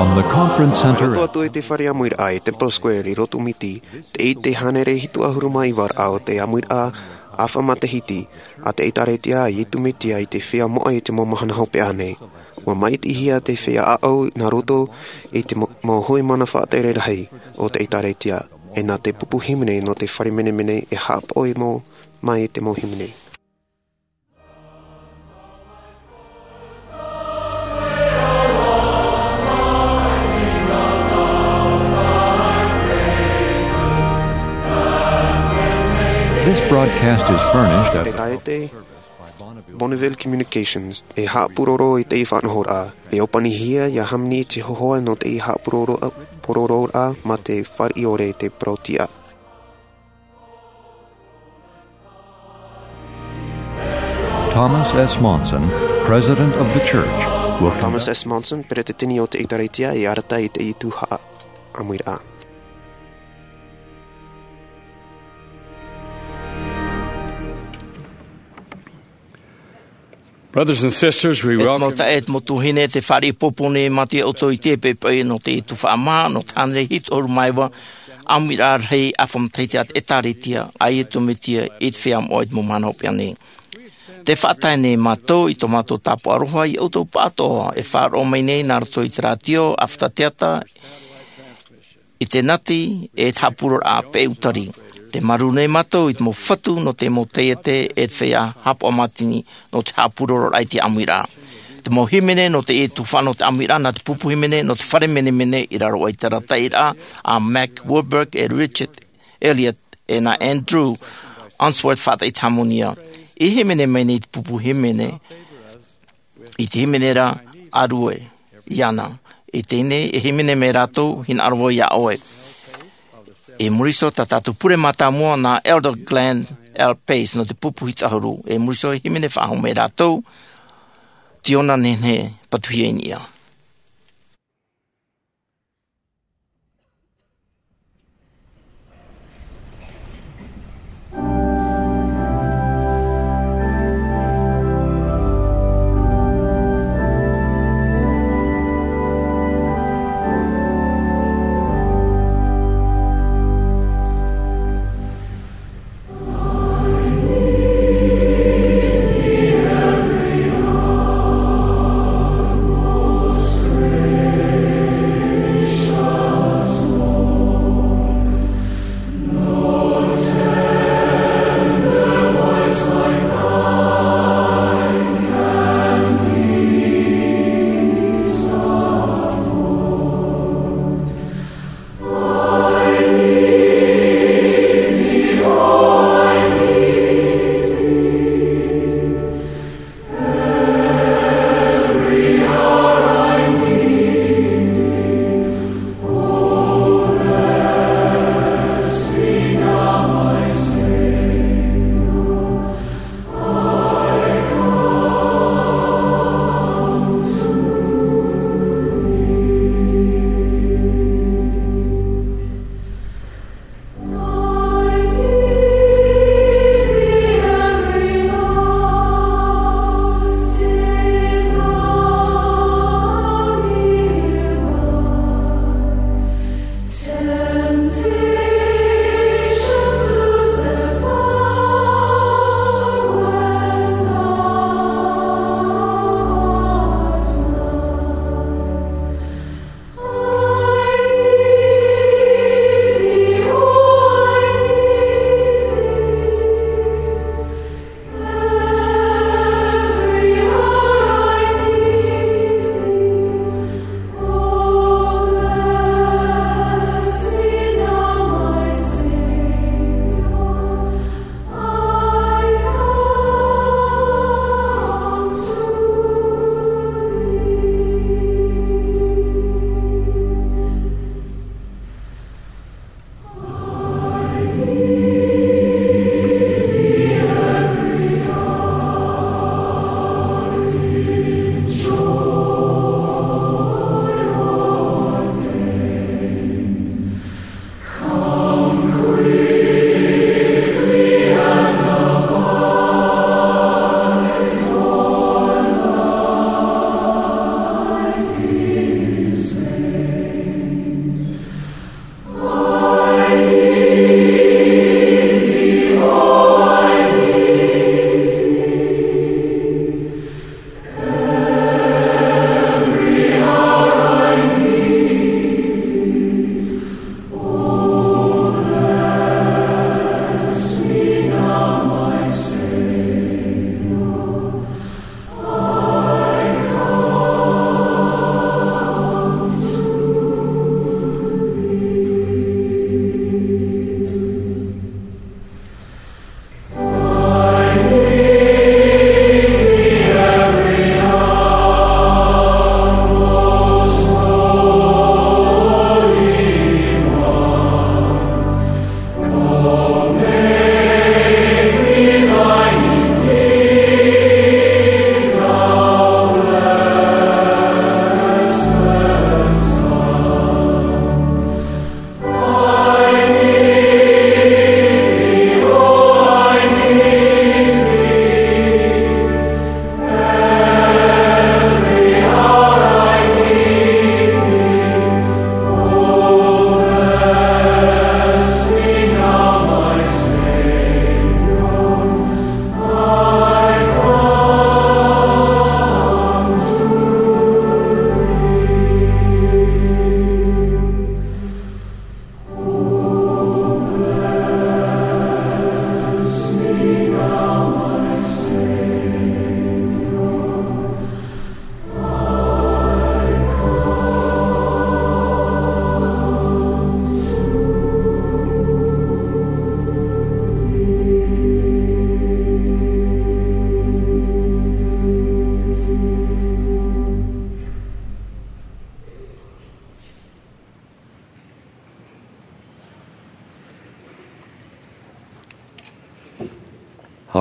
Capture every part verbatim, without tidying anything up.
From the Conference Center. Roto atu i te fare ʻāmuiraʻa i Temple Square i Roto Miti, tē ʻite hānere hitu ʻahuru mā iva raʻa o te ʻāmuiraʻa ʻāfa matahiti a te ʻĒtārētia Iesu Mesia i te feiā moʻa i te mau mahana hopeʻa nei. ʻUa māʻitihia te feiā ʻāʻau nā roto i te mau, mau hui mana faʻatere rahi o te ʻĒtārētia, e nā te pupu hīmene nō te fare menemene e haʻapaʻo i mau, mai te mau hīmene. This broadcast is furnished. Te taete, Bonneville Communications, e haʻapūroro i te faʻanahoraʻa, e ʻōpanihia ia Hamani Te Hōhoʻa nō te haʻapūroro, pūrororaʻa mā te fare ʻore te parau tiʻa. Thomas S. Monson, President of the Church, will come. Thomas S. Monson, Peretiteni o te ʻĒtārētia, e arataʻi i te tuhaʻa ʻāmuiraʻa. Brothers and sisters, we welcome. E te mau taeaʻe, e te mau tuahine, tē fāriʻi ʻoutou nei mātou ia ʻoutou i teie poʻipoʻi nō te tuhaʻa maha, nō te hānere hitu ʻahuru mā iva ʻāmuiraʻa rahi ʻāfa matahiti a te ʻĒtārētia a Iesu Mesia i te feiā moʻa i te mau mahana hopeʻa nei. Tē faʻatae nei mātou i tō mātou tāpaʻo aroha ia ʻoutou pāʻatoʻa e faʻaroʻo mai nei nā roto i te rātio, ʻāfata teata, i te nati, e te haʻapūrororaʻa peʻe utari. Tē marū nei mātou i te mau fatu nō te mau taiete e te feiā haʻapaʻo mātini nō te haʻapūrororaʻa i te ʻāmuiraʻa. Te mau hīmene nō te tuhaʻa nō te ʻāmuiraʻa, nā te pupu hīmene nō te fare menemene i raro aʻe i te arataʻiraʻa a Mack Wilberg e Richard Elliott, e nā Andrew Unsworth Faʻataʻi Hāmani. E hīmene mai nei te pupu hīmene, i te hīmene ra, ʻārue iāna. I teie nei, e hīmene mai rātou, hinaʻaro vau iā ʻoe. I muri iho, tā tātou pure mātāmua nā Elder Glenn L. Pace nō te pupu hitu ʻahuru. I muri iho, e hīmene faʻahou mai rātou, Tiona Nehenehe, Patuhia i niʻa.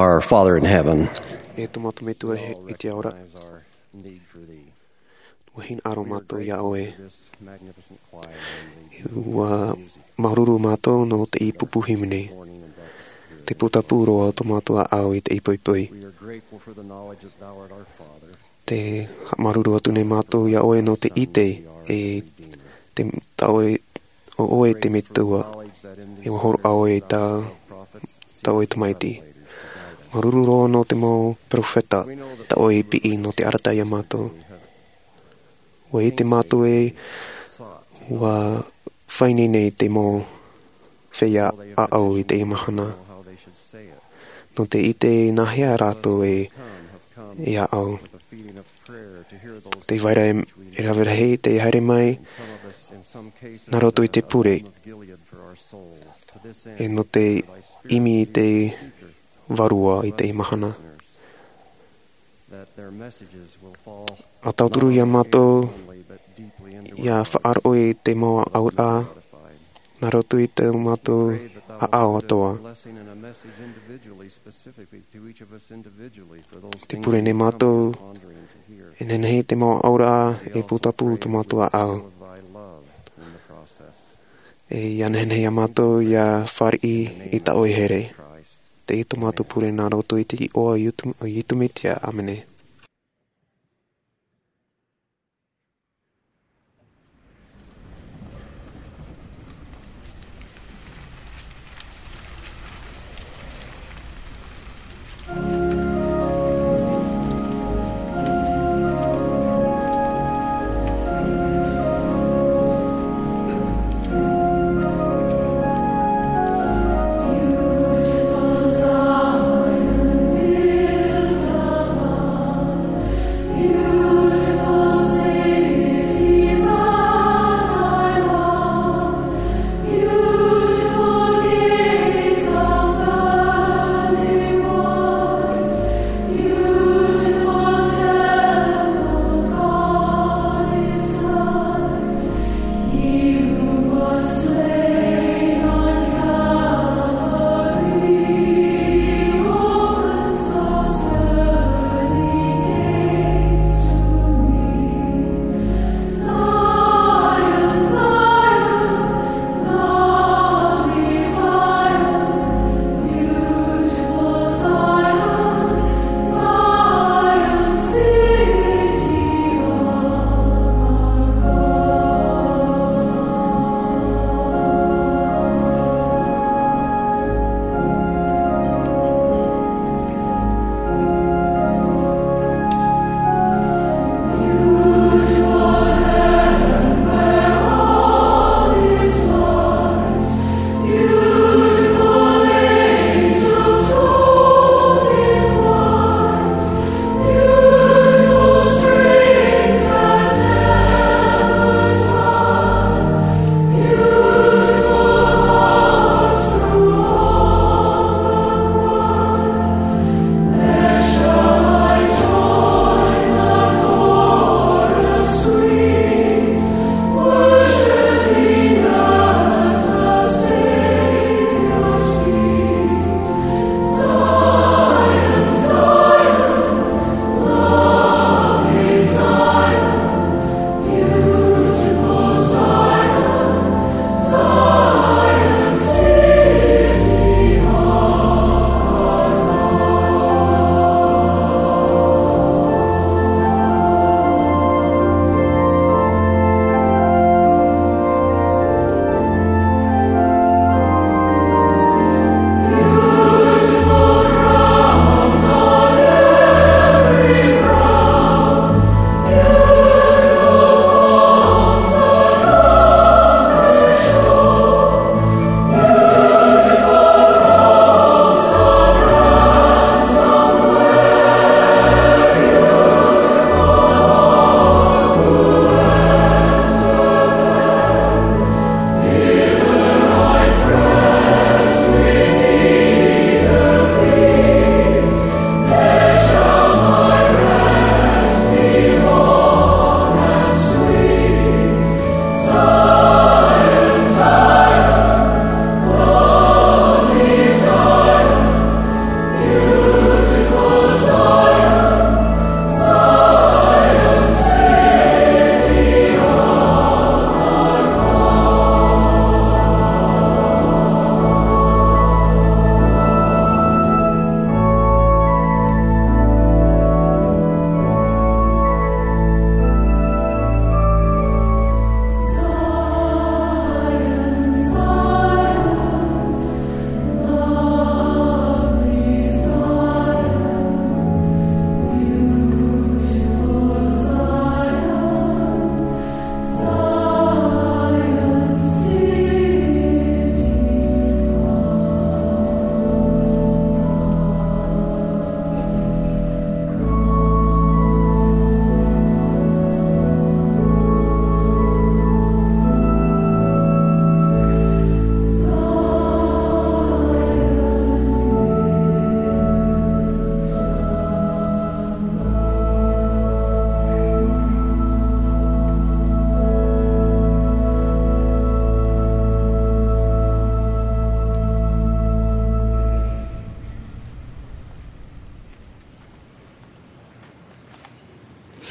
Our Father in heaven, e tō mātou Metua i te ao ra, ua hinaʻaro mātou iā ʻoe. Ua māuruuru mātou nō teie pupu hīmene, te pūtapū roa o tō mātou ʻāʻau i teie poʻipoʻi. Te māuruuru atu nei mātou iā ʻoe nō te ʻite e te, tā ʻoe, ʻo ʻoe te Metua, e ua hōroʻa ʻoe i tā, tā ʻoe tamaiti. Māuruuru roa nō te mau perofeta, tā ʻoe i piʻi nō te arataʻi iā mātou. Ua ʻite mātou e, ua fāʻi nei te mau feiā ʻāʻau i teie mahana, nō te ʻite nāhea rātou e, e ʻāʻau. Tē vai ra e, e rave rahi tē haere mai nā roto i te pure, e nō te ʻimi i te Vārua i teie mahana. ʻA tauturu iā mātou, ʻia faʻaroʻo i te mau auraʻa, nā roto i tō mātou ʻāʻau atoʻa. Tē pure nei mātou, e nehenehe te mau auraʻa e pūtapū tō mātou ʻāʻau. E ʻia nehenehe iā mātou ʻia fāriʻi i tā ʻoe here. Teie tō mātou pure nā roto i te iʻoa o Ietu-, o Ietu Metia. ʻĀmene.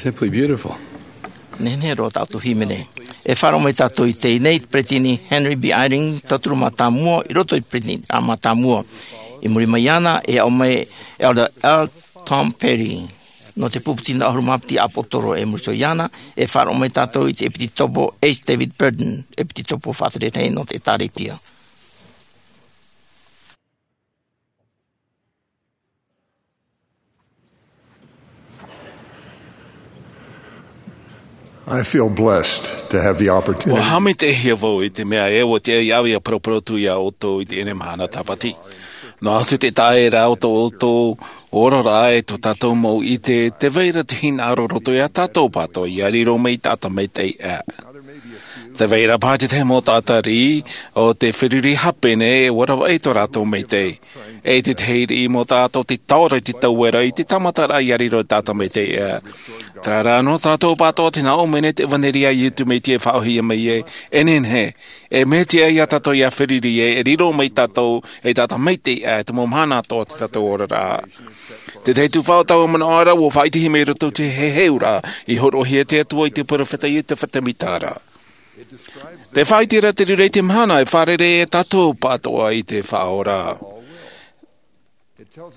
Simply beautiful. Nehenehe roa tā ʻoutou hīmene. E faʻaroʻo mai tātou i teie nei, Peresideni Henry B. Eyring, tauturu mātāmua, i roto i te Peresideni mātāmua. I muri mai iāna, e aʻo mai Elder L. Tom Perry, nō te pupu tino ʻahuru mā piti ʻāpōsetolo. E muri iho iāna, e faʻaroʻo mai tātou i te ʻEpitopo H. David Burton, ʻEpitopo faʻatereraʻa nō te ʻĒtārētia. I feel blessed to have the opportunity. Ua haʻamaitaʻihia vau i te mea ē, ʻua tiʻa iāʻu ia paraparau atu iā ʻoutou i teie mahana tāpati. Noa atu te taʻa ra o tō ʻoutou oraraʻa e tō tātou mau ʻite, tē vai ra te hinaʻaro roto iā tātou pātoʻa, ia riro mai te taʻata maitaʻi aʻe. Tē vai ra paha te tahi mau taʻata riʻi o te feruri hape nei, ʻua ravaʻi tō rātou maitaʻi. E te tahi riʻi mau taʻata o te taora i te tauera i te tāmataraʻa ia riro te taʻata maitaʻi aʻe. Terā rā, nō tātou pātoʻa tē nā ʻō mai nei te ʻevanelia a Iesu Mesia e faʻaʻōhie mai ai, e nehenehe, e mea tiʻa iā tātou ia feruri ai, e riro mai tātou ei taʻata maitaʻi aʻe, te mau mahana atoʻa o tō tātou oraraʻa. Te tahi tuhaʻa o taua manaʻo ra, ʻua faʻaʻitehia mai i roto i te heheuraʻa i hōroʻahia e te Atua i te perofeta Iosepha Semita ra. Tē faʻaʻite ra te reira i te mahana e fārerei ai tātou pātoʻa i te Faʻaora.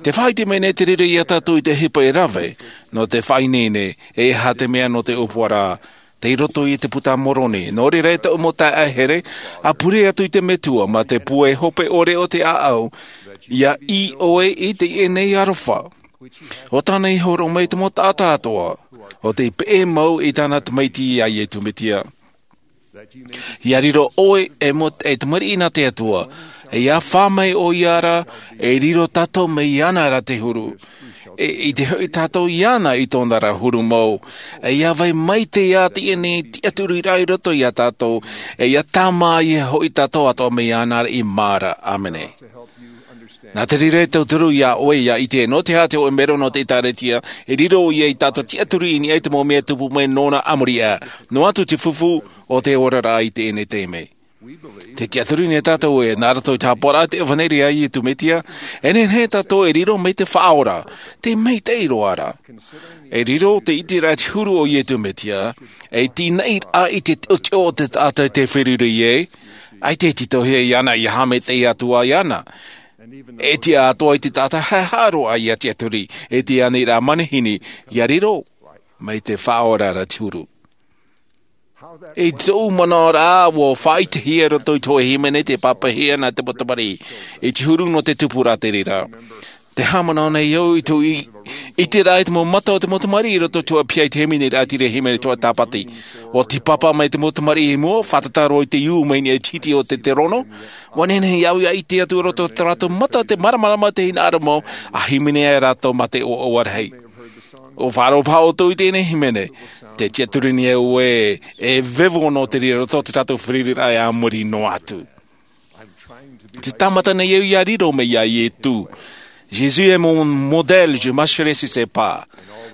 Tē faʻaʻite mai nei te reira iā tātou i te ʻohipa e rave, nō te faʻaineine, e aha te mea nō te ʻōpuaraʻa, tei roto i te Puta a Moroni. Nō reira, e taʻu mau taeaʻe here, ʻa pure atu i te Metua, mā te pūai hope ʻore o te ʻāʻau, ia ʻī ʻoe i teie nei aroha. ʻO tāna i hōroʻa mai te mau taʻata atoʻa, ʻo tei peʻe mau i tāna Tamaiti a Iesu Mesia. Ia riro ʻoe e mo-, e tamariʻi nā te Atua, e ia fā mai ʻoia ra, e riro tātou mai iāna ra te huru. E, i te hoʻi tātou iāna i tōna ra huru mau. E ia vai mai te ia teie nei tiʻaturiraʻa i roto iā tātou, e ia tāmā ia hoʻi tātou atoʻa mai iāna ra i māra. ʻĀmene. Nā te reira e tauturu iā ʻoe ia ʻite, nō te aha te hōʻē melo nō te ʻĒtārētia, e riro ia i tātou tiʻaturi i niʻa i te mau mea tupu mai nōna a muri aʻe. Noa atu te fufū o te oraraʻa i teie nei taime. Tē tiʻaturi nei tātou ē, nā roto i te haʻapaʻoraʻa i te ʻevanelia a Iesu Mesia, e nehenehe tātou e riro mai te Faʻaora, te maitaʻi roa ra. E riro te ʻiteraʻa i te huru o Iesu Mesia, e tīnaʻiraʻa i te teʻoteʻo o te taʻata tē feruri ai, ʻaita e tītauhia iāna ia haʻamaitaʻi atu ā iāna. E tiʻa atoʻa i te taʻata haʻehaʻa roa ia tiʻaturi, e te ʻānaʻiraʻa manihini, ia riro mai te Faʻaora ra te huru. I tōʻu manaʻo ra, ʻua faʻaʻitehia i roto i te hōʻē hīmene tei pāpaʻihia nā te mau tamariʻi, i te huru nō te tupuraʻa te reira. Tē haʻamanaʻo nei au i tōʻu ʻiteraʻa i te mau mata o te mau tamariʻi i roto i te hōʻē piha i te hīmene ra, te reira hīmene Toa Tāpati. ʻUa tīpapa mai te mau tamariʻi i mua, fātata roa i te iu mai niʻa i te hiti o te terono. ʻUa nehenehe au ia ʻite atu i roto i tō rātou mata te māramarama i te hinaʻaro mau, ʻa hīmene ai rātou mā te ʻoaʻoa rahi. ʻUa faʻaroʻo paha ʻoutou i teie nei hīmene. Tē tiʻaturi nei au ē, e vevo noa te reira i roto i tō tātou feruriraʻa e a muri noa atu. Tē tāmata nei au ia riro mai iā Iesu. Jésus est mon modèle, je marcherai sur ses pas.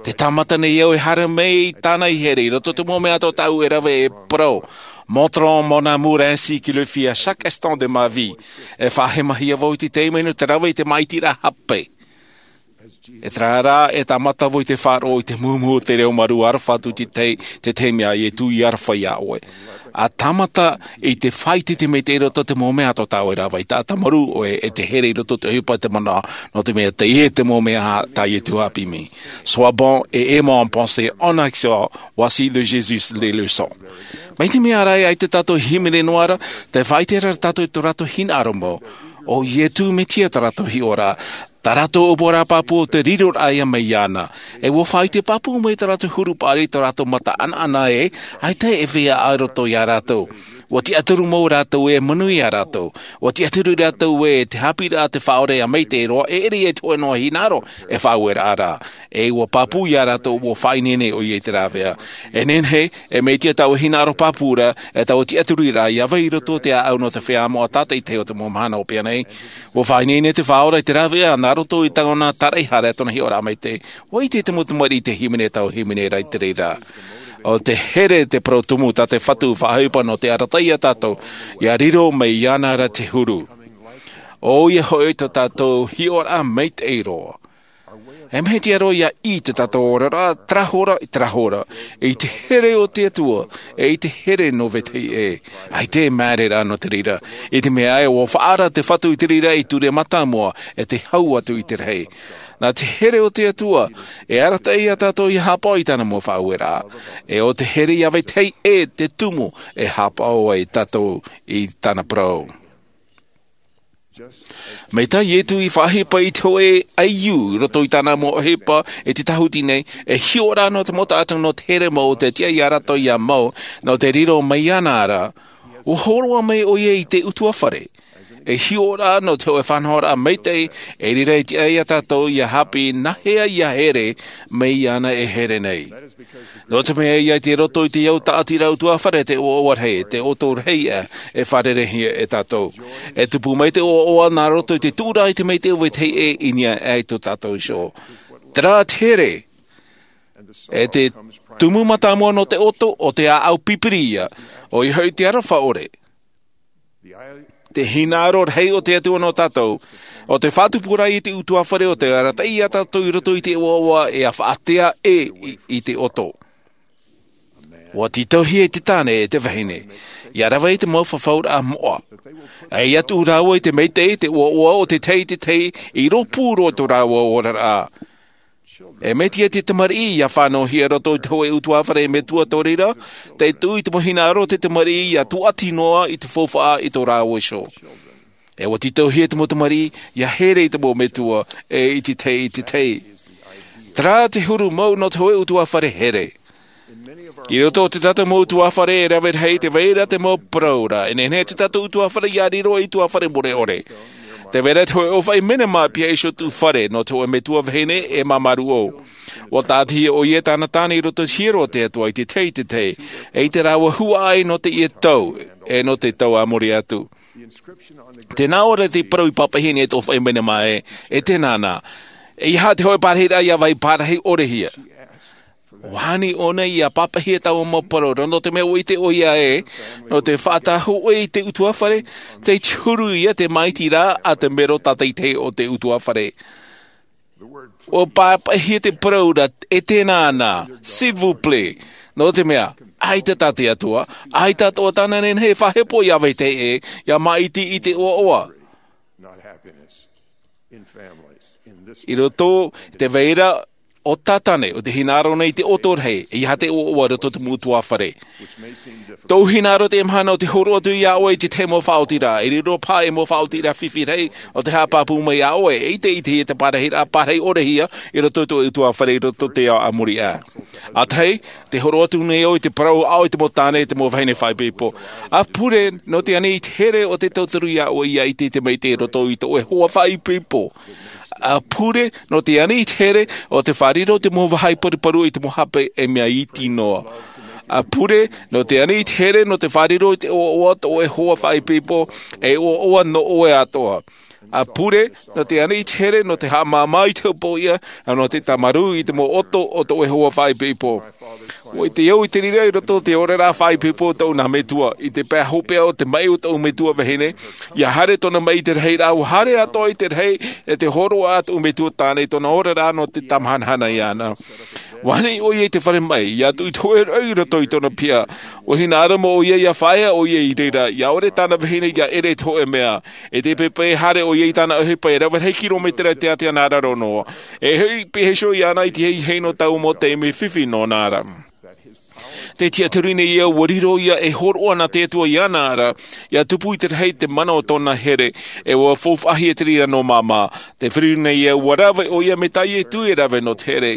Tē tāmata nei au e haere mai i tāna here i roto i te mau mea atoʻa tāʻu e rave e parau. Montrant mon amour ainsi qu'il le fit à chaque instant de ma vie. E faʻahemahia vau i te taime nō te rave i te māʻitiraʻa hape. E terā rā, e tāmata vau i te faʻaroʻo i te mūmū o te reo mārū aroha atu i te, te taime a Iesu i aroha iā ʻoe. ʻA tāmata i te faʻaʻite i te maitaʻi i roto i te mau mea atoʻa tāʻu e rave, ʻaita e tāmarū ʻoe e te here i roto i te ʻohipa e te manaʻo, nō te mea teie te mau mea tā Iesu haʻapiʻi mai. Sois bon et aimant en pensée, en action, voici de Jésus les leçons. Mai te mea ra, ʻaita tātou i hīmene noa ra, tē faʻaʻite ra tātou i tō rātou hinaʻaro mau. ʻO Iesu Mesia tā rātou hiʻoraʻa, tā rātou ʻōpuaraʻa pāpū ʻo te riroraʻa ia mai iāna. E ʻua faʻaʻite pāpū mai tā rātou huru paʻari, tā rātou mata ʻanaʻana ē, ʻaita e feiā i roto iā rātou. ʻUa tiʻaturi mau rātou ē, manuia rātou. ʻUa tiʻaturi rātou ē, te haʻapiʻiraʻa a te Faʻaora ia maitaʻi roa, e ʻere ia i te hōʻē noa hinaʻaro e faʻaueraʻa ra. E ʻua pāpū iā rātou, ʻua faʻaineine ʻoia i te rāveʻa. E nehenehe, e mea iti ā taua hinaʻaro pāpū ra, e taua tiʻaturiraʻa ia vai i roto i te ʻāʻau nō te feiā moʻa tātaʻitahi o te mau mahana hopeʻa nei. ʻUa faʻaineine te Faʻaora i te rāveʻa, nā roto i tāna tāraʻehara, tōna hiʻoraʻa maitaʻi. ʻUa ʻite te mau tamariʻi i te hīmene, taua hīmene ra i te reira. ʻO te here te parau tumu tā te Fatu faʻaʻohipa nō te arataʻi iā tātou, ia riro mai iāna ra te huru. ʻOia hoʻi tō tātou hiʻoraʻa maitaʻi roa. E mea tiʻa roa ia ʻī i tō tātou oraraʻa, terā hora i terā hora, i te here o te Atua, e i te here nō vetahi ʻē. ʻAita e māere rā nō te reira, i te mea ē, ʻua faʻaara te Fatu i te reira i ture mātāmua, e te hau atu i te rahi. Nā te here o te Atua, e arataʻi ia tātou ia haʻapaʻo i tāna mau faʻaueraʻa. E ʻo te here ia vetahi ʻē te tumu e haʻapaʻo ai tātou i tāna parau. Mai tā Ietu i faʻaʻohipa i te hōʻē ʻaiū i roto i tāna mau ʻohipa i te tāhuti nei, e hiʻo rā nō te mau taʻata nō te here mau o te tiʻa ia rātou ia mau, nō te riro mai iāna ra, ʻua hōroʻa mai ʻoia i te ʻutuāfare. E hiʻo rā nō te hōʻē faʻanahoraʻa maitaʻi, e riro i te tiʻa ia tātou ia haʻapiʻi nā hea ia here mai iāna e here nei. Nō te mea ia i roto i te au tāʻatiraʻa ʻutuāfare te ʻoaʻoa rahi, te ʻoto rahi ā, e fārereihia e tātou. E tupu mai te ʻoaʻoa nā roto i te tuʻuraʻa i te maitaʻi o vetahi ʻē i niʻa aʻe i tō tātou iho. Terā te here, e te tumu mātāmua nō te ʻoto, ʻo te ʻāʻau pipiri ia, ʻoia hoʻi te aroha ʻore. Te hinaʻaro rahi o te Atua nō tātou, ʻo te faʻatupu rā i te ʻutuāfare ʻo te arataʻi ia tātou i roto i te ʻoaʻoa e faʻatea ʻē i, i te ʻoto. ʻUa tītauhia i te tāne e te vahine, ia rave i te mau fafauraʻa moʻa. E ia tuʻu rāua i te maitaʻi, te ʻoaʻoa o te tahi i te tahi, i rōpū roa tō rāua oraraʻa. E mea tiʻa te tamariʻi ia fānauhia i roto i te hōʻē ʻutuāfare metua tō reira, te tuʻu i te mau hinaʻaro o te tamariʻi ia tūʻati noa i te faufaʻa i tō rāua iho. E ʻua tītauhia te mau tamariʻi ia here i te mau metua, e i te tahi, i te tahi. Terā te huru mau nō te hōʻē ʻutuāfare here. I roto o te tātou mau ʻutuāfare e rave rahi, tē vai ra te mau parau ra. E nehenehe te tātou ʻutuāfare ia riro ei ʻutuāfare mure ʻore. Tē vai ra te hōʻē ʻōfaʻi menema pihaʻi iho tuʻu fare nō te hōʻē metua vahine e māmā rūʻau. ʻUa tātahia ʻoia e tāna tāne i roto i te hiero o te Atua i te tahi, i te tahi, e i te rāua huaʻai nō teie tau, e nō te tau a muri atu. Tē nā ʻō ra te parau i pāpaʻihia nei e te ʻōfaʻi menema ē, e tēnā na. E aha te hōʻē parahiraʻa ia vai parahi ʻore hia? ʻUa ani ʻōna ia pāpaʻihia taua mau parau ra, nō te mea ʻua ʻite ʻoia ē, nō te faʻatahuʻe i te ʻutuāfare, tei te huru ia te māʻitiraʻa a te mero tātaʻitahi o te ʻutuāfare. ʻUa pāpaʻihia te parau ra, e tēnā na, s'il vous plaît, nō te mea, ʻaita tā te Atua, ʻaita atoʻa tāna nehenehe e faʻahepo ia vetahi ʻē, ia māʻiti i te ʻoaʻoa. I roto i te vai ra, ʻo tā tāne, ʻo te hinaʻaro nei i te ʻoto rahi, e aha te ʻoaʻoa i roto i te mau ʻutuāfare. Tō hinaʻaro teie mahana ʻo te hōroʻa atu iā ʻoe i te tahi mau faʻaotiraʻa, e riro paha ei mau faʻaotiraʻa fifi rahi, ʻo te haʻapāpū mai iā ʻoe, e ʻite, ʻitehia te parahiraʻa parahi ʻore hia, i roto i tō ʻutuāfare, i roto i te ao a muri aʻe. ʻA tahi, tē hōroʻa atu nei au i te parau aʻo i te mau tāne, i te mau vahine faʻaipoipo. ʻA pure, nō te ani i te here ʻo te tauturu iā ʻoe ia ʻite i te maitaʻi i roto i tō ʻoe hoa faʻaipoipo. ʻA pure, nō te ani i te here ʻo te fārerei i te mau vāhi paruparu i te mau hape e mea iti noa. ʻA pure, nō te ani i te here nō te fārerei i te ʻoaʻoa tō ʻoe hoa faʻaipoipo, e ʻoaʻoa nō ʻoe atoʻa. ʻA pure, nō te ani i te here nō te haʻamāmā i te hopoiʻa, ʻa nō te tāmarū i te mau ʻoto o tō ʻoe hoa faʻaipoipo. ʻUa ʻite au i te reira i roto i te oraraʻa faʻaipoipo o tōʻu nā metua, i te pae hopeʻa o te maʻi o tōʻu metua vahine, ia haere tōna maʻi i te rahiraʻa, ʻua haere atoʻa i te rahi, e te hōroʻa a tōʻu metua tāne i tōna oraraʻa nō te tāmahanahana iāna. ʻUa ani ʻoia i te fare maʻi, ia tuʻu i te hōʻē rau i roto i tōna piha. ʻUa hinaʻaro mau ʻoia ia fāʻaea ʻoia i reira, ia ʻore tāna vahine ia ʻere i te hōʻē mea. E te pepe e haere ʻoia i tāna ʻohipa e rave rahi kiromētera i te ātea nā raro noa. E hoʻi pihaʻi iho iāna i te ahiahi nō taua mau taime fifi nōna ra. Te tiʻaturi nei au, ʻua riro ia e hōroʻa nā te Atua iāna ra, ia tupu i te rahi te mana o tōna here, e ʻua faufaʻahia te reira nō māmā. Te feruri nei au, ʻua rave ʻoia mai tā Ietu e rave nō te here.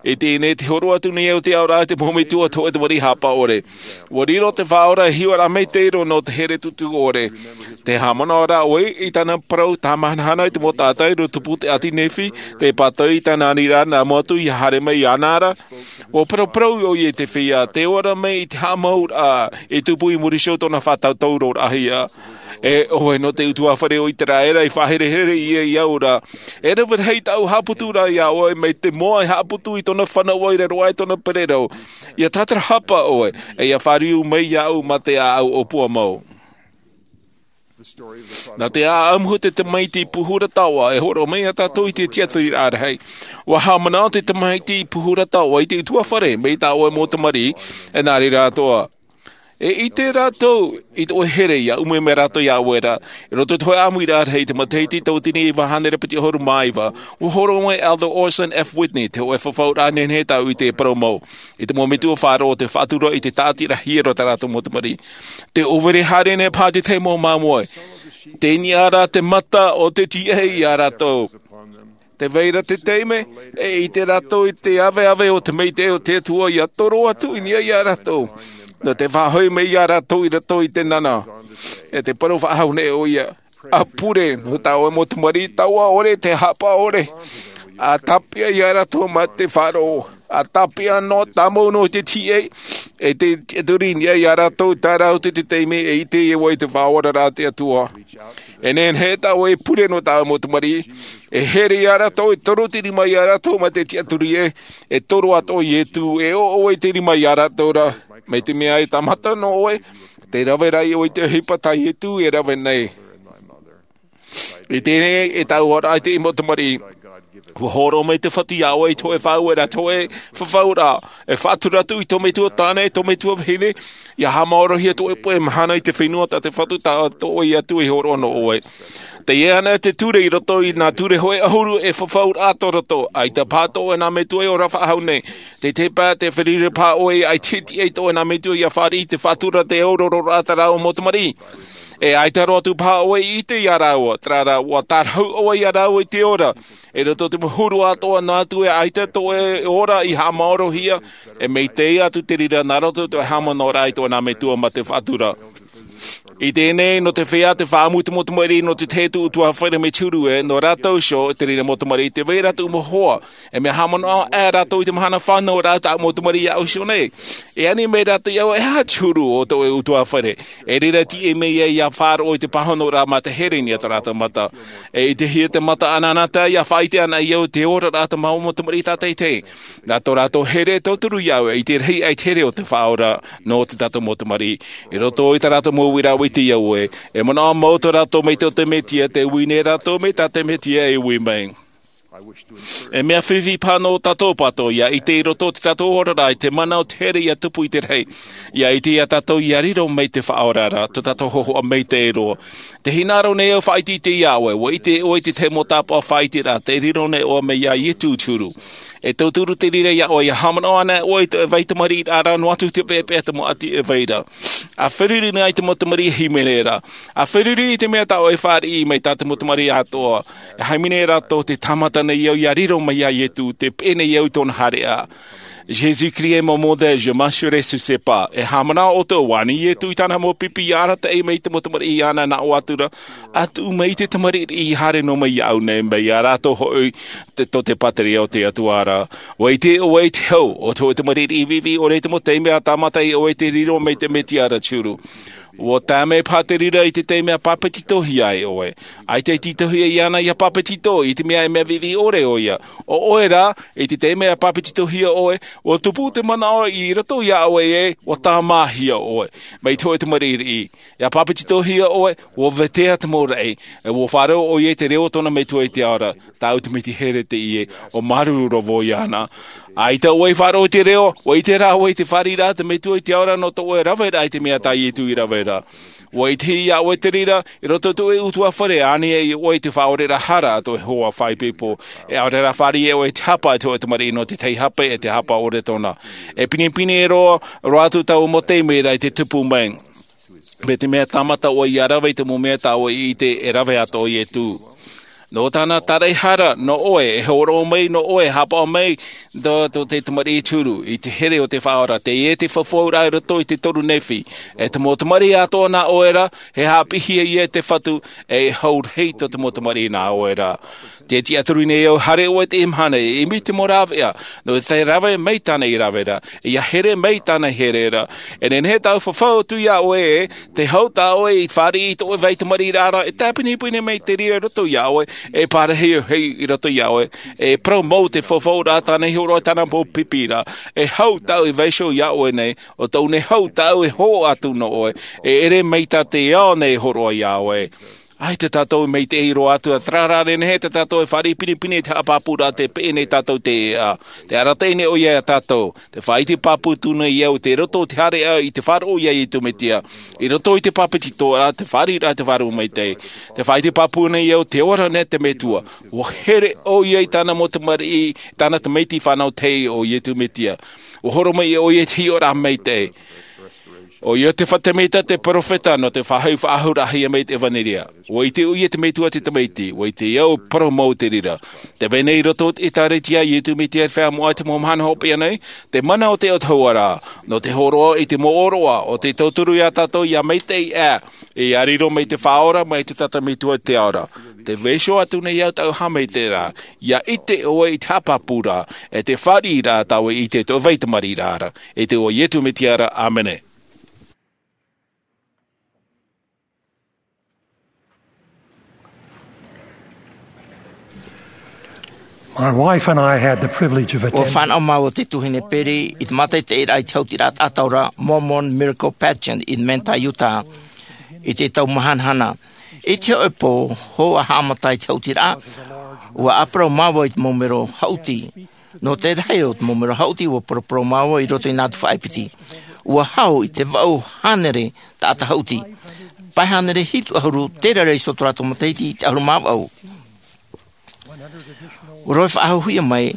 I teie nei, tē hōroʻa atu nei au te aʻoraʻa i te mau metua, te hōʻē tamariʻi haʻapaʻo ʻore. ʻUa riro te Faʻaora e hiʻoraʻa maitaʻi roa nō te here tūtū ʻore. Tē haʻamanaʻo ra ʻoe i tāna parau tāmahanahana i te mau taʻata i roto i te puta ʻāti Nephi, tē pātau i tāna aniraʻa nā mua atu ia haere mai iāna ra. ʻUa paraparau ʻoia i te feiā, tē ora mai i te haʻamauraʻa, i tupu i muri iho i tōna faʻatautauroraʻahia. E ʻoe nō te ʻutuāfare o Iteraera, i faʻaherehere ïa iāʻu ra. E rave rahi tāʻu haʻaputuraʻa iā ʻoe, mai te moa e haʻaputu i tōna fānaʻo i raro aʻe i tōna pererau. ʻIa tātarahapa ʻoe, e ʻia fāriu mai iāʻu mā te ʻāʻau ʻōpua mau. Nā te ʻāʻamu o te tamaiti puhura taoʻa e hōroʻa mai iā tātou i te tiʻaturiraʻa rahi. Ua haʻamanaʻo te tamaiti puhura taoʻa i te utuafare mai tā ʻoe mau tamariʻi, e nā reira atoʻa. E ʻite rātou i tō ʻoe here ʻia ʻumu mai rātou iā ʻoe ra. I roto i te hōʻē ʻāmuiraʻa rahi, i te matahiti tauatini e iva hānere piti ʻahuru mā iva, ua hōroʻa mai Elder Orson F. Whitney, te hōʻē fafauraʻa nehenehe tāʻu i te parau mau, i te mau metua faʻaroʻo o te faʻatura i te tāʻatiraʻa hiero tā rātou mau tamariʻi. Te ʻōvere haere nei paha te tahi mau māmoe. Tei niʻa rā te mata o te tiʻa iā rātou. Tē vai ra te taime, e ʻite rātou i te aveave o te maitaʻi o te Atua ʻia toro atu i niʻa iā rātou. Nō te faʻahoʻi mai iā rātou i roto i te nana. E te parau faʻahou nei ʻoia. ʻA pure, nō tā ʻoe mau tamariʻi taoʻa ʻore, te haʻapaʻo ʻore. ʻA tāpeʻa iā rātou mā te faʻaroʻo. ʻA tāpeʻa noa, tāmau noa te tiʻa, e te tiʻaturi i niʻa iā rātou, terā atu te taime, e ʻite ʻoe i te faʻaoraraʻa a te Atua. E nehenehe tā ʻoe e pure nō tā ʻoe mau tamariʻi, e here iā rātou, e toro te rima iā rātou mā te tiʻaturi ē, e toro atoʻa Ietu, e ʻoʻoe te rima iā rātou ra, mai te mea e tāmata noa ʻoe, tē rave ra ʻoe i te ʻohipa tā Ietu e rave nei. I teie nei, e tāʻu ʻoraʻa i te mau tamariʻi, ua hōroʻa mai te Fatu iā ʻoe i te hōʻē faʻaueraʻa, te hōʻē fafauraʻa, e faʻatura atu i tō metua tāne, i tō metua vahine, ʻia haʻamaorohia tō ʻoe puʻe mahana i te fenua tā te Fatu, tā tō ʻoe Atua i hōroʻa nō ʻoe. Teie ana te ture i roto i nā ture hōʻē ʻahuru e fafauraʻa tō roto, ʻaita paha tō ʻoe nā metua e ora faʻahou nei. Te tahi pae, tē fāriʻi ra paha ʻoe, ʻaita e tiʻa i tō ʻoe nā metua ʻia fāriʻi i te faʻatura, te aurororaʻa tā rāua mau tamariʻi. E ʻaita roa atu paha ʻoe i ʻite iā rāua, terā rā, ua tārahu ʻoe iā rāua i te ora. I roto i te mau huru atoʻa noa atu, e ʻaita tō ʻoe ora i haʻamaorohia, e maitaʻi atu te reira nā roto i tō ʻoe haʻamanaʻoraʻa i tō ʻoe nā metua mā te faʻatura. I teie nei, nō te feiā te fāʻamu i te mau tamariʻi, nō te tahi atu utuafare mai te huru ē, nō rātou iho, te reira mau tamariʻi, tē vai ra tō ʻoe mau hoa. E mea haʻamanaʻo aʻe rātou i te mahana fānauraʻa tā ʻoe mau tamariʻi iāʻu iho nei. E ani mai rātou iāʻu, e aha te huru o tō ʻoe utuafare. E reira e tiʻa mai ai ʻia faʻaroʻo i te pāhonoraʻa mā te here i niʻa i tō rātou mata. E ʻitehia te mata anaanatae ʻia faʻaʻite anaʻe iāʻu i te oraraʻa o te mau tamariʻi tātaʻitahi. Nā tō rātou here e tauturu iāʻu, e ʻite rahi aʻe i te here o te Faʻaora nō tā tātou mau tamariʻi. I roto i tā rātou mau uiraʻa ʻua ʻite iāʻu ē, e manaʻo mau tō rātou mai tō te Mesia, tē ui nei rātou mai tā te Mesia e ui mai. E mea fifi paha nō tātou pāʻatoʻa ʻia ʻite i roto i tā tātou oraraʻa i te mana o te here ʻia tupu i te rahi. ʻIa ʻite iā tātou ʻia riro mai te Faʻaora ra, tō tātou hōhoʻa maitaʻi roa. Tē hinaʻaro nei au e faʻaʻiteʻite iā ʻoe, ʻua ʻite ʻoe i te tahi mau tāpaʻo faʻaʻiteraʻa, tē riro nei ʻoe mai iā Ietu te huru. E tauturu te reira iā ʻoe, ʻia haʻamanaʻo anaʻe ʻoe i te vai tamariʻiraʻa ra, noa atu te peʻapeʻa o te mau ʻati e vai ra. ʻA feruri nei te mau tamariʻi hīmene ra. ʻA feruri i te mea tā ʻoe e fāriʻi mai tā te mau tamariʻi atoʻa. E haʻamanaʻo nei rātou, tē tāmata nei au ʻia riro mai iā Ietu, tē peʻe nei au i tōna haereʻa. Jésus-Christ est mon modèle, je marcherai sur ses pas. E haʻamanaʻo ʻoutou, ʻua ani Ietu i tāna mau pipi ʻia arataʻi mai i te mau tamariʻi āna nā ʻō atu ra, ʻa tuʻu mai i te tamariʻi riʻi haere noa mai iāʻu nei, mai iā rātou hoʻi te, tō te pātireia o te Atua ra. ʻUa ʻite ʻoe i te hau o te hōʻē tamariʻi riʻi viʻiviʻi ʻore, i te mau taime ʻa tāmata ai ʻoe i te riro mai te Mesia ra te huru. ʻUa tae mai paha te reira i te taime ʻa pāpetitohia ai ʻoe. ʻAita e tītauhia iāna ʻia pāpetito, i te mea e mea viʻiviʻi ʻore ʻoia. ʻO ʻoe rā, i te taime ʻa pāpetitohia ʻoe, ʻua tupu te manaʻo i roto iā ʻoe ē, ʻua tāmāhia ʻoe. Mai te hōʻē tamariʻi riʻi. ʻIa pāpetitohia ʻoe, ʻua vetea te mau raʻi, e ʻua faʻaroʻo ʻoia i te reo o tōna Metua i te ao ra. Tāʻu te Mītihere teie, ʻua māuruuru vau iāna. ʻAita ʻoe i faʻaroʻo i te reo, ʻua ʻite rā ʻoe i te fāriʻiraʻa a te Metua i te ao ra nō tō ʻoe raveraʻa i te mea tā Ietu i rave ra. ʻUa ʻitehia ʻoe te reira, i roto i tō ʻoe ʻutuāfare, ani ai ʻoe i te faʻaoreraʻa hara a tō Iehova faʻaipoipo. E ʻaore rā fāriʻi ʻoe i te hapa a te hōʻē tamariʻi nō te tahi hapa, e te hapa ʻore tōna. E pinepine roa, roa atu taua mau taime ra i te tupu mai. Mai te mea tāmata ʻoe ʻia rave i te mau mea tā ʻoe i ʻite e rave atoʻa Ietu. Nō tāna tāraʻehara, nō ʻoe, e hōroʻa mai, nō ʻoe, e haʻapaʻo mai, tō, tō te tamariʻi te huru, i te here o te Faʻaora, teie te faufaʻa i roto i te toru Nephi. E te mau tamariʻi atoʻa nā ʻoe ra, e haʻapiʻihia ia e te Fatu, e hau rahi tō te mau tamariʻi nā ʻoe ra. Te tiʻaturi nei au, haere ʻoe i teie mahana, e ʻimi i te mau rāveʻa, nō te rave mai tāna i rave ra, ʻia here mai tāna i here ra. E nehenehe tāʻu e fafau atu iā ʻoe, tē hau tā ʻoe i fāriʻi i tō ʻoe vai tamariʻiraʻa ra, e tāpinipini mai te reira i roto iā ʻoe, e pārahi ʻoe i roto iā ʻoe, e parau mau te fafauraʻa tāna i hōroʻa i tāna mau pipi ra, e hau tāʻu e vaiiho iā ʻoe nei, ʻo tōʻu nei hau tāʻu e hoʻo atu nō ʻoe, e ʻere mai tā te ao nei e hōroʻa iā ʻoe. ʻAita tātou e maitaʻi roa atu, ʻa terā rā, e nehenehe tātou e fāriʻi pinepine i te haʻapāpūraʻa tē peʻe nei tātou i te ʻēʻa. Tē arataʻi nei ʻoia iā tātou. Tē faʻaʻite pāpū atu nei au i roto i te haereraʻa i te faʻaroʻo iā Iesu Mesia. I roto i te bāpetizoraʻa, te fāriʻiraʻa, te vārua maitaʻi. Tē faʻaʻite pāpū nei au tē ora na te Metua. ʻUa here ʻoia i tāna mau tamariʻi, tāna tamaiti fānau tahi ʻo Iesu Mesia. ʻUa horo mai ʻoia i te hiʻoraʻa maitaʻi. ʻOia te faʻatamaitai, te perofeta, nō te faʻahoʻi faʻahou rahi mai te ʻevanelia. ʻUa ʻite ʻoia te Metua te Tamaiti, ʻua ʻite au e parau mau te reira. Tē vai nei i roto i te ʻĒkālesia a Iesu Mesia i te Feiā Moʻa i te mau mahana hopeʻa nei, te mana o te autahuʻaraʻa, nō te hōroʻa i te mau ʻōroʻa, ʻo tē tauturu iā tātou ʻia maitaʻi aʻe, ʻia riro mai te Faʻaora, mai te Tata Metua i te ao ra. Tē vaiiho atu nei au tāʻu haʻamaitaʻiraʻa, ʻia ʻite ʻoe i te haʻapāpūraʻa, e te fāriʻiraʻa tā ʻoe i ʻite i tō ʻoe vai tamariʻiraʻa ra, i te iʻoa o Iesu Mesia ra, ʻāmene. My wife and I had the privilege of ʻUa attending. Fānaʻo māua ʻo te tuahine Perry i te mātaʻitaʻiraʻa i te hautiraʻa taʻata ora Mormon Miracle Pageant i Manti, Utah. I te tau mahanahana, i te hōʻē pō, hou ʻa haʻamata i te hautiraʻa, ʻua ʻāparau māua i te mau mero haʻuti. Nō te rahi o te mau mero haʻuti, ʻua paraparau māua i roto i nā atu faʻaʻepeti. ʻUa hau i te vaʻu hānere taʻata haʻuti. Pae hānere hitu ʻahuru, terā ra iho tō rātou matahiti i te ʻahuru mā vaʻu. ʻUa rave faʻahouhia mai,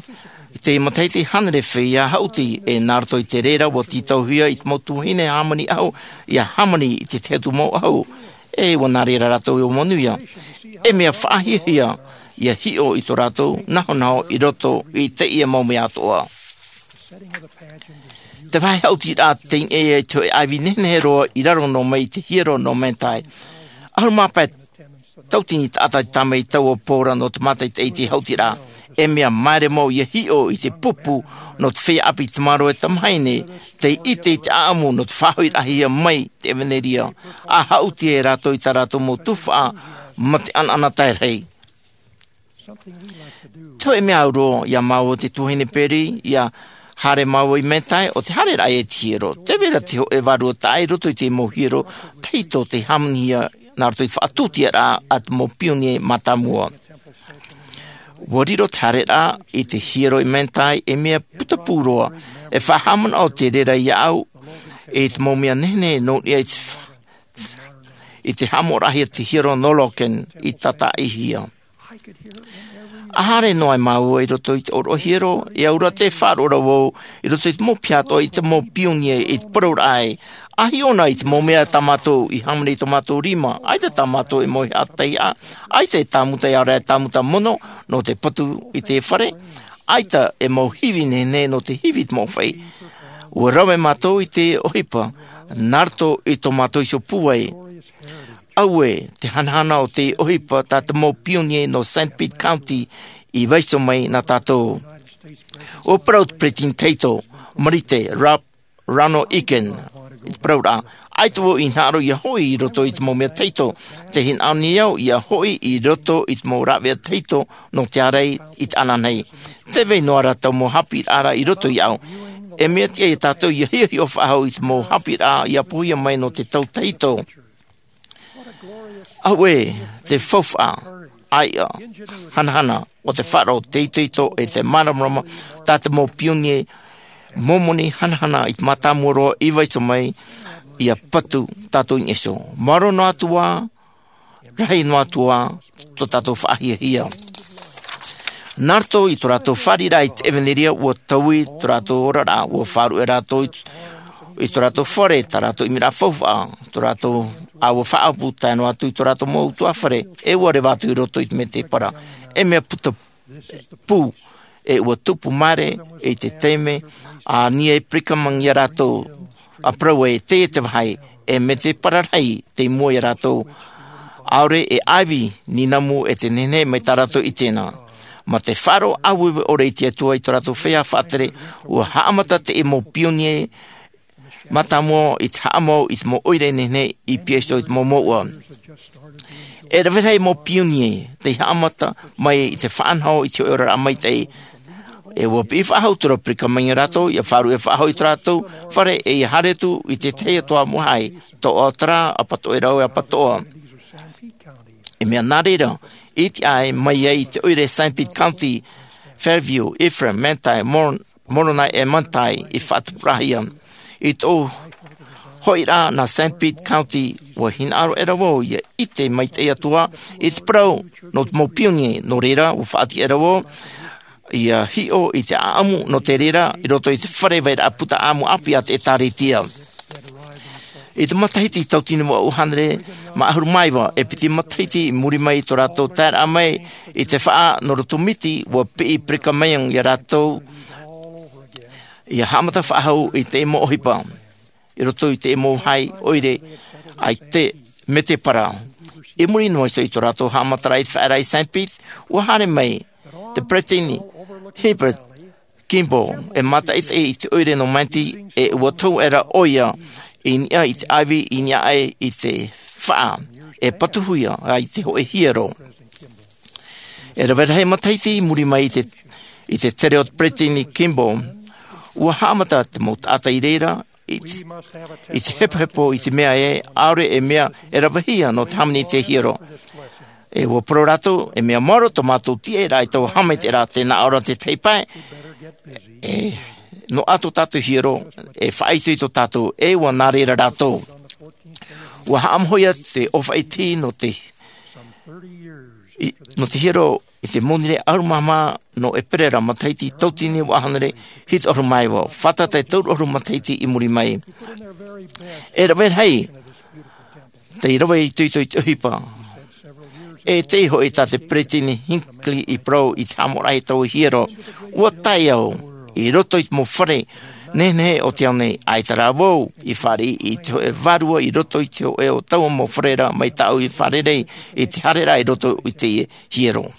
i te matahiti hānere feiā haʻuti, e nā roto i te reira ʻua tītauhia i te mau tuahine hāmani ʻahu, ʻia hāmani i te tahi atu mau ʻahu. E ʻua nā reira rātou ʻia manuia. E mea faʻahiahia, ʻia hiʻo i tō rātou nahonaho i roto i teie mau mea atoʻa. Te vāhi haʻutiraʻa teie i te hōʻē ʻāivi nehenehe roa i raro noa mai i te hiero nō Manti. ʻAhuru mā pae tauatini taʻata i tāmau i taua pō ra nō te mātaʻitaʻi i te haʻutiraʻa. E mea māere mau ʻia hiʻo i te pupu nō te feiā ʻāpī tamāroa e tamahine, tei ʻite i te ʻāʻamu nō te faʻahoʻiraʻahia mai te ʻevanelia, ʻa haʻuti ai rātou i tā rātou mau tuhaʻa mā te ʻanaʻanatae rahi. Te hōʻē mea au roa iā māua ʻo te tuahine Perry, ʻia haere māua i Manti, ʻo te haereraʻa i te hiero. Tē vai ra te hōʻē vārua taʻa i roto i te mau hiero tahito tei hāmanihia nā roto i te faʻatūtiaraʻa a te mau pionie mātāmua. ʻUa riro te haereraʻa i te hiero i Manti ei mea putapū roa, e faʻahaʻamanaʻo te reira iāʻu, i te mau mea nehenehe nō niʻa i te fa-, i te haʻamoʻaraʻahia te hiero nō Logan i tātaʻihia. ʻA haere noa ai māua i roto i te ʻōroʻa hiero, e aura tē faʻaroʻo ra vau i roto i te mau piha atoʻa i te mau pionie i te parauraʻa ē, ʻa hiʻo na i te mau mea tā mātou i hāmani i tō mātou rima, ʻaita tā mātou e mau haʻateiaha, ʻaita e tāmuta, ʻaore rā e tāmuta mono nō te patu i te fare, ʻaita e mau hivi nehenehe nō te hivi i te mau fai. ʻUa rave mātou i te ʻohipa, nā roto i tō mātou iho pūai. Auē, te hanahana o te ʻohipa tā te mau pionie nō Sanpete County i vaiiho mai nā tātou. ʻUa parau te peretiteni tahito, Marite, Ralph Ronald Egan, i te parauraʻa, ʻaita vau i hinaʻaro ʻia hoʻi i roto i te mau mea tahito, tē hinaʻaro nei au ʻia hoʻi i roto i te mau rāveʻa tahito nō te ārai i te ananahi. Tē vai noa ra te mau haʻapiʻiraʻa i roto iāʻu. E mea tiʻa ia tātou ʻia hiʻohiʻo faʻahou i te mau haʻapiʻiraʻa ʻia poʻihia mai nō te tau tahito. Auē, te faufaʻa, ʻāiʻa, hanahana, ʻo te faʻaroʻo, te itoito, e te māramarama, tā te mau pionie Momoni hanahana i te mātāmua roa i vaiiho mai, ʻia patu tātou i niʻa iho. Maoro noa atu ā, rahi noa atu ā, tō tātou faʻahiahia. Nā roto i tō rātou fāriʻiraʻa i te ʻevanelia, ʻua taui tō rātou oraraʻa, ʻua faʻaruʻe rātou i, i tō rātou fare, tā rātou ʻimiraʻa faufaʻa, tō rātou, ʻa ʻua faʻaʻapu tae noa atu i tō rātou mau ʻutuāfare, e ʻua reva atu i roto i te mētēpara. E mea puta pū, e ʻua tupu maere i te taime a Neil Brigham Young ia rātou, ʻa parau ē, teie te vāhi, e mētēpara rahi tei mua ia rātou, ʻaore e ʻāivi nīnamu e te nehenehe mai tā rātou i tēnā. Mā te faʻaroʻo ʻāueue ʻore i te Atua i tō rātou feiā faʻatere, ua haʻamata teie mau pionie mātāmua i te haʻamau i te mau ʻoire nehenehe i pīhaʻi i te mau mouʻa. E rave rahi mau pionie tei haʻamata mai i te faʻanaho i te hōʻē oraraʻa maitaʻi. E ua piʻi faʻahou terā Brigham Young ia rātou, ia faʻaruʻe faʻahou i tō rātou fare, e ia haere atu i te tahi atoʻa mau hae, Toʻotoʻo, Apatoʻoraʻa, Apatoʻoraʻa. E mea nā reira, i te ʻae mai ai i te ʻoire Saint Pete County, Fairview, Ephraim, Manti, Mor-, Moroni e Manti i faʻatupurahia. I tō hoʻiraʻa nā Saint Pete County, ua hinaʻaro ʻera vau ia ʻite maitaʻi atu ā i te parau nō te mau pionie, nō reira, ua faʻatiʻa ʻera vau ia hiʻo i te ʻāʻamu nō te reira i roto i te fare vairaʻa puta ʻāʻamu ʻāpī a te ʻĒtārētia. I te matahiti tauatini vaʻu hānere mā ʻahuru mā iva, e piti matahiti i muri mai i tō rātou taeraʻa mai i te faʻa nō roto miti, ua piʻi Brigham Young ia rātou ia haʻamata faʻahou i te mau ʻohipa i roto i te mau hae ʻoire, ʻaita e te para. I muri noa iho i tō rātou haʻamataraʻa i te faʻaearaʻa i Saint Pete, ua haere mai te Peresideni Heber Kimball, e mātaʻitaʻi i te ʻoire nō Manti, e ua tohu ʻera ʻoia i niʻa i te ʻāivi, i niʻa aʻe i te faʻa, e patuhia ai te hōʻē hiero. E rave rahi matahiti i muri mai i te, i te tere o te Peresideni Kimball, ua haʻamata te mau taʻata i reira, i te, i te hepohepo i te mea ē, ʻaore e mea e ravehia nō te hāmani i te hiero. E ua parau rātou, e mea maoro tō mātou tiʻaraʻa i taua haʻamaitaʻiraʻa, tē nā ʻō ra te tei pae, e, nō ʻato tātou hiero, e faʻaitoito tātou, e ua nā reira rātou. Ua haʻamāuiui te ʻōfaʻi nō te, i, nō te hiero i te monirē ʻahuru mā maha nō ʻēperēra matahiti tauatini vaʻu hānere hitu ʻahuru mā iva, fātata e toru ʻahuru matahiti i muri mai. E rave rahi, tei rave itoito i te ʻohipa. E tei hoʻi tā te Peresideni Hinckley i parau i te haʻamoʻaraʻa i taua hiero, ua tae au i roto i te mau fare nehenehe o te ao nei, ʻaita rā vau i fāriʻi i te hōʻē vārua i roto i te hōʻē o taua mau fare ra mai tāʻu i fārerei i te haereraʻa i roto i te hiero.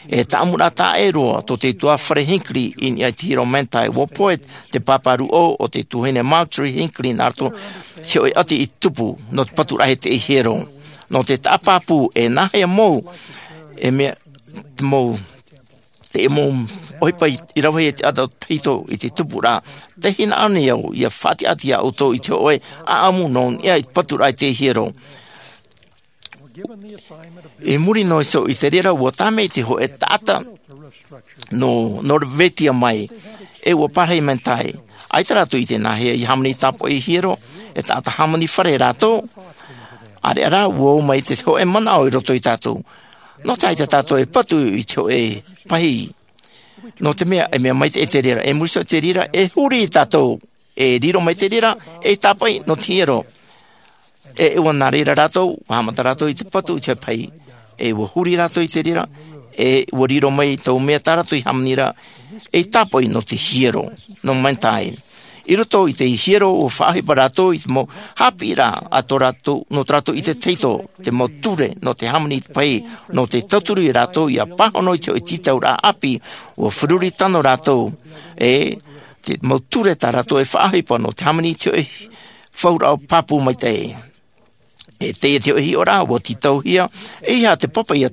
E tāʻamuraʻa taʻa ʻē roa tō te tuahine Hinckley i niʻa i te hiero Manti, ua pohe te pāpā rūʻau o te tuahine Marjorie Hinckley nā roto i te hōʻē ʻati i tupu nō te paturaʻa i te hiero. Nō te taʻa pāpū, e nāhea mau, e mea, te mau, te mau ʻohipa i, i rave i te ʻātaʻata tahito i te tupuraʻa, tē hinaʻaro nei au ia faʻatiʻa atu ia ʻoutou i te hōʻē ʻāʻamu nō niʻa i te paturaʻa i te hiero. I muri noa iho i te reira, ua tāmau te hōʻē taʻata nō, nō Norvetia mai, e ua parahi Manti. ʻAita rātou i ʻite nāhea ia hāmani tāpoʻi hiero, e taʻata hāmani fare rātou. ʻĀreʻa rā, ua ō mai te hōʻē manaʻo i roto ia tātou. Nō te aha ʻaita tātou e patu i te hōʻē pahi? Nō te mea, e mea maitaʻi te reira, e muri iho i te reira, e huri tātou, e riro mai te reira, e tāpoʻi nō te hiero. E, e ua nā reira rātou, ua haʻamata rātou i te patu i te pahi. E ua huri rātou i te reira, e ua riro mai taua mea tā rātou i hāmani ra, e tāpoʻi nō te hiero, nō Manti. I roto i te hiero, ua faʻaʻohipa rātou i te mau haʻapiʻiraʻa a tō rātou, nō tō rātou ʻite tahito, te mau ture nō te hāmani i te pahi, nō te tauturu ia rātou ia pāhono i te hōʻē tītauraʻa ʻāpī, ua feruri tano rātou, e te mau ture tā rātou e faʻaʻohipa nō te hāmani i te hōʻē fauraʻo pāpū maitaʻi. E teie te hōʻē hiʻoraʻa, ua tītauhia, e aha te papa ia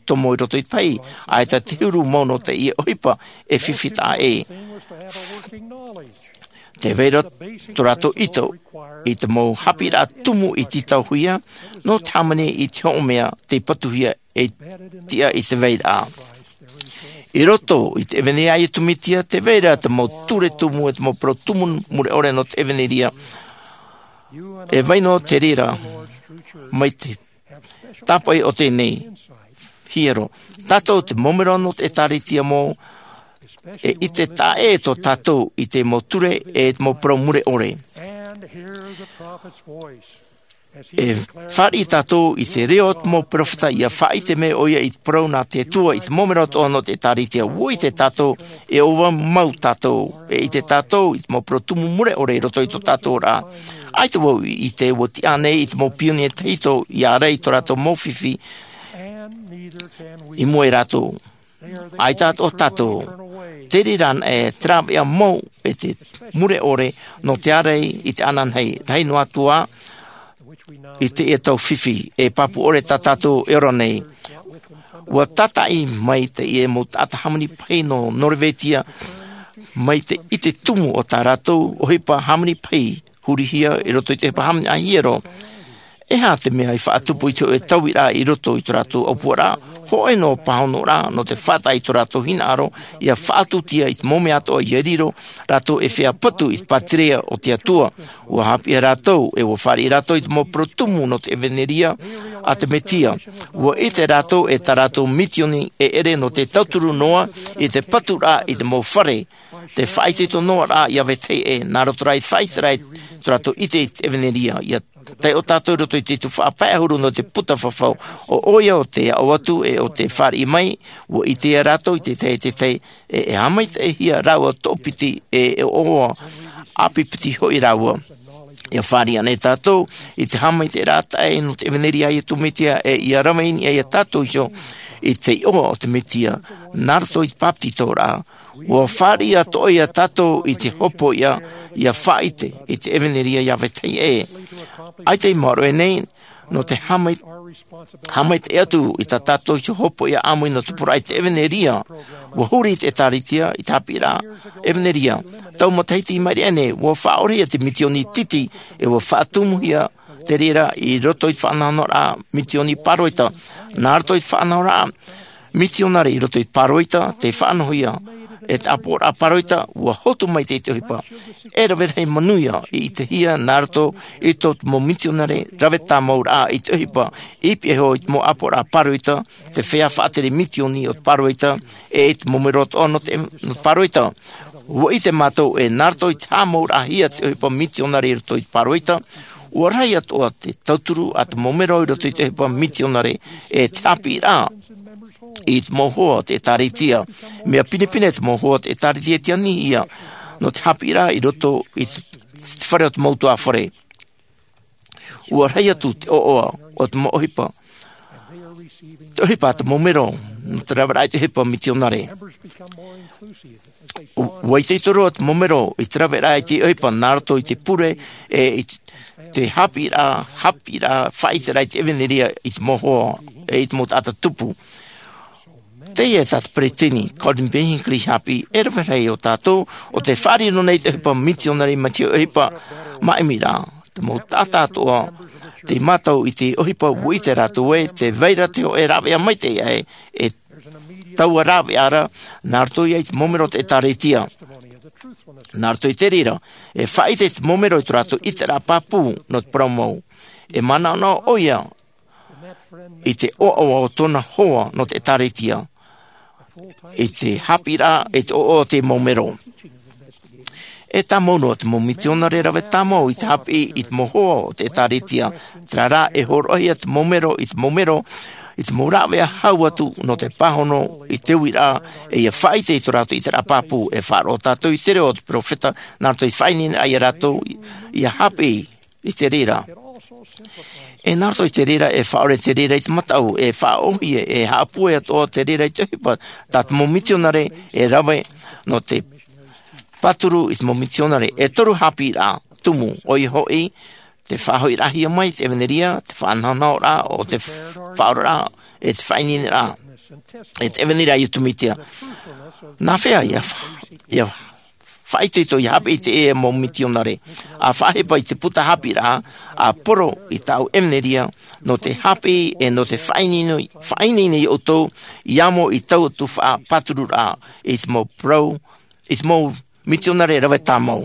tomo i roto i te pahi, ʻaita te huru mau nō teie ʻohipa e fifi taʻa ʻē. Tē vai ra tō rātou ʻite i te mau haʻapiʻiraʻa tumu i tītauhia, nō te hāmani i te hōʻē mea tei patuhia e tiʻa i te vairaʻa. I roto i te ʻevanelia a Iesu Mesia, tē vai ra te mau ture tumu, e te mau parau tumu mure ʻore nō te ʻevanelia. E vai noa te reira, mai te tāpoʻi o teie nei hiero. Tātou te mau melo nō te ʻĒtārētia mau, e ʻite taʻa ʻē tō tātou i te mau ture, e te mau parau mure ʻore. E fāriʻi tātou i te reo o te mau peropheta, ia faʻaʻite mai ʻoia i te parau nā te Atua i te mau mero atoʻa nō te ʻĒtārētia. ʻUa ʻite tātou e ʻoaʻoa mau tātou, e ʻite tātou i te mau parau tumu mure ʻore i roto i tō tātou oraraʻa. ʻAita vau i ʻite ʻua tiʻa nei i te mau pionia tahito ia ʻarai i tō rātou mau fifi i mua ia rātou. ʻAita atoʻa tātou. Te reira anaʻe te rāveʻa mau e te mure ʻore nō te ʻarai i te ananahi, rahi noa atu ā i teie tau fifi e pāpū ʻore tā tātou e ora nei. ʻUa tātaʻi mai teie mau taʻata hāmani pahi nō Norvetia, mai te ʻite tumu o tā rātou ʻohipa hāmani pahi hurihia i roto i te ʻohipa hāmani ʻāhiero. E aha te mea i faʻatupu i te hōʻē tauiraʻa i roto i tō rātou ʻaupuaraʻa? Hōʻē noa pāhonoraʻa nō te faʻataʻa i tō rātou hinaʻaro, ia faʻatūtia i te mau mea atoʻa ia riro rātou e feiā patu i te pātireia o te Atua. ʻUa haʻapiʻi rātou, e ʻua fāriʻi rātou i te mau parau tumu nō te ʻevanelia a te Mesia. ʻUa ʻite rātou e tā rātou misioni e ʻere nō te tauturu noa i te paturaʻa i te mau fare, te faʻaitoito noa rā ia vetahi ʻē, nā roto rā i te faʻaʻite rā i tō rātou ʻite i te ʻevanelia. Ia taiʻo tātou i roto i te tuhaʻa pae ʻahuru nō te puta fafau. ʻO ʻoia ʻo te aʻo atu, e ʻo te fāriʻi mai, ʻua ʻite ia rātou i te tahi, te tahi, e, e haʻamaitaʻihia rāua toʻopiti, e, e ʻoaʻoa ʻāpipiti hoʻi rāua. Ia fāriʻi anaʻe tātou i te haʻamaitaʻiraʻa taʻa ʻē nō te ʻevanelia a Iesu Mesia, e ia rave i niʻa ia tātou iho i te iʻoa o te Mesia, nā roto i te bāpetizoraʻa. ʻUa fāriʻi atoʻa ia tātou i te hopoiʻa, ia faʻaʻite i te ʻevanelia ia vetahi ʻē. ʻAita i maoro aʻe nei nō te haʻamai-, haʻamaitaʻi atu i tā tātou iho hopoiʻa ʻāmui nō te pūraʻi i te ʻevanelia. ʻUa huri i te ʻĒtārētia i te haʻapiʻiraʻa ʻevanelia. Tau matahiti i maʻiri aʻe nei, ʻua faʻaʻorehia te misioni tītī, e ʻua faʻatumuhia te reira i roto i te faʻanahonahoraʻa misioni pāroita. Nā roto i te faʻanahoraʻa misionare i roto i te pāroita, te faʻanahohia e te ʻāpoʻoraʻa pāroita, ʻua hotu mai te, te ʻohipa e rave rahi manuia i ʻitehia nā roto i tō te mau misionare rave tāmauraʻa i te ʻohipa, i pihaʻi iho i te mau ʻāpoʻoraʻa pāroita, te feiā faʻatere misioni o te pāroita, e i te mau mero atoʻa nō te, nō te pāroita. ʻUa ʻite mātou e nā roto i te haʻamauraʻahia te ʻohipa misionare i roto i te pāroita, ʻua rahi atoʻa te tauturu a te mau mero i roto i te ʻohipa misionare, e te haʻapiʻiraʻa i te mau hoa o te ʻĒtārētia. Mea pinepine te mau hoa o te ʻĒtārētia i te anihia nō te haʻapiʻiraʻa i roto i te, te fare o te mau ʻutuāfare. ʻUa rahi atu te ʻoaʻoa o te mau ʻohipa, te ʻohipa a te mau mero nō te raveraʻa i te ʻohipa misionare. ʻUa itoito roa te mau mero i te raveraʻa i te ʻohipa nā roto i te pure, e i te haʻapiʻiraʻa, haʻapiʻiraʻa faʻaʻiteraʻa i te ʻevanelia i te mau hoa, e i te mau taʻata tupu. Teie tā te peresideni Gordon B. Hinckley i haʻapiʻi, e rave rahi o tātou ʻo tē faʻariro nei i te ʻohipa misionare mai te ʻohipa māʻimiraʻa. Te mau taʻata atoʻa tei mātau i te ʻohipa, ʻua ʻite rātou ē tē vai ra te hōʻē rāveʻa maitaʻi aʻe, e taua rāveʻa ra, nā roto ia i te mau mero o te ʻĒtārētia. Nā roto i te reira, e faʻaʻite te mau mero i tō rātou ʻiteraʻa pāpū nō te parau mau. E manaʻonaʻo ʻoia i te ʻoaʻoa o tōna hoa nō te ʻĒtārētia, i te haʻapiʻiraʻa, i te ʻoaʻoa o te mau mero. E tāmau noa te mau misionare rave tāmau i te haʻapiʻi i te mau hoa o te ʻĒtārētia, terā rā e hōroʻahia te mau mero i te mau mero, i te mau rāveʻa hau atu nō te pāhono i te uiraʻa, e ia faʻaʻite i tō rātou ʻiteraʻa pāpū. E faʻaroʻo tātou i te reo o te peropheta, nā roto i te faʻaineineraʻa ia rātou ia haʻapiʻi i te reira. E nā roto i te reira, e faʻaʻore te reira i te mataʻu, e faʻaʻōhie, e haʻapūai atoʻa te reira i te ʻohipa tā te mau misionare e rave nō te pāturu i te mau misionare. E toru haʻapiʻiraʻa tumu, ʻoia hoʻi, te faʻahoʻiraʻahia mai te ʻevanelia, te faʻanahonahoraʻa, ʻo te faʻaoraraʻa, e te faʻaineineraʻa, e te ʻevanelia a Iesu Mesia. Nā hea ia fa-, ia faʻaitoito ia haʻapiʻi i teie mau misionare? ʻA faʻahepa i te puta haʻapiʻiraʻa, ʻa poro i tāʻu ʻevanelia, nō te haʻapiʻi e nō te faʻaineine, faʻaineine ia ʻoutou, i amo i taua tuhaʻa pātururaʻa, i te mau parau, i te mau misionare rave tāmau.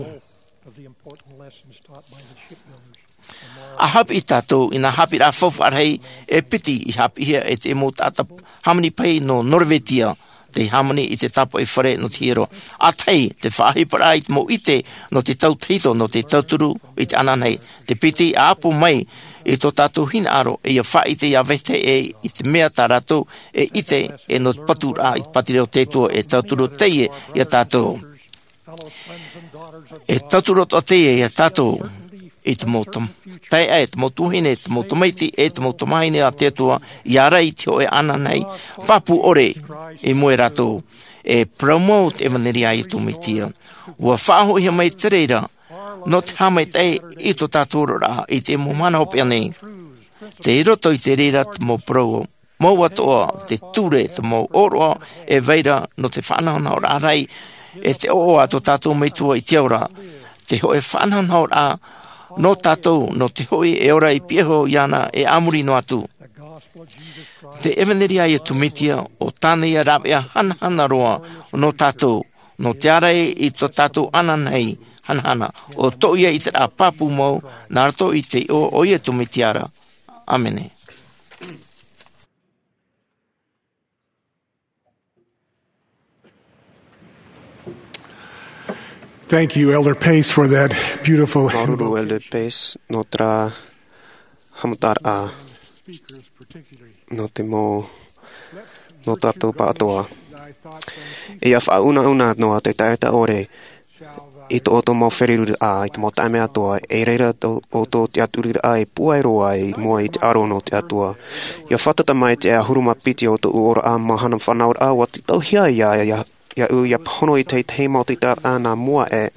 ʻA haʻapiʻi tātou i nā haʻapiʻiraʻa faufaʻa rahi e piti i haʻapiʻihia e te mau taʻata hāmani pahi nō Norvetia. te hāmani i te tāpaʻi fare nō te hiero. ʻĀtahi, te faʻaʻohiparaʻa i te mau ʻite nō te tautahito, nō te tauturu i te ananahi. Te piti, ʻa ʻapo mai i tō tātou hinaʻaro, e ia faʻaʻite ia vetahi ʻē i te mea tā rātou e ʻite, e nō te paturaʻa i te pātireia o te Atua e tauturu teie ia tātou. E tauturu atoʻa teie ia tātou i te mau tam-, taeaʻe, te mau tuahine, te mau tamaiti, e te mau tamahine a te Atua, ia ʻārai i te hōʻē ananahi pāpū ʻore i mua ia rātou. E parau mau te ʻevanelia a Iesu Mesia. ʻUa faʻahoʻihia mai te reira nō te haʻamaitaʻi i tō tātou oraraʻa i te mau mahana hopeʻa nei. Tei roto i te reira te mau parau mau atoʻa, te ture, te mau ʻōroʻa e vai ra nō te faʻanahonahoraʻa rahi, e te ʻoaʻoa a tō tātou Metua i te ao ra, te hōʻē faʻanahonahoraʻa nō tātou, nō te hoʻi e ora i pihaʻi iho iāna e a muri noa atu. Te ʻevanelia a Iesu Mesia, ʻo tāna ia rāveʻa hanahana roa nō tātou, nō te ʻārai i tō tātou ananahi hanahana, ʻo tōʻu ia ʻiteraʻa pāpū mau, nā roto i te iʻoa o Iesu Mesia ra. ʻĀmene. Thank you, Elder Pace, for that beautiful Māuruuru, Elder Pace, nō terā haʻamataraʻa nō te mau, nō tātou pāʻatoʻa. E ia faʻaunauna noa te taʻata ʻore i tō ʻoutou mau feruriraʻa, i te mau taime atoʻa, e reira tō ʻoutou tiʻaturiraʻa e pūai roa i mua i te aro nō te Atua. Ia fātata mai te ʻahuru mā piti o tōʻu oraraʻa mahana fānauraʻa, ʻua tītauhia ia, ia, iaʻu ia pāhono i te tahi mau tītauraʻa nā mua aʻe,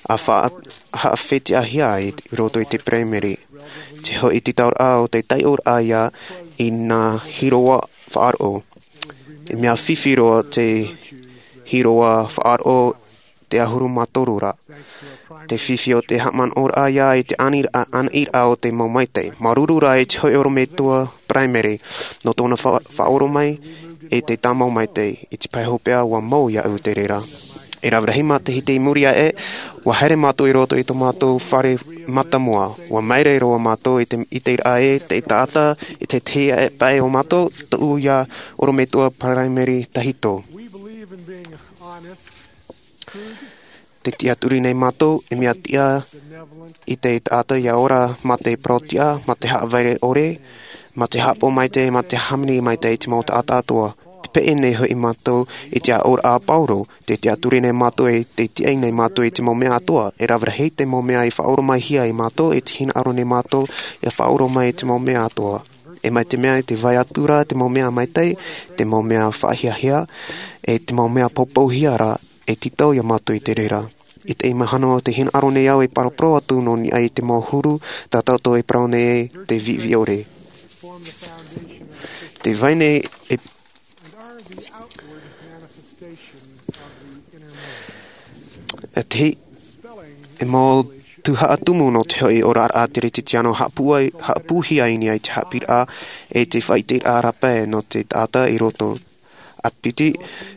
ʻa faʻa-, haʻafetiʻahia i roto i te Peraimeri. Te hoʻi tītauraʻa o te taiʻoraʻa ia i nā hīroa faʻaroʻo. E mea fifi roa te hīroa faʻaroʻo te ʻahuru mā toru ra. Te fifi o te haʻamanaʻoraʻa ia i te ʻaniraʻa, ʻanaʻiraʻa o te mau maitaʻi. Māuruuru rā i te hoʻi ʻorometua Peraimeri, nō tōna fa-, faʻaoromaʻi i te tāmau maitaʻi, i te pae hopeʻa ʻua mau iaʻu te reira. E rave rahi matahiti i muri aʻe, ʻua haere mātou i roto i tō mātou fare mātāmua. ʻUa māere roa mātou i te, i te ʻiteraʻa e te taʻata, i te tahi aʻe paʻi o mātou, tōʻu ia ʻorometua Peraimeri tahito. Te tiʻaturi nei mātou, e mea tiʻa i te taʻata ia ora mā te parau tiʻa, mā te haʻaveʻa ʻore, mā te haʻapaʻo maitaʻi, mā te hāmani maitaʻi i te mau taʻata atoʻa. Tē peʻe nei hoʻi mātou i te aʻoraʻa a Pauro, tē tiʻaturi nei mātou ē, tē tiʻa nei mātou i te mau mea atoʻa, e rave rahi te mau mea i faʻaoromaʻihia ia mātou, e tē hinaʻaro nei mātou ia faʻaoromaʻi i te mau mea atoʻa. E mai te mea i te vai atu ra te mau mea maitaʻi, te mau mea faʻahiahia, e te mau mea poupouhia ra, e tītau ia mātou i te reira. I teie mahana tē hinaʻaro nei au e paraparau atu nō niʻa i te mau huru, tā tātou e parau nei ē, te viʻiviʻi ʻore. Tē vai nei e, e te, e mau tuhaʻa tumu nō te hoʻi oraraʻa Kerisetiano haʻapūai, haʻapūhia i niʻa i te haʻapiʻiraʻa, e te faʻaʻiteraʻa rāpae nō te taʻata i roto. ʻA piti,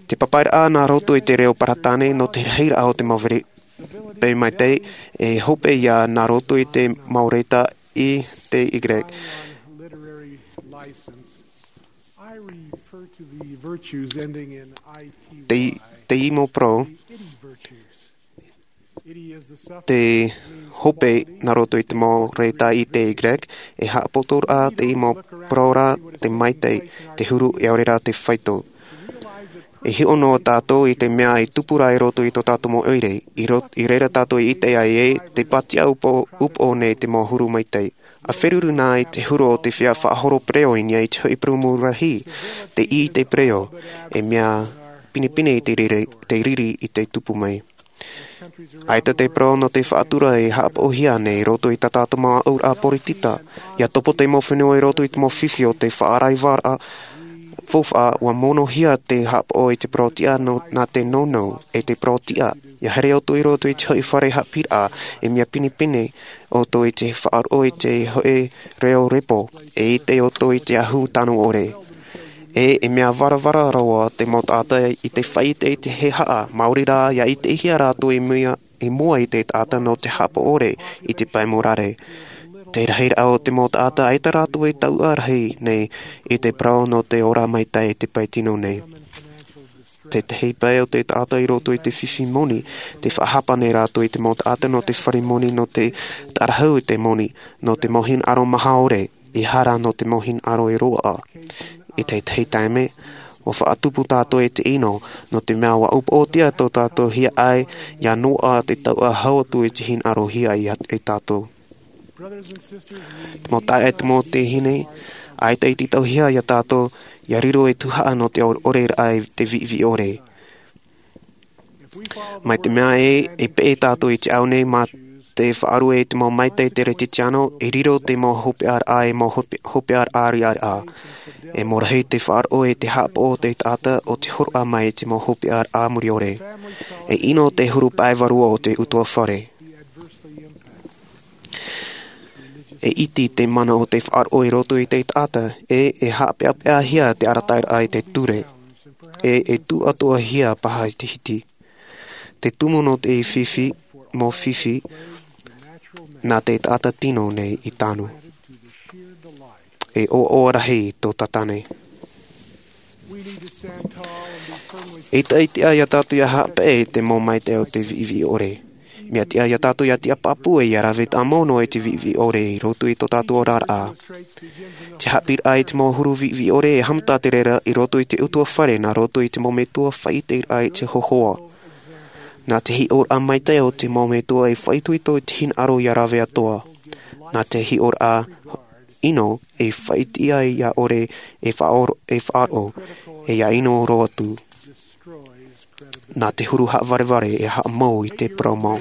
te papairaʻa nā roto i te reo Peretāne nō te rahiraʻa o te mau vere-, pē maitaʻi, e hope ia nā roto i te mau reta i te Y. Te, te mau parau, te hope nā roto i te mau reta i te Y, e haʻapotoraʻa te mau parau ra te maitaʻi, te huru, e ʻaore rā te faito. E hiʻo noa tātou i te mea e tupu ra i roto i tō tātou mau ʻoire, i ro-, i reira tātou i ʻite ai ē, tē pātiʻa upoʻo, upoʻo nei te mau huru maitaʻi. ʻA feruri na i te huru o te feiā faʻahoro pereʻoʻo i niʻa i te hoʻi purūmu rahi, te ʻī i te pereʻoʻo, e mea pinepine i te riri, te riri i te tupu mai. ʻAita te parau nō te faʻatura e haʻapaʻohia nei i roto i tā tātou mau aʻoraʻa poritita, ʻia topo te mau fenua i roto i te mau fifi o te faʻaraivaraʻa faufaʻa, ʻua monohia te haʻapaʻo i te parau tiʻa nō, nā te nounou, e te parau tiʻa. ʻIa haere ʻoutou i roto i te hoʻi fare haʻapiʻiraʻa, e mea pinepine ʻoutou i te faʻaroʻo i te hoʻi reo repo, e ʻite ʻoutou i te ahu tano ʻore. E, e mea varavara roa te mau taʻata i te faʻaʻite i te hehea, maori rā, ʻia ʻitehia rātou i mua, i mua i te taʻata nō te haʻapaʻo ʻore i te pae mōrare. Te rahiraʻa o te mau taʻata ʻaita rātou e tauʻa rahi nei i te parau nō te ora maitaʻi i te pae tino nei. Te tahi pae o te taʻata i roto i te fifi moni, te faʻahapa nei rātou i te mau taʻata nō te fare moni, nō te tārahu i te moni, nō te mau hinaʻaro maha ʻore, ʻehara nō te mau hinaʻaro e roaʻa. I te tahi taime, ʻua faʻatupu tātou e te ʻino, nō te mea ʻua upoʻotia tō tātou hiaʻai, ʻia noaʻa te tauʻa hau atu i te hinaʻarohia ia tātou. Te mau taeaʻe, te mau tuahine, ʻaita i te tauhia ia tātou, ʻia riro e tuhaʻa nō te ʻore, ʻore raʻa i te viʻiviʻi ʻore. Mai te mea ē, e peʻe tātou i te ao nei mā te faʻarue i te mau maitaʻi teretetiano, e riro te mau hopeʻa raʻa, e mau hope-, hopeʻa raʻa riʻariʻa. E mōrahi te faʻaroʻo e te haʻapaʻo o te taʻata o te horoʻa mai i te mau hopeʻa raʻa muri ʻore. E ʻino te huru pae vārua o te ʻutuāfare. E iti te mana o te faʻaroʻo i roto i te taʻata, e, e haʻapeʻapeʻahia te arataʻiraʻa i te ture, e, e tūʻatoʻahia paha i te hiti. Te tumu nō te fifi, mau fifi, nā te taʻata tino nei i tanu. E ʻoaʻoa rahi tō tātou nei. E tiʻa ia tātou ʻia haʻapeʻe i te mau maitaʻi o te viʻiviʻi ʻore. Mea tiʻa ia tātou ʻia tiʻa pāpū ʻia rave tāmau noa i te viʻiviʻi ʻore i roto i tō tātou oraraʻa. Te haʻapiʻiraʻa i te mau huru viʻiviʻi ʻore e haʻamata te reira i roto i te ʻutuāfare, nā roto i te mau metua faʻaʻiteraʻa i te hōhoʻa. Nā te hiʻoraʻa maitaʻi o te mau metua e faʻaitoito i te hinaʻaro ʻia rave atoʻa. Nā te hiʻoraʻa ʻino e faʻaʻite ai ʻia ʻore e faʻaroʻo, e faʻaroʻo, e ʻia ʻino roa atu. Nā te huru haʻavarevare e haʻamau i te parau mau.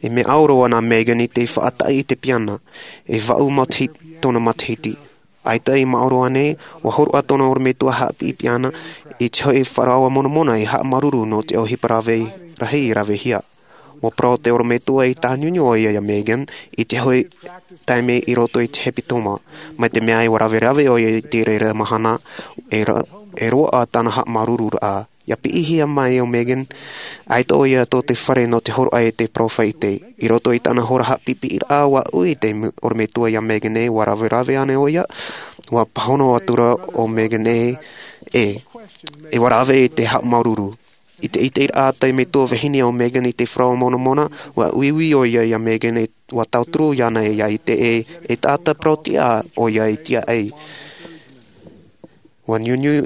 E mea ʻauro ana Megan i te faʻataʻi i te piana, e vaʻu matahiti, tōna matahiti. ʻAita i maoro ānei, ʻua hōroʻa tōna ʻorometua haʻapiʻipiʻi ana i te hoʻi faʻaroʻo monamona i haʻamāuruuru nō te ʻohipa rave rahi i ravehia. ʻUa parau te ʻorometua i tāniuniu ʻoia ia Megan i te hoʻi taime i roto i te hepetoma. Mai te mea ē ʻua raverave ʻoia i te reira mahana, e ra-, e roaʻa tāna haʻamāuruururaʻa. ʻIa piʻihia mai ʻo Megan, ʻaita ʻoia tō te fare nō te hōroʻa i te parau faʻaʻite. I roto i tāna hora haʻapiʻipiʻiraʻa, ʻua ui te mu-, ʻorometua ia Megan ē ʻua raverave ānei ʻoia, ʻua pāhono atu ra ʻo Megan ē, ē, e ʻua rave i te haʻamāuruuru. I te ʻiteraʻa a te metua vahine ʻo Megan i te faʻaroʻo monamona, ʻua uiui ʻoia ia Megan ē ʻua tauturu iāna ʻia ʻite ē, e taʻata parau-tiʻa ʻoia i tiaʻi. ʻUa niuniu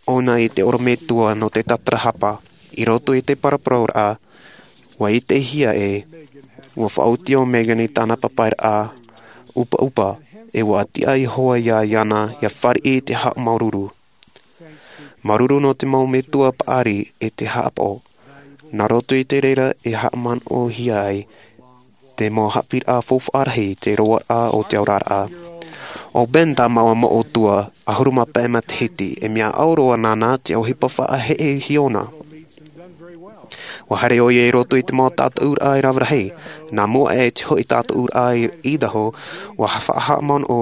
ʻōna i te ʻorometua nō te tatarahapa. I roto i te paraparauraʻa, ʻua ʻitehia ē ʻua faʻaoti ʻo Megan i tāna papairaʻa ʻupaʻupa, e ʻua tiʻa iho ā iāna ʻia fāriʻi i te haʻamāuruuru. Māuruuru nō te mau metua paʻari e te haʻapaʻo. Nā roto i te reira e haʻamanaʻohia ai te mau haʻapiʻiraʻa faufaʻa rahi i te roaraʻa o te oraraʻa. ʻO Ben Tamawa Moʻotua, ʻahuru mā pae matahiti, e mea ʻauro ana nā te ʻohipa faʻaheʻe hiʻona. ʻUa haere ʻoia i roto i te mau tātaʻuraʻa e rave rahi. Nā mua aʻe i te hoʻi tātaʻuraʻa i Idaho, ʻua faʻahaʻamanaʻo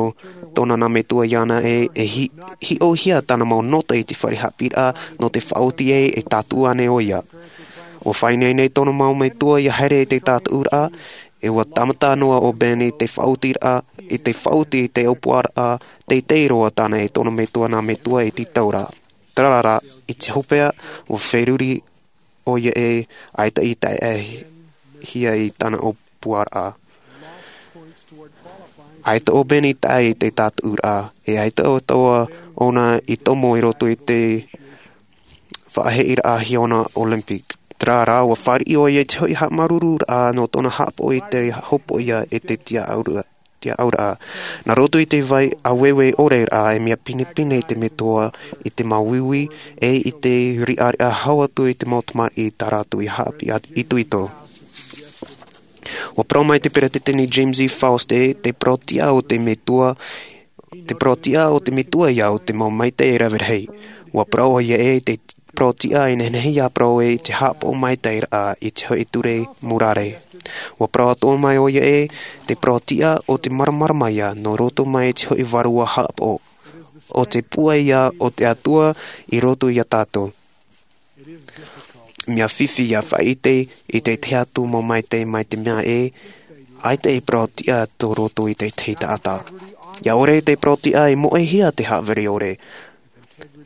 tōna nā metua iāna ē e hi-, hiʻohia tāna mau nota i te fare haʻapiʻiraʻa nō te faʻaoti ē e tātaʻu ānei ʻoia. ʻUa faʻaineine tōna mau metua ʻia haere i te tātaʻuraʻa, e ʻua tāmata noa ʻo Ben i te faʻaotiraʻa, i te faʻaoti i te ʻōpuaraʻa teitei roa tāna e tōna metua nā metua i te taura. Terā rā, i te hopeʻa, ʻua feruri ʻoia ē ʻaita i taeaʻehia i tāna ʻōpuaraʻa. ʻAita ʻo Ben i tae i te tātaʻuraʻa, e ʻaita atoʻa ʻōna i tomo i roto i te faʻaheʻeraʻa hiʻona Olympic. Terā rā, ʻua fāriʻi ʻoia i te hoʻi haʻamāuruururaʻa nō tōna haʻapaʻo i te hopoiʻa e te tiaʻauraʻa, tiaʻauraʻa. Nā roto i te vai ʻāueue ʻore rā, e mea pinepine te metua i te māuiui, e i te riʻariʻa hau atu i te mau tamariʻi tā rātou i haʻapiʻi itoito. ʻUa parau mai te peretiteni James E. Faust ē, te parau-tiʻa o te metua, te parau-tiʻa o te metua ia ʻo te mau maitaʻi e rave rahi. ʻUa parau ʻoia ē, te parau-tiʻa e nehenehe ʻia parau ē i te haʻapaʻo maitaʻiraʻa i te hoʻi ture murare. ʻUa parau atoʻa mai ʻoia ē, te parau-tiʻa o te māramarama ia nō roto mai i te hoʻi vārua haʻapaʻo. ʻO te pūai ia o te Atua i roto ia tātou. Mea fifi ʻia faʻaʻite i te tahi atu mau maitaʻi mai te mea ē, ʻaita e parau-tiʻa tō roto i te tahi taʻata. ʻIa ʻore te parau-tiʻa e moʻehia te haʻavare ʻore.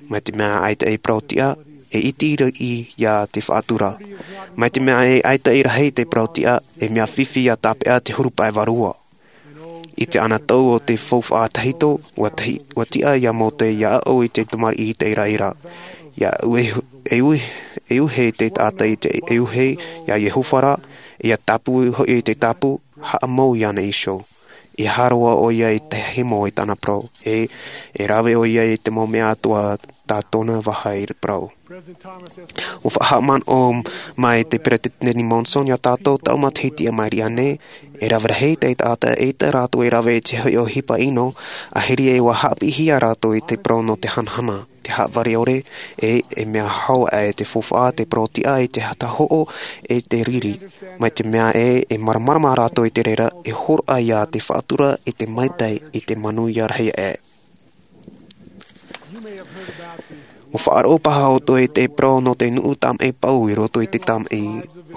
Mai te mea ʻaita e parau-tiʻa, e iti riʻi ia te faʻatura. Mai te mea e ʻaita i rahi te parau tiʻa, e mea fifi ia tāpeʻa te huru pae vārua. I te anotau o te faufaʻa tahito, ua tahi-, ua tiʻa ia Mōte ia aʻo i te tamariʻi i te iraira. Ia uehu-, e ui-, e uhe te taʻata i te, e uhe ia Iehova ra, ia tāpū hoʻi i te tāpū, haʻamau iāna iho. E hāroa ʻoia i te himo i tāna parau, e, e rave ʻoia i te mau mea atoʻa tā tōna vaha i parau. ʻUa faʻahaʻamanaʻo mai te Peretiteni Monson ia tātou tau matahiti a mairi ānei, e rave rahi te taʻata e ʻaita rātou e rave i te hoʻi ʻohipa ʻino, ʻahiri ē ʻua haʻapiʻihia rātou i te parau nō te hanahana, te haʻavare ʻore, e, e mea hau aʻe te faufaʻa, te parau tiʻa, e te hatahoʻo, e te riri. Mai te mea ē, e māramarama rātou i te reira, e hōroʻa ia te faʻatura, i te maitaʻi, i te manuia rahi aʻe. ʻUa faʻaroʻo paha ʻoutou i te parau nō te nuʻu tamaʻi pau i roto i te tamaʻi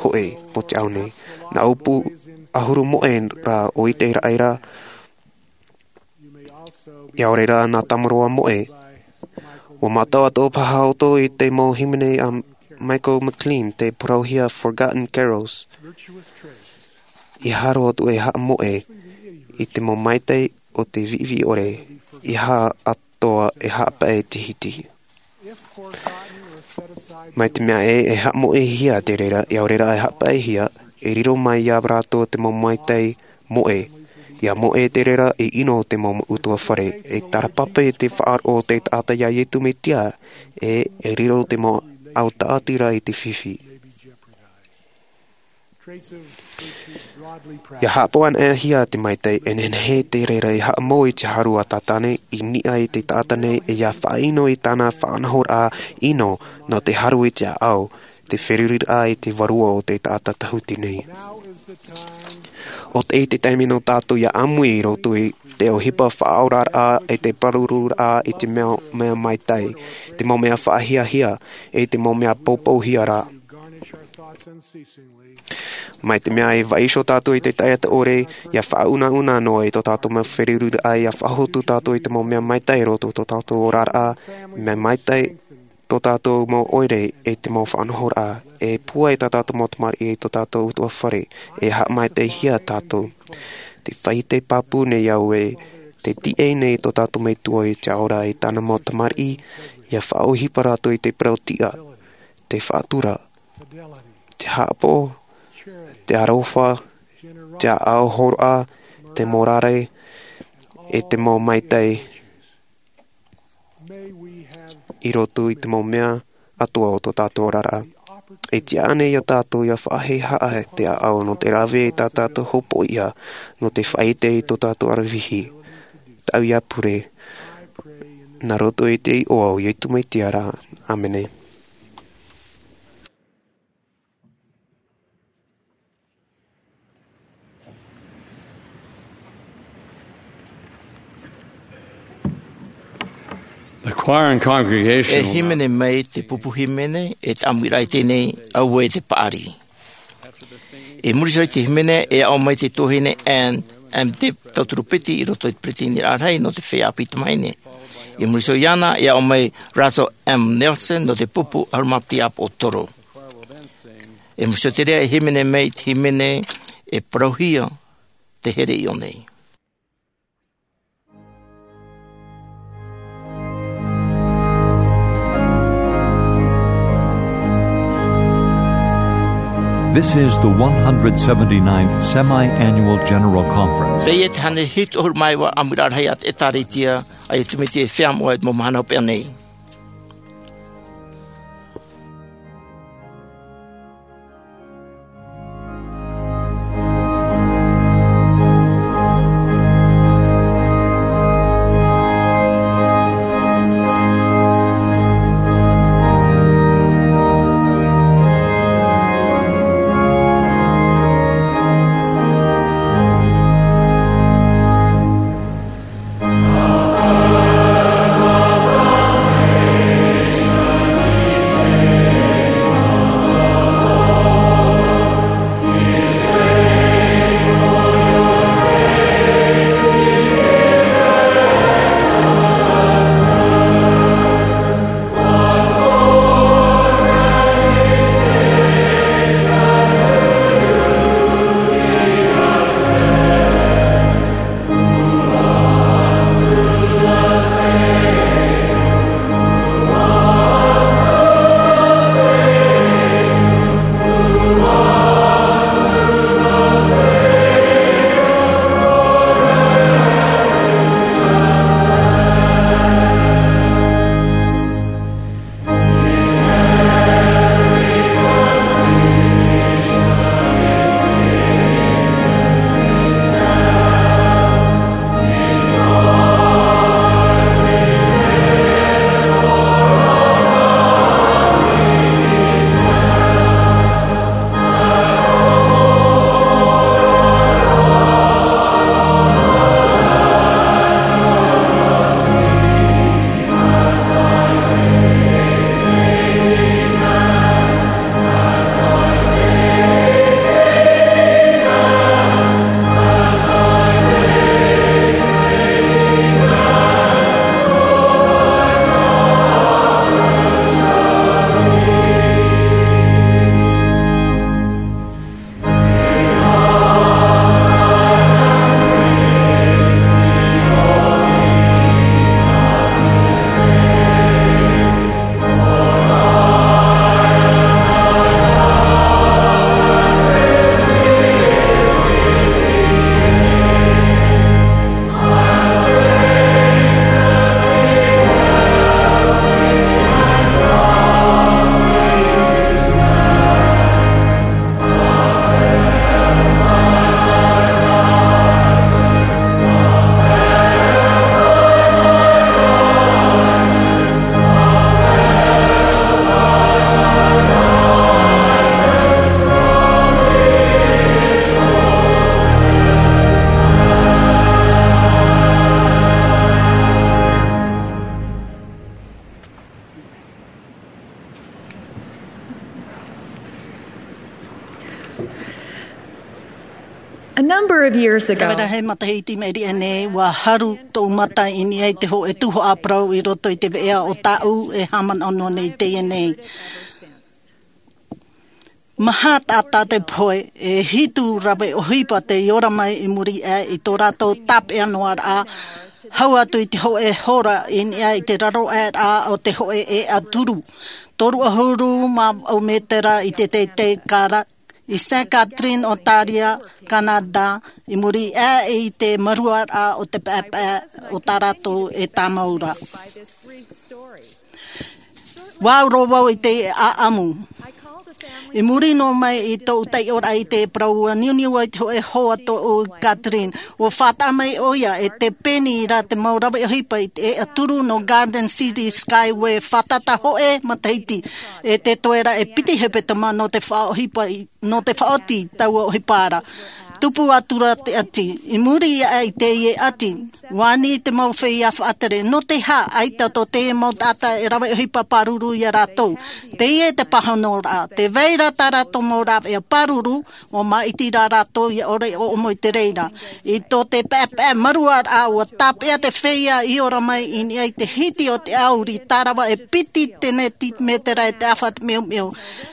hōʻē o te ao nei. Nā ʻōpū ʻahuru moʻe rā ʻo ʻite i raʻa ra, ʻaore rā nā Tamaroa moʻe. ʻUa mātau atoʻa paha ʻoutou i te mau hīmene a Michael McLean, te parauhia Forgotten Carols. E hāroa atu e haʻamoʻe i te mau maitaʻi o te viʻiviʻi ʻore, e aha atoʻa e haʻapaʻo i te hiti. Mai te mea ē, e haʻamoʻehia te reira, ʻaore rā e haʻapaʻohia, e riro mai ia rātou te mau maitaʻi moʻe. Ia moʻe te reira, e ʻino te mau utuafare, e tarapape te faʻaroʻo o te taʻata ia Iesu Mesia, e, e riro te mau ʻau tāʻatira i te fifi. Ia haʻapaʻohia te maitaʻi, e nehenehe te reira e haʻamau i te haru a Satane, i niʻa i te taʻata nei, e ia faʻaʻino i tāna faʻanahoraʻa ʻino nō te haru i te ʻāʻau, te feruriraʻa i te vārua o te taʻata tahuti nei. ʻO tē ʻite taime nō tātou ia ʻāmui i roto i te ʻohipa faʻaoraraʻa, i te pārururaʻa, i te mea, mea maitaʻi, te mau mea faʻahiahia, i te mau mea poupouhia rā. Mai te mea e vaiiho tātou i te taʻata ʻore, ia faʻaunauna noa i tō tātou mau feruriraʻa, ia faʻahotu tātou i te mau mea maitaʻi i roto i tō tātou oraraʻa, mea maitaʻi tō tātou mau ʻoire, e te mau faʻanahoraʻa, e pūai tā tātou mau tamariʻi i tō tātou utuafare, e haʻamaitaʻihia tātou. Tē faʻaʻite pāpū nei au ē, tē tiʻa nei tō tātou Metua i te ao ra i tāna mau tamariʻi, ia faʻaʻohipa rātou i te parau tiʻa, te faʻatura, te haʻapaʻo, te aroha, te ʻāʻau hōroʻa, te mōrare, e te mau maitaʻi i roto i te mau mea atoʻa o tō tātou oraraʻa. E tiʻa ānei ia tātou ia faʻahehaʻa te ʻāʻau nō te rave i tā tātou hopoiʻa, nō te faʻaʻite i tō tātou aravihi, tāʻu ia pure, nā roto i te iʻoa o Iesu Mesia ra. ʻĀmene. The choir and congregation E hīmene mai te pupu hīmene, e te ʻāmuiraʻa i teie nei, auē te paʻari. I muri iho i te hīmene, e aʻo mai te tuahine Ann M. Dibb, tauturu piti i roto i te peretiteniraʻa rahi nō te feiā ʻāpī tamāhine. I muri iho iāna, e aʻo mai Russell M. Nelson nō te pupu ʻahuru mā piti ʻāpoʻo toru. I muri iho i te reira, e hīmene mai te hīmene, e parauhia te here i ʻō nei. This is the one hundred seventy-ninth Semi-Annual General Conference. Teie te hānere hitu ʻahuru mā iva ʻāmuiraʻa rahi a te ʻĒtārētia a Iesu Mesia i te Feiā Moʻa i te mau mahana hopeʻa nei. Number of years ago, Rave rahi matahiti mai reira nei, ua haru tōʻu mata i niʻa i te hōʻē tuhaʻa parau i roto i te veʻa o tāʻu e haʻamanaʻo nei i teie nei. Maha taʻata te pohe, e hitu rave ʻohipa tei ora mai i muri aʻe i tō rātou tāpeʻa noa raʻa, hau atu i te hōʻē hora i niʻa i te raro aʻe raʻa o te hōʻē ʻēʻa turu, toru ʻahuru mā vaʻu mētera i te teitei kara, i Sainte Catherine, Ontario, Canada, i muri aʻe i te marua raʻa o te paepae o tā rātou e tāmau ra. Ua ʻauro vau i te ʻaʻamu. I muri noa mai i tōʻu taiʻoraʻa i te parau, ua niuniu i te hōʻē hoa tōʻu Catherine. Ua faʻataʻa mai ʻoia e te peni ra te mau rave ʻohipa i te ʻēʻa turu nō Garden City Skyway, fātata hōʻē matahiti, e te toe ra e piti hepetoma nō te faʻaʻohipa i nō te faʻaoti taua ʻohipa ra. Tupu atu ra te ʻati. I muri aʻe i teie ʻati, ua ani te mau feiā faʻatere, nō te aha, ʻaita tō te mau taʻata e rave ʻohipa pāruru ia rātou. Teie te pāhono ra, tē vai ra tā rātou mau rāveʻa pāruru, ua māʻiti rā rātou ʻia ʻore ʻo ʻomo i te reira. I tō te paepae marua raʻa, ua tāpeʻa te feiā i ora mai i niʻa i te hiti o te ʻauri, tārava e piti teneti mētera e te ʻāfa te meumeu.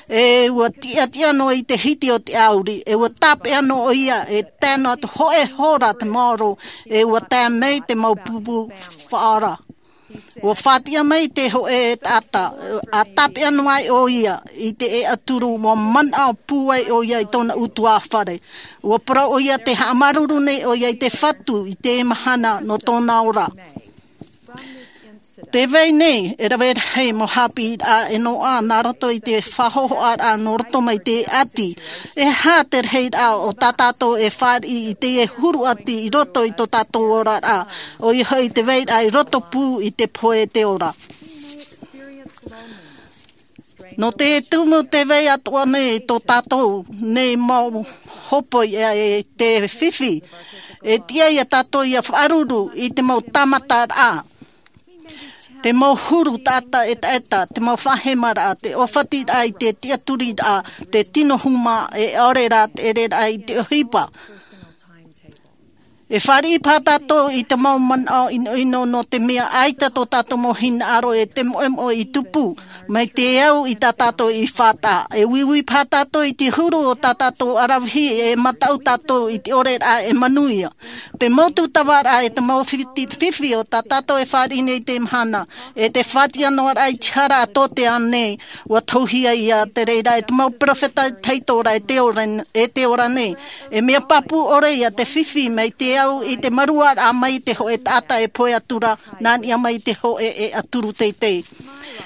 E ua tiʻatiʻa noa i te hiti o te ʻauri, e ua tāpeʻa noa ʻoia e tae noa te hōʻē hora te maoro, e ua tae mai te mau pupu faʻaora. Ua fātiʻa mai te hōʻē taʻata, ʻa tāpeʻa noa ai ʻoia i te ʻēʻa turu, ua manaʻo pūai ʻoia i tōna ʻutuāfare. Ua parau ʻoia tē haʻamāuruuru nei ʻoia i te Fatu i te mahana nō tōna ora. Tē vai nei e rave rahi mau haʻapiʻiraʻa e noaʻa nā roto i te faʻahōhoʻaraʻa nō roto mai te ʻati. E aha te rahiraʻa o tā tātou e fāriʻi i teie huru ʻati i roto i tō tātou oraraʻa, ʻoia hoʻi te vairaʻa i roto pū i te pohe e te ora. Nō te tumu tē vai atoʻa nei tō tātou nei mau hōpoi e te fifi, e tiʻa ia tātou ʻia faʻaruru i te mau tāmataraʻa, te mau huru taʻata ʻetaʻeta, te mau faʻahemaraʻa, te ʻōfatiraʻa i te tiʻaturiraʻa, te tino huma, e ʻaore rā te ʻereraʻa i te ʻohipa. E fāriʻi paha tātou i te mau manaʻo ʻinoʻino, nō te mea ʻaita tō tātou mau hinaʻaro e te moʻemoʻe i tupu mai te au i tā tātou i faʻataʻa. E uiui paha tātou i te huru o tā tātou aravihi, e mataʻu tātou i te ʻoreraʻa e manuia. Te mau tūtavaraʻa e te mau fiti-, fifi o tā tātou e fāriʻi nei i teie mahana, e te fātiʻa noa raʻa i te hara a tō te ao nei, ua tohuhia ia te reira e te mau peropheta tahito ra e te ora, e te ora nei. E mea pāpū ʻore ia te fifi mai te au i te maruaraʻa mai te hōʻē taʻata e pohe atu ra, nā niʻa mai te hōʻē ʻēʻa turu teitei.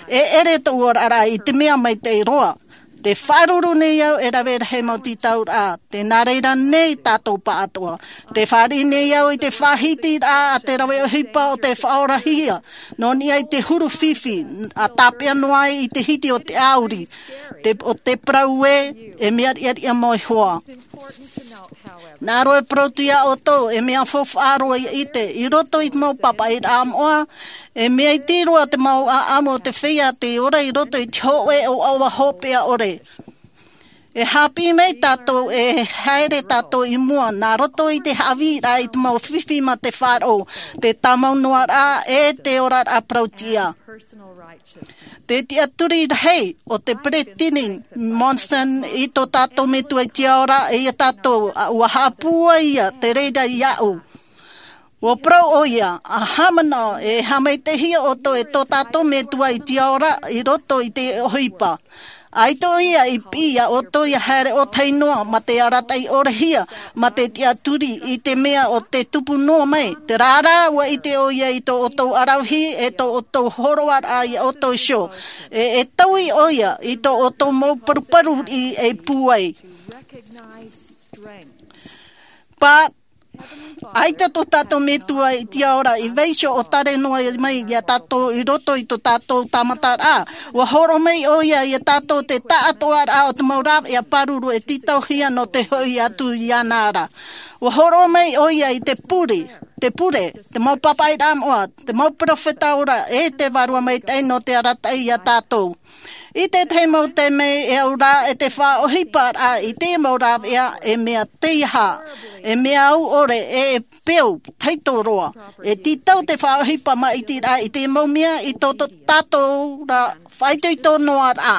E ʻere tōʻu oraraʻa i te mea maitaʻi roa. Tē faʻaruru nei au e rave rahi mau tītauraʻa, tē nā reira nei tātou pāʻatoʻa. Tē fāriʻi nei au i te faʻahitiraʻa a te rave ʻohipa o te faʻaorahia, nō niʻa i te huru fifi, ʻa tāpeʻa noa ai i te hiti o te ʻauri, te, o te parau ē, e mea riʻariʻa mau iho ā. Nā roto e parau atu iā ʻoutou, e mea faufaʻa roa ʻia ʻite, i roto i te mau pāpaʻiraʻa moʻa, e mea iti roa te mau ʻaʻamu o te feiā tei ora i roto i te hōʻē ʻoaʻoa hopeʻa ʻore. E haʻapiʻi mai tātou, e haere tātou i mua, nā roto i te haʻavīraʻa i te mau fifi mā te faʻaroʻo, te tāmau noa raʻa, e te oraraʻa parau-tiʻa. Te tiʻaturi rahi o te Peresideni Monson i tō tātou Metua i te Ao ra, e ia tātou, ʻa, ua haʻapūai ia te reira iāʻu. Ua parau ʻoia, ʻa haʻamanaʻo, e haʻamaitaʻihia ʻoutou e tō tātou Metua i te Ao ra, i roto i te ʻohipa. ʻAita ʻoia i piʻi iā ʻoutou ʻia haere ʻōtahi noa, mā te arataʻi ʻorahia, mā te tiʻaturi i te mea ʻo tē tupu noa mai. Terā rā, ua ʻite ʻoia i tō ʻoutou aravihi, e tō ʻoutou hōroaraʻa iā ʻoutou iho. E, e taui ʻoia i tō ʻoutou mau paruparu riʻi ei pūai. Pā, ʻaita tō tātou Metua i te Ao ra i vaiiho ʻo tare noa mai iā tātou i roto i tō tātou tāmataraʻa. Ua hōroʻa mai ʻoia iā tātou te taʻatoʻaraʻa o te mau rāveʻa pāruru e tītauhia nō te hoʻi atu iāna ra. Ua hōroʻa mai ʻoia i te pure, te pure, te mau pāpaʻiraʻa moʻa, te mau peropheta ora, e te Vārua Maitaʻi nō te arataʻi ia tātou. I te tahi mau taime e au ra e te faʻaʻohiparaʻa i te mau rāveʻa, e mea teiaha, e mea au ʻore, e peu, taʻatoʻa roa. E tītau te faʻaʻohipa maʻitiraʻa i te mau mea i tō, tō tātou ra faʻaitoito noa ra.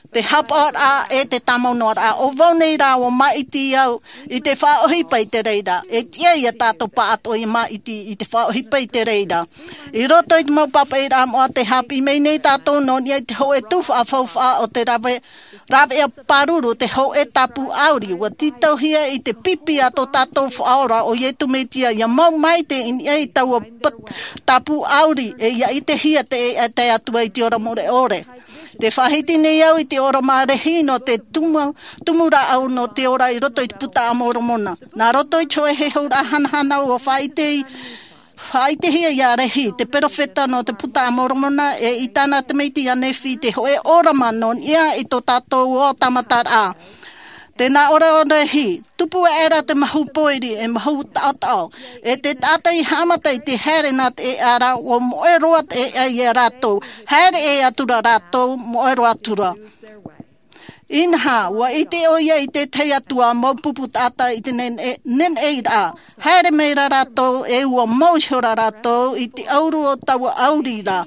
Te hapaʻoraʻa e te tāmau noa ra. ʻO vau nei rā ua maʻiti au i te faʻaʻohipa i te reira. E tiʻa ia tātou pāʻatoʻa ia maʻiti i te faʻaʻohipa i te reira. I roto i te mau pāpaʻiraʻa moʻa tē haʻapiʻi mai nei tātou nō niʻa i te hōʻē tuhaʻa faufaʻa o te rave, rāveʻa pāruru, te hōʻē tāpū ʻauri, ua tītauhia i te pipi a tō tātou Faʻaora ʻo Iesu Mesia, ia mau maite i niʻa i taua pa-, tāpū ʻauri, e ia ʻitehia te, e te Atua i te ora mure ʻore. Tē faʻahiti nei au i te ʻōrama rahi nō te tumu, tumu rāʻau nō te ora i roto i te Buka a Moromona. Nā roto i te hōʻē heheuraʻa hanahana ua faʻaʻite, faʻaʻitehia ia Lehi, te peropheta nō te Buka a Moromona, e i tāna tamaiti a Nephi, te hōʻē ʻōrama nō niʻa i tō tātou ʻō tāmataraʻa. Tē nā ʻō ra ʻo Lehi, tupu aʻera te mahu pōiri, e mahu taʻotaʻo, e te taʻata i haʻamata i te haere nā te ʻēʻa ra, ua moʻe roa te ʻēʻa ia rātou, haere ʻē atu ra rātou, moʻe roa atu ra. Inaha, ua ʻite ʻoia i te tahi atu ā mau pupu taʻata i te neneʻi, neneʻi ra, haere mai ra rātou, e ua mau iho ra rātou i te ʻauru o taua ʻauri ra.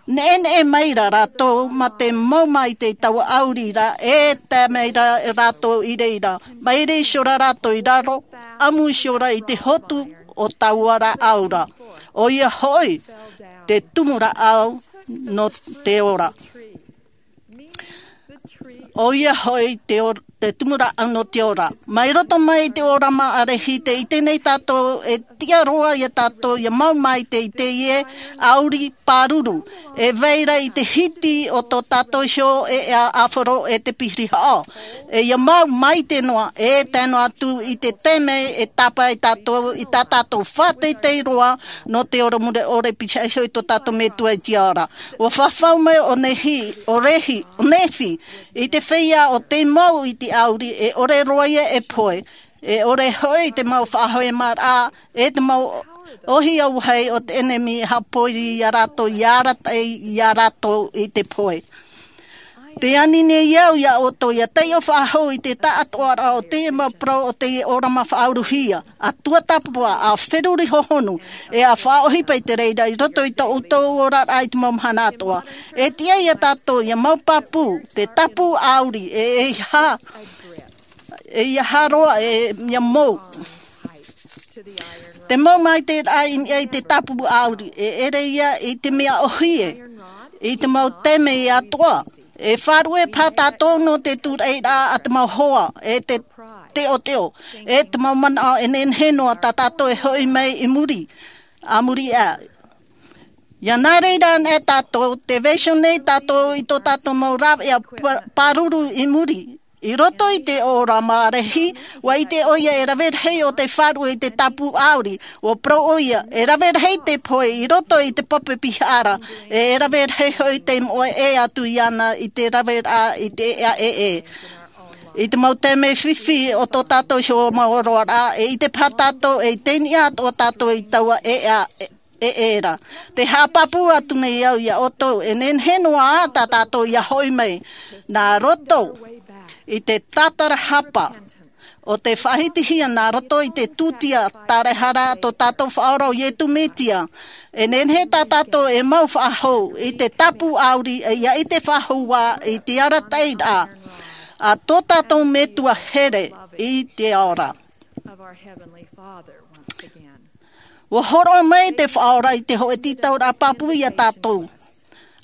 Neʻeneʻe mai ra rātou mā te mau maite i taua ʻauri ra, e tae mai ra rātou i reira. Maere iho ra rātou i raro, ʻamu iho ra i te hotu o taua rāʻau ra. ʻOia hoʻi, te tumu rāʻau nō te ora. ʻOia hoʻi te or-, te tumu rāʻau nō te ora. Mai roto mai i te ʻōrama a Lehi, tē ʻite nei tātou, e tiʻa roa ia tātou, ia mau maite i teie ʻauri pāruru. E vai ra i te hiti o tō tātou iho ʻēʻa ʻāfaro e te pirihaʻa. E ia mau maite noa, e tae noa atu i te taime e tāpae tātou, i tā tātou faʻateitei roa, nō te ora mure ʻore piti iho i tō tātou Metua i te ao ra. Ua fafau mai ʻo Lehi, ʻo Lehi, ʻo Nephi, i te feiā ʻo tei mau i te ʻauri, e ʻore roa ia e pohe, e ʻore hoʻi te mau faʻahoʻimaraʻa, e te mau ʻohi auahi o te ʻenemi e haʻapōiri ia rātou, ia arataʻi ia rātou i te pohe. Tē ani nei au ia ʻoutou, ia taiʻo faʻahou i te taʻatoʻaraʻa o teie mau parau o teie ʻōrama faʻauruhia. ʻA tuatāpapa, ʻa feruri hohonu, e ʻa faʻaʻohipa i te reira i roto i tō ʻoutou oraraʻa i te mau mahana atoʻa. E tiʻa ia tātou, ia mau pāpū, te tāpū ʻauri, e, e ʻeiaha, e ʻeiaha roa, e, ia mau. Te mau maitaʻiraʻa i niʻa i te tāpū ʻauri, e ʻere ia i te mea ʻōhie, i te mau taime atoʻa. E faʻaruʻe paha tātou nō te tūraʻiraʻa a te mau hoa, e te teʻoteʻo, e te mau manaʻo e nehenehe noa tā tātou e hoʻi mai i muri, a muri aʻe. Ia nā reira anaʻe tātou, tē vaiiho nei tātou i tō tātou mau rāveʻa pa-, pāruru i muri. I roto i te ʻōrama a Lehi, ua ʻite ʻoia e rave rahi ʻo tei faʻaruʻe i te tāpū ʻauri, ua parau ʻoia, e rave rahi te pohe i roto i te pape pihaʻa ra, e, e rave rahi hoʻi tei moʻe ʻē atu iāna i te raveraʻa i te ʻēʻa ʻē. I te mau taime fifi o tō tātou iho mau roaraʻa, e ʻite paha tātou, e i te niʻa atoʻa tātou i taua ʻēʻa ʻē. E ʻē ra. Tē haʻapāpū atu nei au ia ʻoutou, e nehenehe noa tā tātou ia hoʻi mai. Nā roto i te tātarahapa o te faʻahitihia, nā roto i te tūtia tāraehara tō tātou Faʻaora ʻo Iesu Mesia. E nehenehe tā tātou e mau faʻahou i te tāpū ʻauri, e ia ʻite faʻahou ā i te arataʻiraʻa a tō tātou Metua here i te ao ra. Ua hōroʻa mai te Faʻaora i te hōʻē tītauraʻa pāpū ia tātou.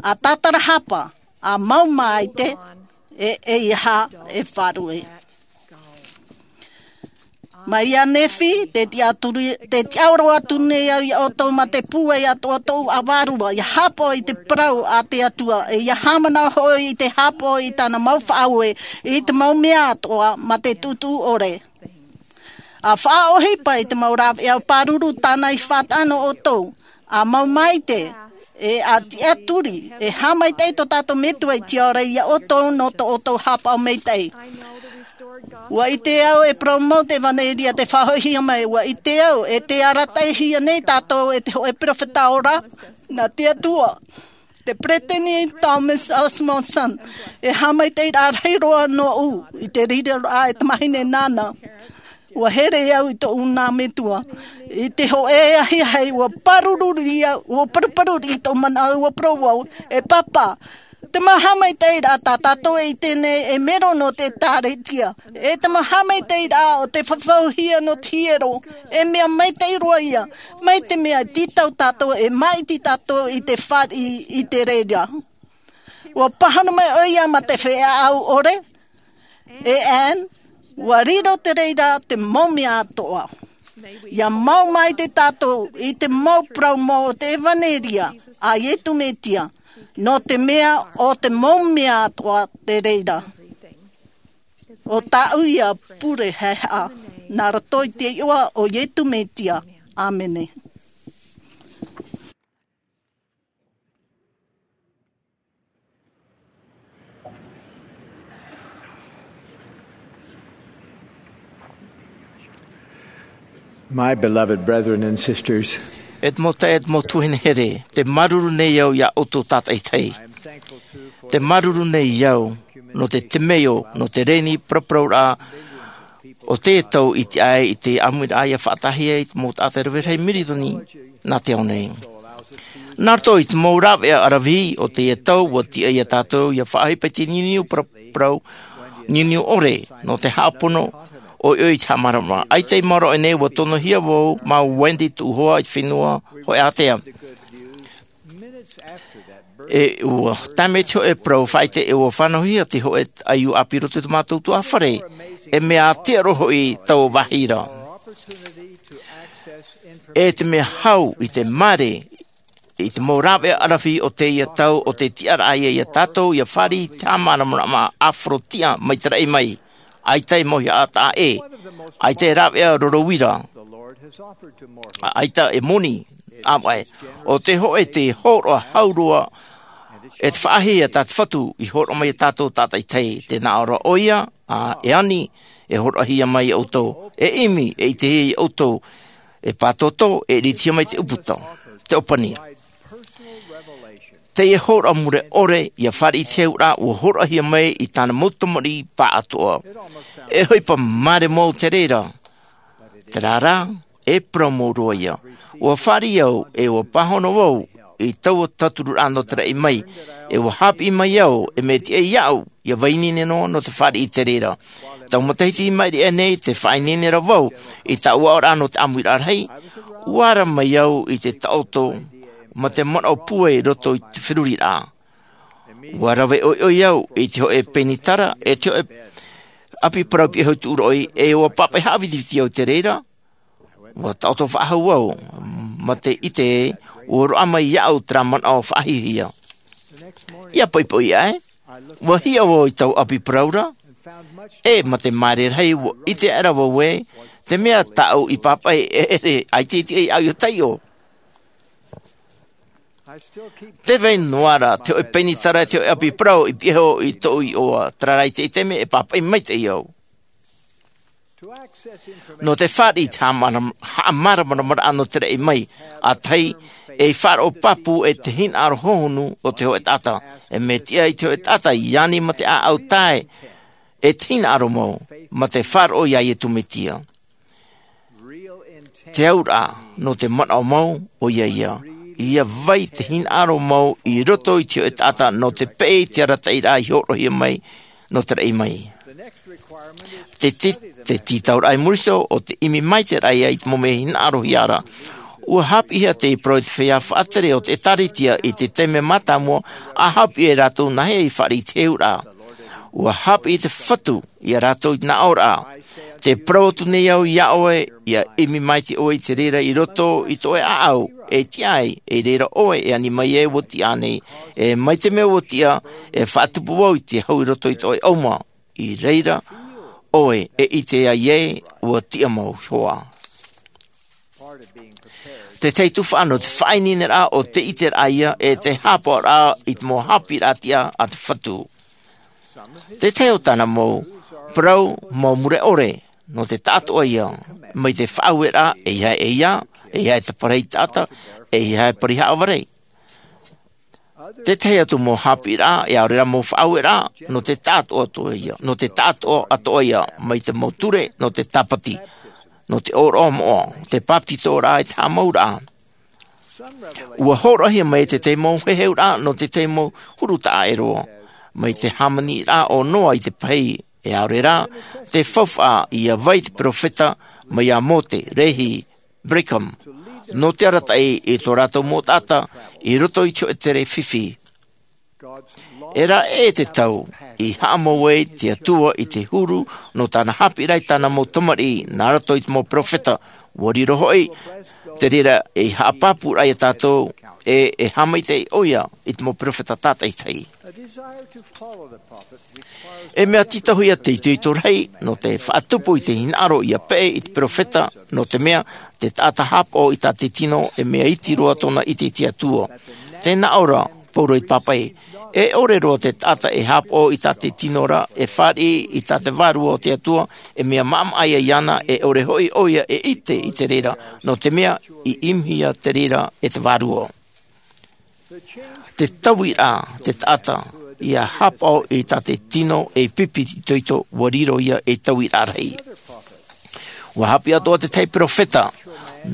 ʻA tātarahapa, ʻa mau maite, e, e ʻeiaha e faʻaruʻe. Mai ia Nephi, tē tiʻaturi, tē tiʻaoro atu nei au ia ʻoutou mā te pūai atoʻa tōʻu ʻāvaʻe, ia haʻapaʻo i te parau a te Atua, e ia haʻamanaʻo hoʻi i te haʻapaʻo i tāna mau faʻaue, i te mau mea atoʻa, mā te tuʻutuʻu ʻore. ʻA faʻaʻohipa i te mau rāveʻa pāruru tāna i faʻataʻa nō ʻoutou, ʻa mau maite, e ʻa tiʻaturi, e haʻamaitaʻi tō tātou Metua i te ao ra ia ʻoutou nō tō ʻoutou haʻapaʻo maitaʻi. Ua ʻite au e parau mau te ʻevanelia te faʻahoʻihia mai. Ua ʻite au e te arataʻihia nei tātou e te hōʻē peropheta ora, nā te Atua. Te peresideni Thomas S. Monson, e haʻamaitaʻiraʻa rahi roa nōʻu i te riro raʻa e tamahine nāna. Ua here au i tōʻu nā metua i te hōʻē ahiahi, ua pāruru ria, ua paruparu i tōʻu manaʻo, ua parau au, e pāpā, te mau haʻamaitaʻiraʻa tā tātou e ʻite nei e mero nō te ʻēkālesia, e te mau haʻamaitaʻiraʻa o te fafauhia nō te hiero, e mea maitaʻi roa ia, mai te mea tītau tātou e māʻiti tātou i te fāriʻi i te reira. Ua pāhono mai ʻoia mā te feiā ʻore, e Anne, ua riro te reira te mau mea atoʻa. ʻIa mau maitaʻi tātou i te mau parau mau o te ʻevanelia a Iesu Mesia, nō te mea ʻo te mau mea atoʻa te reira. ʻO tāʻu ia pure haʻehaʻa, nā roto i te iʻoa o Iesu Mesia. ʻĀmene. My beloved brethren and sisters, e te mau taeaʻe, e te mau tuahine here, te māuruuru nei au iā ʻoutou tātaʻitahi. Te māuruuru nei au nō te temeio, nō te reni paraparauraʻa o teie tau i tiʻa ai i te ʻāmuiraʻa ʻia faʻataʻahia i te mau taʻata e rave rahi mirioni nā te ao nei. Nā roto i te mau rāveʻa ʻaravihi o teie tau, ua tiʻa iā tātou ʻia faʻaʻohipa i te niuniu paraparau, niuniu ʻore, nō te haʻapono, ʻoiʻoi i te haʻamāramarama. ʻAita i maoro aʻe nei, ua tonohia vau mā Wendy tōʻu hoa i te fenua Hōʻē Ātea. E ua tae mai te hōʻē parau faʻaʻite, e ua fānauhia te hōʻē ʻaiū ʻāpī i roto i tō mātou tuhaʻa fare, e mea ātea roa hoʻi taua vāhi ra. E te mea hau i te māere i te mau rāveʻa ʻaravihi o teie tau, ʻo te tiʻaraʻa ia iā tātou ʻia fāriʻi i te haʻamāramarama ʻāfaro tiʻa mai te raʻi mai. ʻAita e mau haʻataʻa ʻē, ʻaita e rāveʻa roro uira, ʻaita e moni ʻāvaʻe. ʻO te hōʻē, te hōroʻa hau roa, e te faʻahiahia tā te Fatu i hōroʻa mai iā tātou tātaʻitahi. Tē nā ʻō ra ʻoia, ā, e ani, e hōroʻahia mai iā ʻoutou, e ʻimi, e ʻitehia iā ʻoutou, e pātōtō, e ʻiritihia mai te ʻūputa, te ʻōpani. Teie hōroʻa mure ʻore ʻia fāriʻi i te heheuraʻa, ua hōroʻahia mai i tāna mau tamariʻi pāʻatoʻa. E ʻohipa māere mau te reira, terā rā, e parau mau roa ia. Ua fāriʻi au, e ua pāhono vau i taua tautururaʻa nō te raʻi mai, e ua haʻapiʻi mai au, e mea tiʻa iāʻu ʻia vai ineine noa nō te fāriʻi i te reira. Taua matahiti i maʻiri aʻe nei, tē faʻaineine ra vau i tāʻu aʻoraʻa nō te ʻāmuiraʻa rahi, ua ara mai au i te taʻoto mā te manaʻo pūai i roto i te feruriraʻa. Ua rave ʻoiʻoi au i te hōʻē pēnitara, e te hōʻē ʻapi parau piʻihau i tuʻu roʻi, e ua pāpaʻi haʻavitiviti au i te reira. Ua taʻoto faʻahou au, mā te ʻite, ua roaʻa mai iāʻu terā manaʻo faʻahiahia. ʻIa poʻipoʻi aʻe, ua hiʻo vau i taua ʻapi parau ra, e mā te māere rahi, ua ʻite aʻera vau ē, te mea tāʻu i pāpaʻi e ʻere, ʻaita e tiʻa iāʻu ʻia taiʻo. Tē vai noa ra te hōʻē pēnitara, te hōʻē ʻapi parau i piʻihau i tōʻu iʻoa, terā rā i teie taime e pāpaʻi maitaʻi au. Nō te fāriʻi i te haʻamāram-, haʻamāramaramaraʻa nō te raʻi mai, ʻa tahi, ei faʻaroʻo pāpū e te hinaʻaro hohonu o te hōʻē taʻata, e mea tiʻa i te hōʻē taʻata ʻia ani mā te ʻāʻau tae, e te hinaʻaro mau, mā te faʻaroʻo iā Iesu Mesia. Te auraʻa nō te manaʻo mau, ʻoia ia, ʻia vai te hinaʻaro mau i roto i te hōʻē taʻata nō te peʻe i te arataʻiraʻa i hōroʻahia mai nō te raʻi mai. Te, te, te tītauraʻa i muri iho, ʻo te ʻimi mai te raʻi i te mau mea hinaʻarohia ra. Ua haʻapiʻihia te parau i te feiā faʻatere o te ʻĒtārētia i te taime mātāmua, ʻa haʻapiʻi e rātou nāhea i fāriʻi i te heheuraʻa. Ua haʻapiʻi te Fatu iā rātou i te nā ʻō ra. Tē parau atu nei au iā ʻoe, ʻia ʻimi maitaʻi ʻoe i te reira i roto i tō ʻoe ʻāʻau, e tiʻa ai, e reira ʻoe e ani mai ai ua tiʻa nei, e mai te mea ua tiʻa, e faʻatupu vau i te hau i roto i tō ʻoe ʻauma, i reira ʻoe e ʻite ai ē ua tiʻa mau iho ā. Te tahi tuhaʻa nō te faʻaineineraʻa ʻo te ʻiteraʻa ia e te haʻapaʻoraʻa i te mau haʻapiʻiraʻa tiʻa a te Fatu. Te tahi o tāna mau Parau mau mure ʻore nō te taʻatoʻa ia, mai te faʻaueraʻa, ʻeiaha e ia, ʻeiaha e taparahi taʻata, ʻeiaha e pari haʻavare. Tētahi atu mau haʻapiʻiraʻa, e ʻaore rā mau faʻaueraʻa, nō te taʻatoʻa atoʻa ia, nō te taʻatoʻa atoʻa ia, mai te mau ture, nō te tāpati, nō te ʻōroʻa moʻa, te bāpetizoraʻa, e te haʻamauraʻa. Ua hōroʻahia mai te tahi mau heheuraʻa nō te tahi mau huru taʻa ʻē roa, mai te hāmaniraʻa o Noa i te pahī, e ʻaore rā, te faufaʻa ia vai te peropheta, mai iā Mōte, Lehi, Brigham, nō te arataʻi i tō rātou mau taʻata, i roto i te hōʻē tere fifi. E rave te tau, i haʻamau ai te Atua i te huru, nō tāna haʻapiʻiraʻa i tāna mau tamariʻi, nā roto i te mau peropheta, ua riro hoʻi, te reira e haʻapāpūraʻa iā tātou, e, e haʻamaitaʻi ʻoia i te mau peropheta tātaʻitahi. E mea tītauhia te itoito rahi, nō te faʻatupu i te hinaʻaro ia peʻe i te peropheta, nō te mea, te taʻata haʻapaʻo i tā te tino, e mea iti roa tōna ʻite i te Atua. Tē nā ʻō ra, Paulo i te pāpaʻi, e ʻore roa te taʻata e haʻapaʻo i tā te tino ra, e fāriʻi i tā te vārua o te Atua, e mea maʻamaʻa ia iāna, e ʻore hoʻi ʻoia e ʻite i te reira, nō te mea, i ʻimihia te reira e te vārua. Te tauiraʻa, te taʻata, ia haʻapaʻo i tā te tino e pipi itoito, ua riro ia ei tauiraʻa rahi. Ua haʻapiʻi atoʻa te tahi peropheta,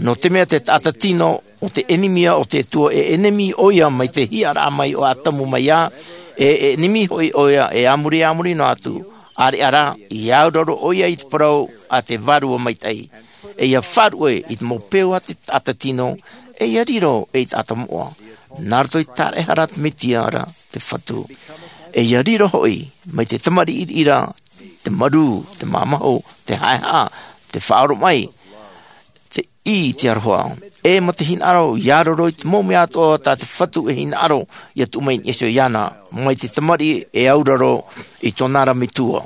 nō te mea te taʻata tino, ʻo te ʻenemi ia o te Atua, e ʻenemi ʻoia mai te hiʻaraʻa mai o Atamu mai ā, e, e ʻenemi hoʻi ʻoia e a muri, a muri noa atu, ʻāreʻa rā, i auraro ʻoia i te parau a te Vārua Maitaʻi. E ia faʻaruʻe i te mau peu a te taʻata tino, e ia riro ei taʻata moʻa. Nā roto i te tāraʻehara a te Mesia ra te Fatu. E ia riro hoʻi, mai te tamariʻi ra, te marū, te māmahu, te haʻehaʻa, te faʻaoromaʻi, te ʻī i te aroha. E mā te hinaʻaro, ia riro i te mau mea atoʻa tā te Fatu e hinaʻaro, ia tuʻu mai i niʻa iho iāna, mai te tamariʻi e auraro i tōna ra metua.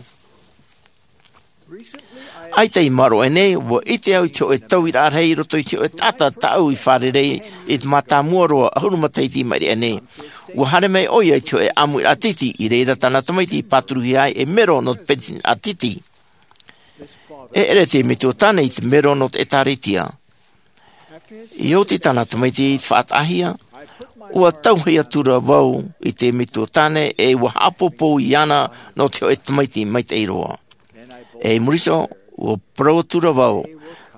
ʻAita i maoro aʻe nei, ua ʻite au i te hōʻē tauiraʻa rahi i roto i te hōʻē taʻata tāʻu i fārerei i te mātāmua roa ʻahuru matahiti i maʻiri aʻe nei. Ua haere mai ʻoia i te hōʻē ʻāmuiraʻa tītī, i reira tāna tamaiti i pāturuhia ai ei mero nō te peretiteni tītī. E ʻere te metua tāne i te mero nō te ʻĒtārētia. I oti tāna tamaiti i faʻataʻahia, ua tauhei atu ra vau i te metua tāne e ua haʻapōpou iāna nō te hōʻē tamaiti maitaʻi roa. E i muri iho, ua parau atu ra vau,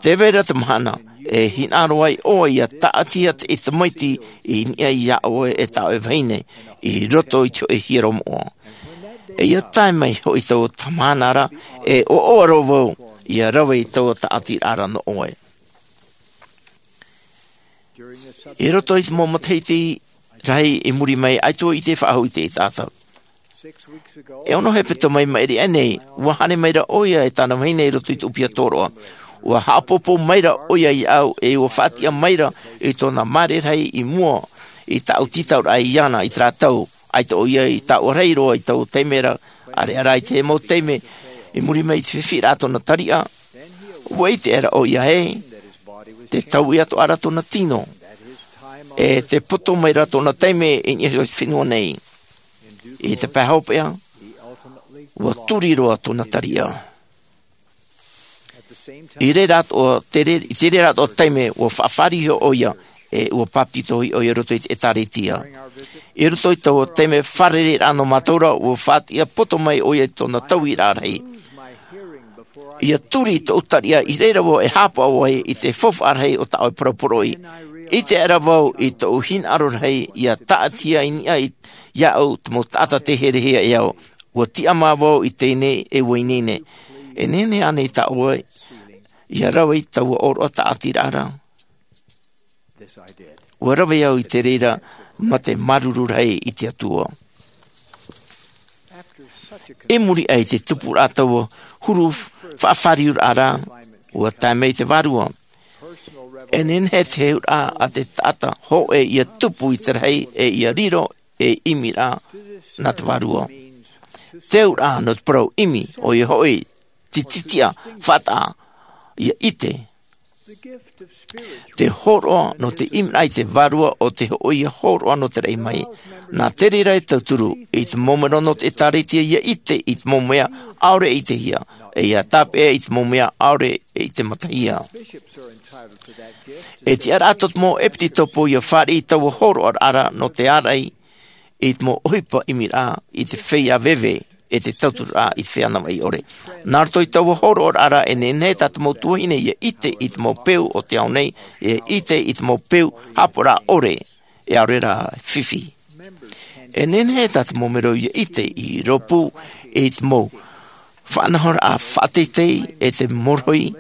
tē vai ra te mahana, e hinaʻaro ai ʻoe ia tāʻatihia te tamaiti i niʻa iā ʻoe e tā ʻoe vahine, i roto i te hōʻē hiero moʻa. E ia tae mai hoʻi taua mahana ra, e ʻoaʻoa roa vau, ia rave i taua tāʻatiraʻa ra nō ʻoe. I roto i te mau matahiti rahi i muri mai, ʻaita i te faʻahou i te taʻata. E ono hepetoma i maʻiri aʻe nei, ua haere mai ra ʻoia e tāna vahine i roto i te ʻūpia tōroʻa. Ua haʻapōpou mai ra ʻoia iāʻu, e ua faʻatiʻa mai ra i tōna māere rahi i mua i tāʻu tītauraʻa iāna i terā tau, ʻaita ʻoia i taoʻa rahi roa i taua taime ra, ʻāreʻa rā i te mau taime i muri mai i te fifi ra tōna tariʻa, ua ʻite aʻera ʻoia ē, tē taui atoʻa ra tōna tino, e tē poto mai ra tōna taime i niʻa iho i te fenua nei. I te pae hopeʻa, ua turi roa tōna tariʻa. I reira atoʻa, te re-, i te reira atoʻa taime, ua faʻafārerei ʻoia, e ua bāpetizo ʻoia i roto i te ʻĒtārētia. I roto i taua taime fārereiraʻa nō mātou ra, ua faʻatiʻa poto mai ʻoia i tōna tauiraʻa rahi. Ia turi tōʻu tariʻa i reira vau e haʻapaʻo ai i te faufaʻa rahi o tā ʻoe parau poroʻi. ʻIte aʻera vau i tōʻu hinaʻaro rahi ia tāʻatihia i niʻa iāʻu te mau taʻata tē herehia e au. Ua tiʻamā vau i teie nei e ua ineine. E nehenehe ānei tā ʻoe ia rave i taua ʻōroʻa tāʻatiraʻa ra? Ua rave au i te reira mā te māuruuru rahi i te Atua. I muri aʻe i te tupuraʻa taua huru faʻafāriuraʻa ra, ua tae mai te Vārua. E nehenehe te heheuraʻa a te taʻata hōʻē ia tupu i te rahi e ia riro ei ʻimiraʻa nā te Vārua. Te auraʻa nō te parau ʻimi, ʻoia hoʻi, te tītiʻa, faʻataʻa, ia ʻite. Te hōroʻa nō te ʻimiraʻa i te vārua ʻo te hoʻi ia hōroʻa nō te raʻi mai. Nā te reira e tauturu i te mau mero nō te ʻēkālesia ia ʻite i te mau mea ʻaore e ʻitehia, e ia tāpeʻa i te mau mea ʻaore e ʻite matahia. E tiʻaraʻa tō te mau ʻepisekopo ia fāriʻi i taua hōroʻaraʻa ra nō te āraʻi i te mau ʻohipa ʻimiraʻa i te feiā veve e te tautururaʻa i te feiā navaʻi ʻore. Nā roto i taua hōroʻaraʻa ra e nehenehe tā te mau tuahine ia ʻite i te mau peu o te ao nei, e ʻite i te mau peu haʻapaʻoraʻa ʻore e ʻaore rā fifi. E nehenehe tā te mau mero ia ʻite i rōpū i te mau faʻanahoraʻa faʻateitei e te morohi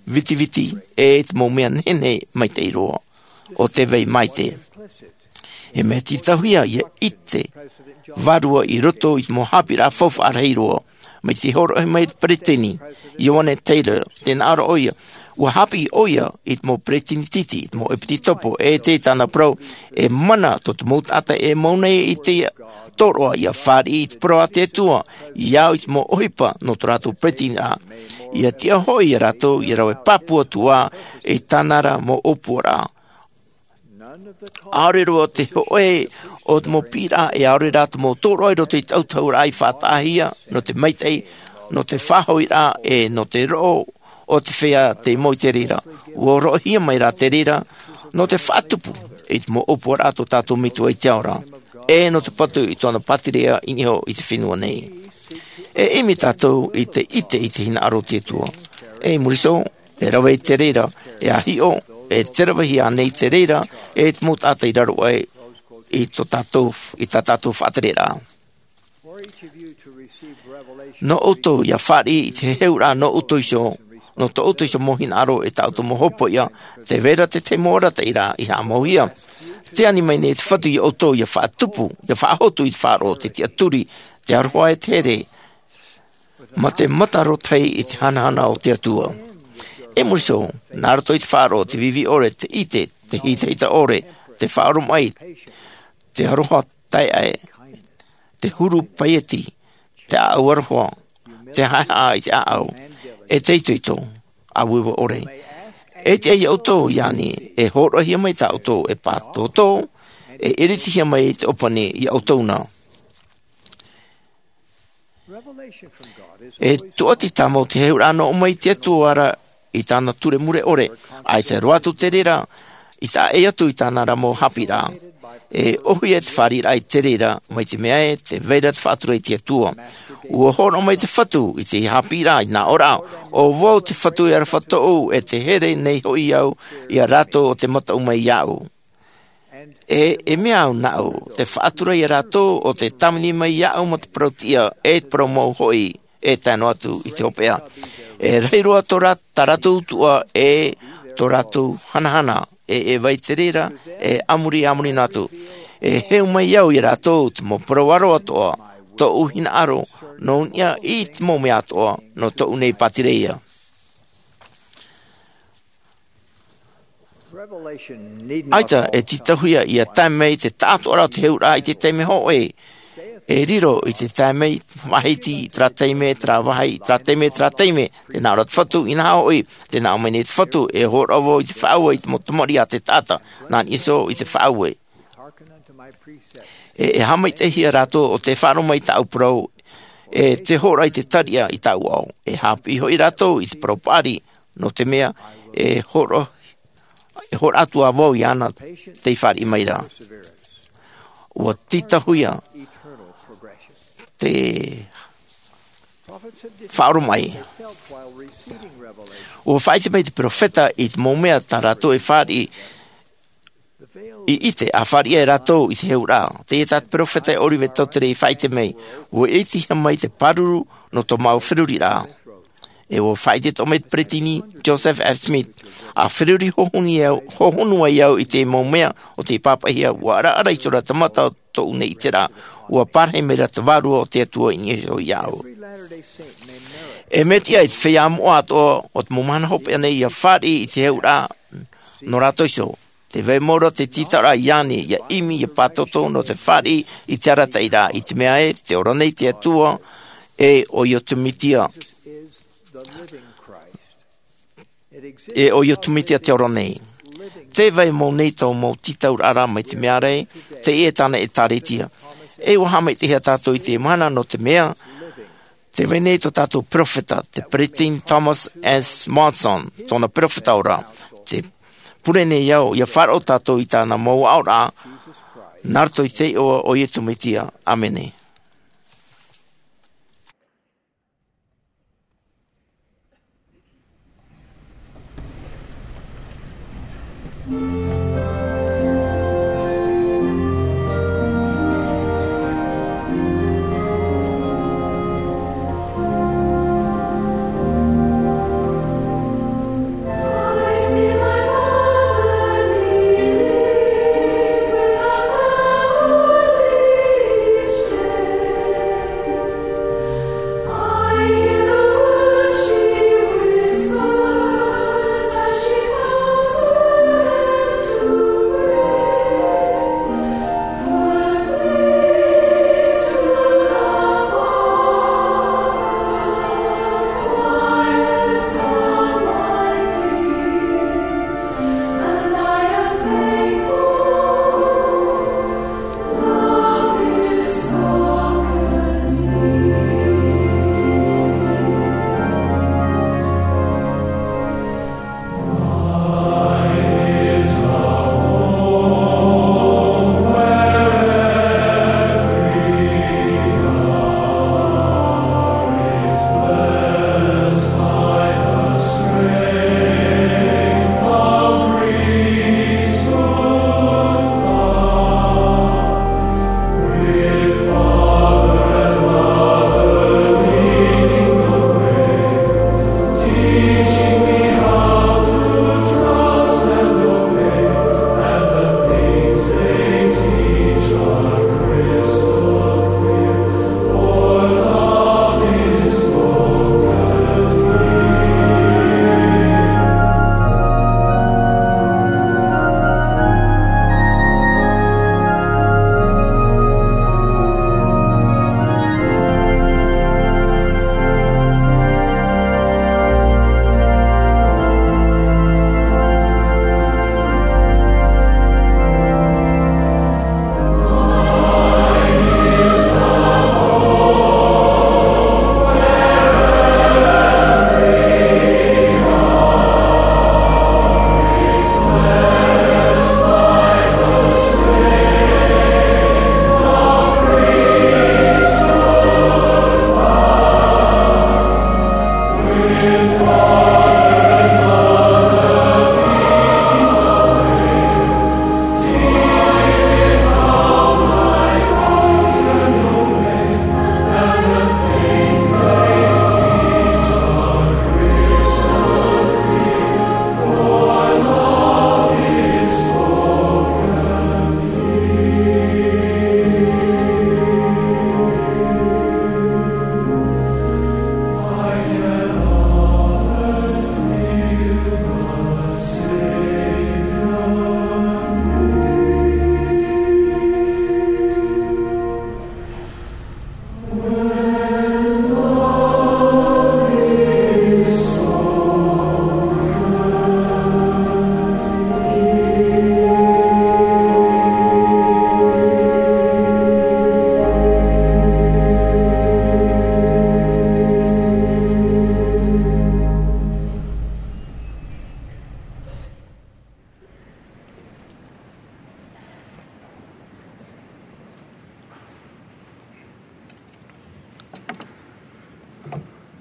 vitiviti e te mau mea nehenehe maitaʻi roa o te vai maite. E mea tītauhia ia ʻite vārua i roto i te mau haʻapiʻiraʻa faufaʻa rahi roa mai te hōroʻahia mai te peresideni Ioane Taylor, tē nā ʻō ra ʻoia, ua haʻapiʻi ʻoia i te mau peresideni iti, i te mau ʻepisekopo e te tāna parau, e mana tō te mau taʻata e mau nei i te tōroʻa ia fāriʻi i te parau a te Atua ia au i te mau ʻohipa nō tō rātou peresideni ra, ia tiʻa hoʻi ia rātou ia rave pāpū atu ā i tāna ra mau ʻōpuaraʻa. ʻAore roa te hōʻē o te mau piʻiraʻa e ʻaore rā te mau tōroʻa i roto i te ʻautahuʻaraʻa i faʻataʻahia nō te maitaʻi, nō te faʻahoʻiraʻa e nō te roʻo o te feiā tei mau i te reira. Ua hōroʻahia mai rā te reira nō te faʻatupu i te mau ʻōpuaraʻa tō tātou Metua i te ao ra, e nō te patu i tōna pātireia i niʻa i te fenua nei. E ʻimi tātou i te ʻite i te hinaʻaro o te Atua. E muri iho, e rave i te reira, e ʻāhiʻo, e te ravehia nei te reira, e te mau taʻata i raro aʻe i tō tātou, i tā tātou faʻatereraʻa. Nō ʻoutou ia fāriʻi i te heheuraʻa nō ʻoutou iho, nō tō ʻoutou iho mau hinaʻaro e tā ʻoutou mau hopoiʻa, tē vai ra te tahi mau arataʻiraʻa i haʻamauhia. Tē ani mai nei te Fatu ia ʻoutou ia faʻatupu, ia faʻahotu i te faʻaroʻo, te tiʻaturi, te aroha e te here, mā te mata arotahi i te hanahana o te Atua. E muri iho, nā roto i te faʻaroʻo, te vivi ʻore, te ʻite, te hitahita ʻore, te faʻaoromaʻi, te aroha taeaʻe, te huru paieti, te ʻāʻau aroha, te haʻehaʻa i te ʻāʻau, e te itoito, ʻāueue ʻore. E tiʻa ia ʻoutou ia ani, e hōroʻahia mai tā ʻoutou e pātōtō, e iritihia mai te ʻōpani ia ʻoutou na. E tūʻati tāmau te heheuraʻa nō ʻō mai te Atua ra i tāna ture mure ʻore, ʻaita roa atu te reira, i taʻa ʻē atu i tāna ra mau haʻapiʻiraʻa. E ʻōhie te fāriʻiraʻa i te reira, mai te mea ē, tē vai ra te faʻatura i te Atua. Ua hōroʻa mai te Fatu i te haʻapiʻiraʻa i nā ʻō ra, ʻo vau te Fatu e aroha tōʻu, e tē here nei hoʻi au ia rātou ʻo tē mataʻu mai iāʻu. E, e mea au nāʻu, te faʻatura ia rātou ʻo tē tāvini mai iāʻu mā te parau tiʻa, e te parau mau hoʻi, e tae noa atu i te hopeʻa. E rahi roa tō rā-, tā rātou utuʻa, e tō rātou hanahana, e, e vai te reira, e a muri, a muri noa atu. E heu mai au ia rātou, te mau parau aro atoʻa, tōʻu hinaʻaro, nō niʻa i te mau mea atoʻa, nō tōʻu nei pātireia. ʻAita e tītauhia ia tae mai te taʻatoʻaraʻa o te heheuraʻa i te taime hōʻē. E riro i te tae mai, faʻahiti i terā taime, terā vāhi, terā taime, terā taime. Tē nā ʻō ra te Fatu, inaha hoʻi, tē nā ʻō mai nei te Fatu, e hōroʻa vau i te faʻaue i te mau tamariʻi a te taʻata, nā niʻa iho i te faʻaue. E, e haʻamaitaʻihia rātou ʻo tē faʻaroʻo mai i tāʻu parau, e tē hōroʻa i te tariʻa i tāʻu ao. E haʻapiʻi hoʻi rātou i te parau paʻari, nō te mea, e hōroʻa, e hōroʻa atu ā vau iāna tei fāriʻi mai ra. Ua tītauhia te faʻaoromaʻi. Ua faʻaʻite mai te perofeta i te mau mea tā rātou e fāriʻi i ʻite, ʻa fāriʻi ai rātou i te heheuraʻa. Teie tā te perofeta e Oliver Cowdery i faʻaʻite mai, ua ʻitehia mai te pāruru nō tō māua feruriraʻa. E ua faʻaʻite atoʻa mai te peresideni Joseph F. Smith, ʻa feruri hohonu ai au, hohonu ai au i te mau mea o tei pāpaʻihia, ua ʻaraʻara iho ra te mata o tōʻu nei ʻiteraʻa, ua parahi mai ra te Vārua o te Atua i niʻa iho iāʻu. E mea tiʻa i te feiā moʻa atoʻa o te mau mahana hopeʻa nei ia fāriʻi i te heheuraʻa nō rātou iho. Tē vai mau ra te tītauhia ia ani, ia ʻimi, ia pātōtō nō te fāriʻi i te arataʻiraʻa, i te mea ē, tē ora nei te Atua, e ʻoia te Mesia. E ʻo Iesu Mesia te ora nei. Tē vai mau nei tō mau tītauraʻa mai te mea ra, teie tāna ʻĒtārētia. E ʻua haʻamaitaʻihia tātou i te mahana nō te mea, tē vai nei tō tātou peropheta, te Peresideni Thomas S. Monson, tōna peropheta ora. Tē pure nei au, ʻia faʻaroʻo tātou i tāna mau aʻoraʻa, nā roto i te iʻoa o Iesu Mesia. ʻĀmene.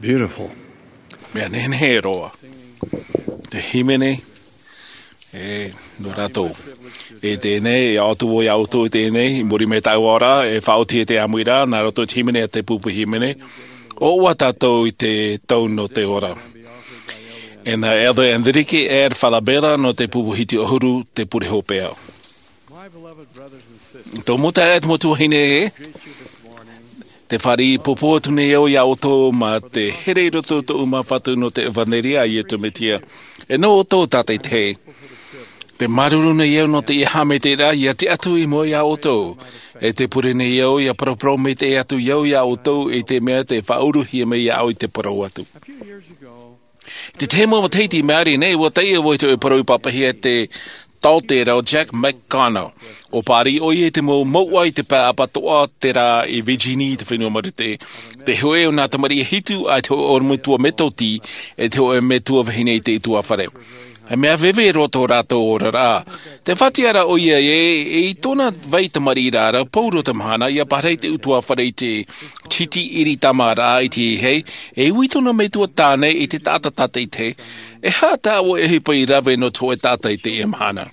Beautiful. Mea nehenehe roa. Te hīmene, e, nō rātou. E teie nei, e ʻaʻotu vau iā ʻoutou i teie nei, i muri mai tāʻu ora, e faʻaoti e te ʻāmuiraʻa, nā roto i te hīmene a te pupu hīmene, ʻoaʻoa tātou i te tau nō te ora. E nā Elder Enrique R. Falabella nō te pupu hiti ʻahuru te pure hopeʻa. Tō mau taeaʻe, tō mau tuahine ē, te fāriʻi pōpō atu nei au iā ʻoutou mā te here i roto i tōʻu māfatu nō te ʻevanelia a Iesu Mesia. E nō ʻoutou tātaitahi. Te māuruuru nei au nō teie haʻamaitaʻiraʻa ʻia tiʻa atu i mua iā ʻoutou. E te pure nei au ʻia paraparau maitaʻi atu au iā ʻoutou i te mea tē faʻauruhia mai iā ʻu i te parau atu. Te tahi mau matahiti i maori nei, ua tae au i te parau i papahia e te taote rā o Jack McConnell. ʻUa pāri ʻoia i te mau mouʻa i te pae apatoʻa, terā i Virginia i te fenua Marite. Te hōʻē o nā tamariʻi e hitu, ʻaita te hōʻē ʻorometua Metotī, ʻe te hōʻē metua vahine i te ʻutuāfare. He mea veve roa tō rātou oraraʻa. Tē faʻatiʻa ra ʻoia ē, i tōna vai tamariʻiraʻa, pauroa te mahana, ʻia pārahi te ʻutuāfare i te titi ʻiri tamāraʻa i te hei, e ui tōna metua tāne i te taʻata tātaʻitahi, e aha tā ʻoe ʻohipa i rave nō te hōʻē taʻata i teie mahana.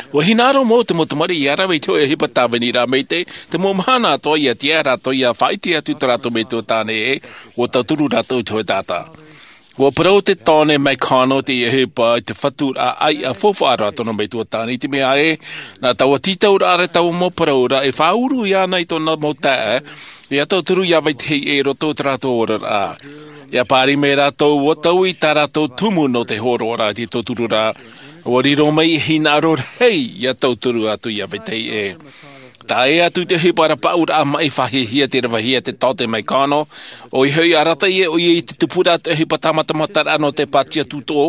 ʻUa hinaʻaro mau te mau tamariʻi ʻia rave i te hōʻē ʻohipa tāvini rā, mai te, te mau mahana atoʻa ʻia tiʻa rātou ʻia faʻaʻite atu i tō rātou metua tāne ē, ʻua tauturu rātou i te hōʻē taʻata. ʻUa parau te tāne McConnell i teie ʻohipa i te fatu ʻāiʻa faufaʻa ra tōna metua tāne, i te mea ē, nā taua tītauraʻa ra, taua mau parauraʻa e faʻauru iāna i tōna mau taeaʻe, ʻia tauturu ʻia vetahi ē i roto i tō rātou oraraʻa. ʻIa pāri mai rātou, ʻua taui tā rātou tumu nō te hōroaraʻa i te tautururaʻa. ʻUa riro mai e hinaʻaro rahi ʻia tauturu atu ʻia vetahi ē. Tae atu i te ʻohipa rapaʻauraʻa maʻi, faʻahiahia te ravehia e te taote McConnell, ʻoia hoʻi, arataʻi ʻoia i te tupuraʻa o te ʻohipa tāmatamataraʻa nō te pātia tūtō,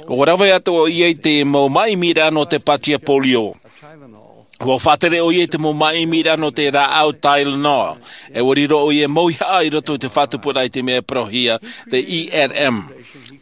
ʻua rave atu ʻoia i te mau māʻimiraʻa nō te pātia polio. ʻUa faʻatere ʻoia i te mau māʻimiraʻa nō te rāʻau Tylenol, ʻe ʻua riro ʻoia mau ʻīhaʻa i roto i te faʻatupuraʻa i te mea e parauhia te E R M.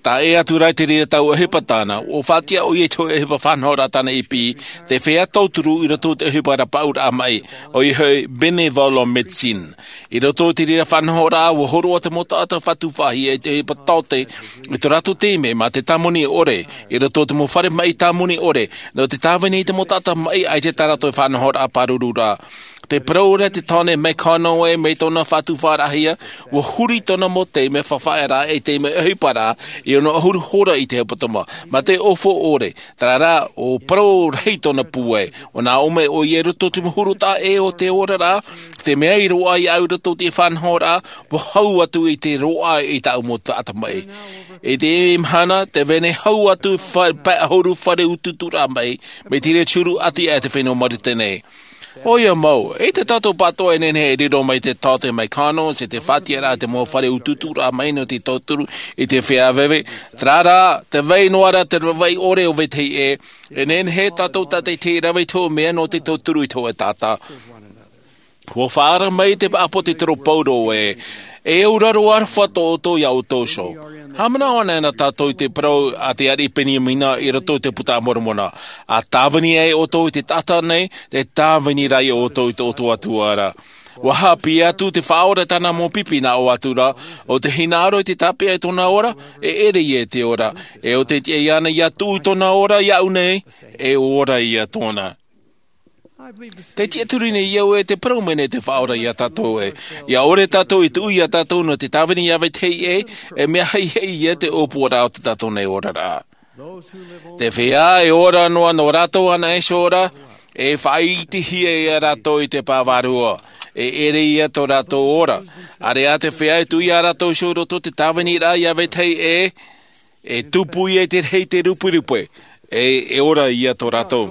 Tae atu ra i te reira taua ʻohipa tāna, ʻua faʻatiʻa ʻoia i te hōʻē ʻohipa faʻanahoraʻa tāna i piʻi, te feiā tauturu i roto i te ʻohipa rapaʻauraʻa maʻi, ʻoia hoʻi bénévolat médecine. I roto i te reira faʻanahoraʻa, ʻua hōroʻa te mau taʻata faʻatupu faʻahia i te ʻohipa taote, i tō rātou taime mā te tāmoni ʻore, i roto i te mau fare maʻi tāmoni ʻore, nō te tāvini i te mau taʻata maʻi, ʻaita tā rātou faʻanahoraʻa pāruru ra. Tē parau ra te tāne McConnell ē, mai tōna faʻatupu faʻahiahia, ʻua huri tōna mau taime faʻafaʻaraʻa, ʻe taime ʻohipa ra, i ono ʻahuru hora i te hepetoma, mā te ʻōfau ʻore, terā rā, ʻua parau rahi tōna pūai, ʻua nā ʻō mai ʻoia i roto i te mau huru taʻa ʻē o te oraraʻa, te mea i roaʻa iāʻu i roto i te faʻanahoraʻa, ʻua hau atu i te roaʻa i tāʻu mau taʻata maʻi. I teie mahana, tē vai nei hau atu fa-, pae ʻahuru fare utuuturaʻa maʻi, mai te reira turu ʻati aʻe te fenua Marite nei. ʻOia mau, ʻaita tātou pāʻatoʻa e nehenehe e riro mai te taote McConnell, ʻe te faʻatiʻaraʻa te mau fare utuuturaʻa maʻi nō te tauturu i te feiā veve, terā rā, tē vai noa ra te rave ʻore o vetahi ē, e nehenehe tātou tātaʻitahi e rave i te hōʻē mea nō te tauturu i te hōʻē taʻata. ʻUa faʻaara mai te ʻāpōsetolo Paulo ē, e auraro aroha tō ʻoutou iā ʻoutou iho. Haʻamanaʻo anaʻe na tātou i te parau a te ariʻi Peniamina i roto i te Buka a Moromona. ʻA tāvini ai ʻoutou i te taʻata nei, tē tāvini ra ia ʻoutou i tō ʻoutou Atua ra. ʻUa haʻapiʻi atu te Faʻaora i tāna mau pipi nā ʻō atu ra, ʻo tē hinaʻaro i te tāpeʻa i tōna ora, e ʻere ia i te ora. ʻE ʻo tē tiʻa iāna ʻia tuʻu i tōna ora iāʻu nei, e ora ia tōna. Tē tiʻaturi nei au ē tē parau mai nei te Faʻaora iā tātou ē, ʻia ʻore tātou i tuʻu iā tātou nō te tāvini iā vetahi ē, e mea haʻihaʻi ia te ʻōpuaraʻa o tō tātou nei oraraʻa. Te feiā e ora noa nō rātou anaʻe iho ra, e faʻaʻitehia ia rātou i te pae vārua, e ʻere ia tō rātou ora. ʻAreʻa te feiā e tuʻu iā rātou iho i roto i te tāviniraʻa iā vetahi ē, e tupu ia i te rahi i te ruperupe, e, e ora ia tō rātou.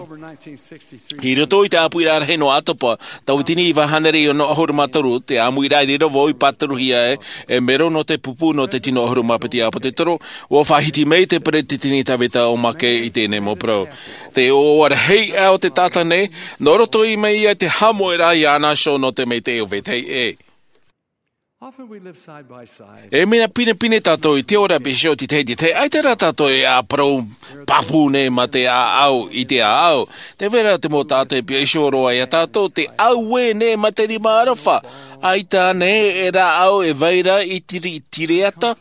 I roto i te ʻāpoʻoraʻa rahi nō ʻOkatopa, tauatini iva hānere e ono ʻahuru mā toru, te ʻāmuiraʻa i reira vau i pāturuhia ai, e mero nō te pupu nō te tino ʻahuru mā piti ʻāpōsetolo, ʻua faʻahiti mai te peresideni Tavita O. McKay i teie nei mau parau. Te ʻoaʻoa rahi aʻe o te taʻata nei, nō roto mai ia i te haʻamoʻeraʻa iāna iho nō te maitaʻi o vetahi ē. E mea pinepine tātou i te ora, pēnei i te tahi, te tahi, ʻaita rā tātou e ʻāparau pāpū nei mā te ʻāʻau i te ʻāʻau. Tē vai ra te mau taʻata e piʻi iho roa iā tātou, te auē nei mā te rima aroha, ʻaita nei e rāʻau e vai ra i tiri, tiriata.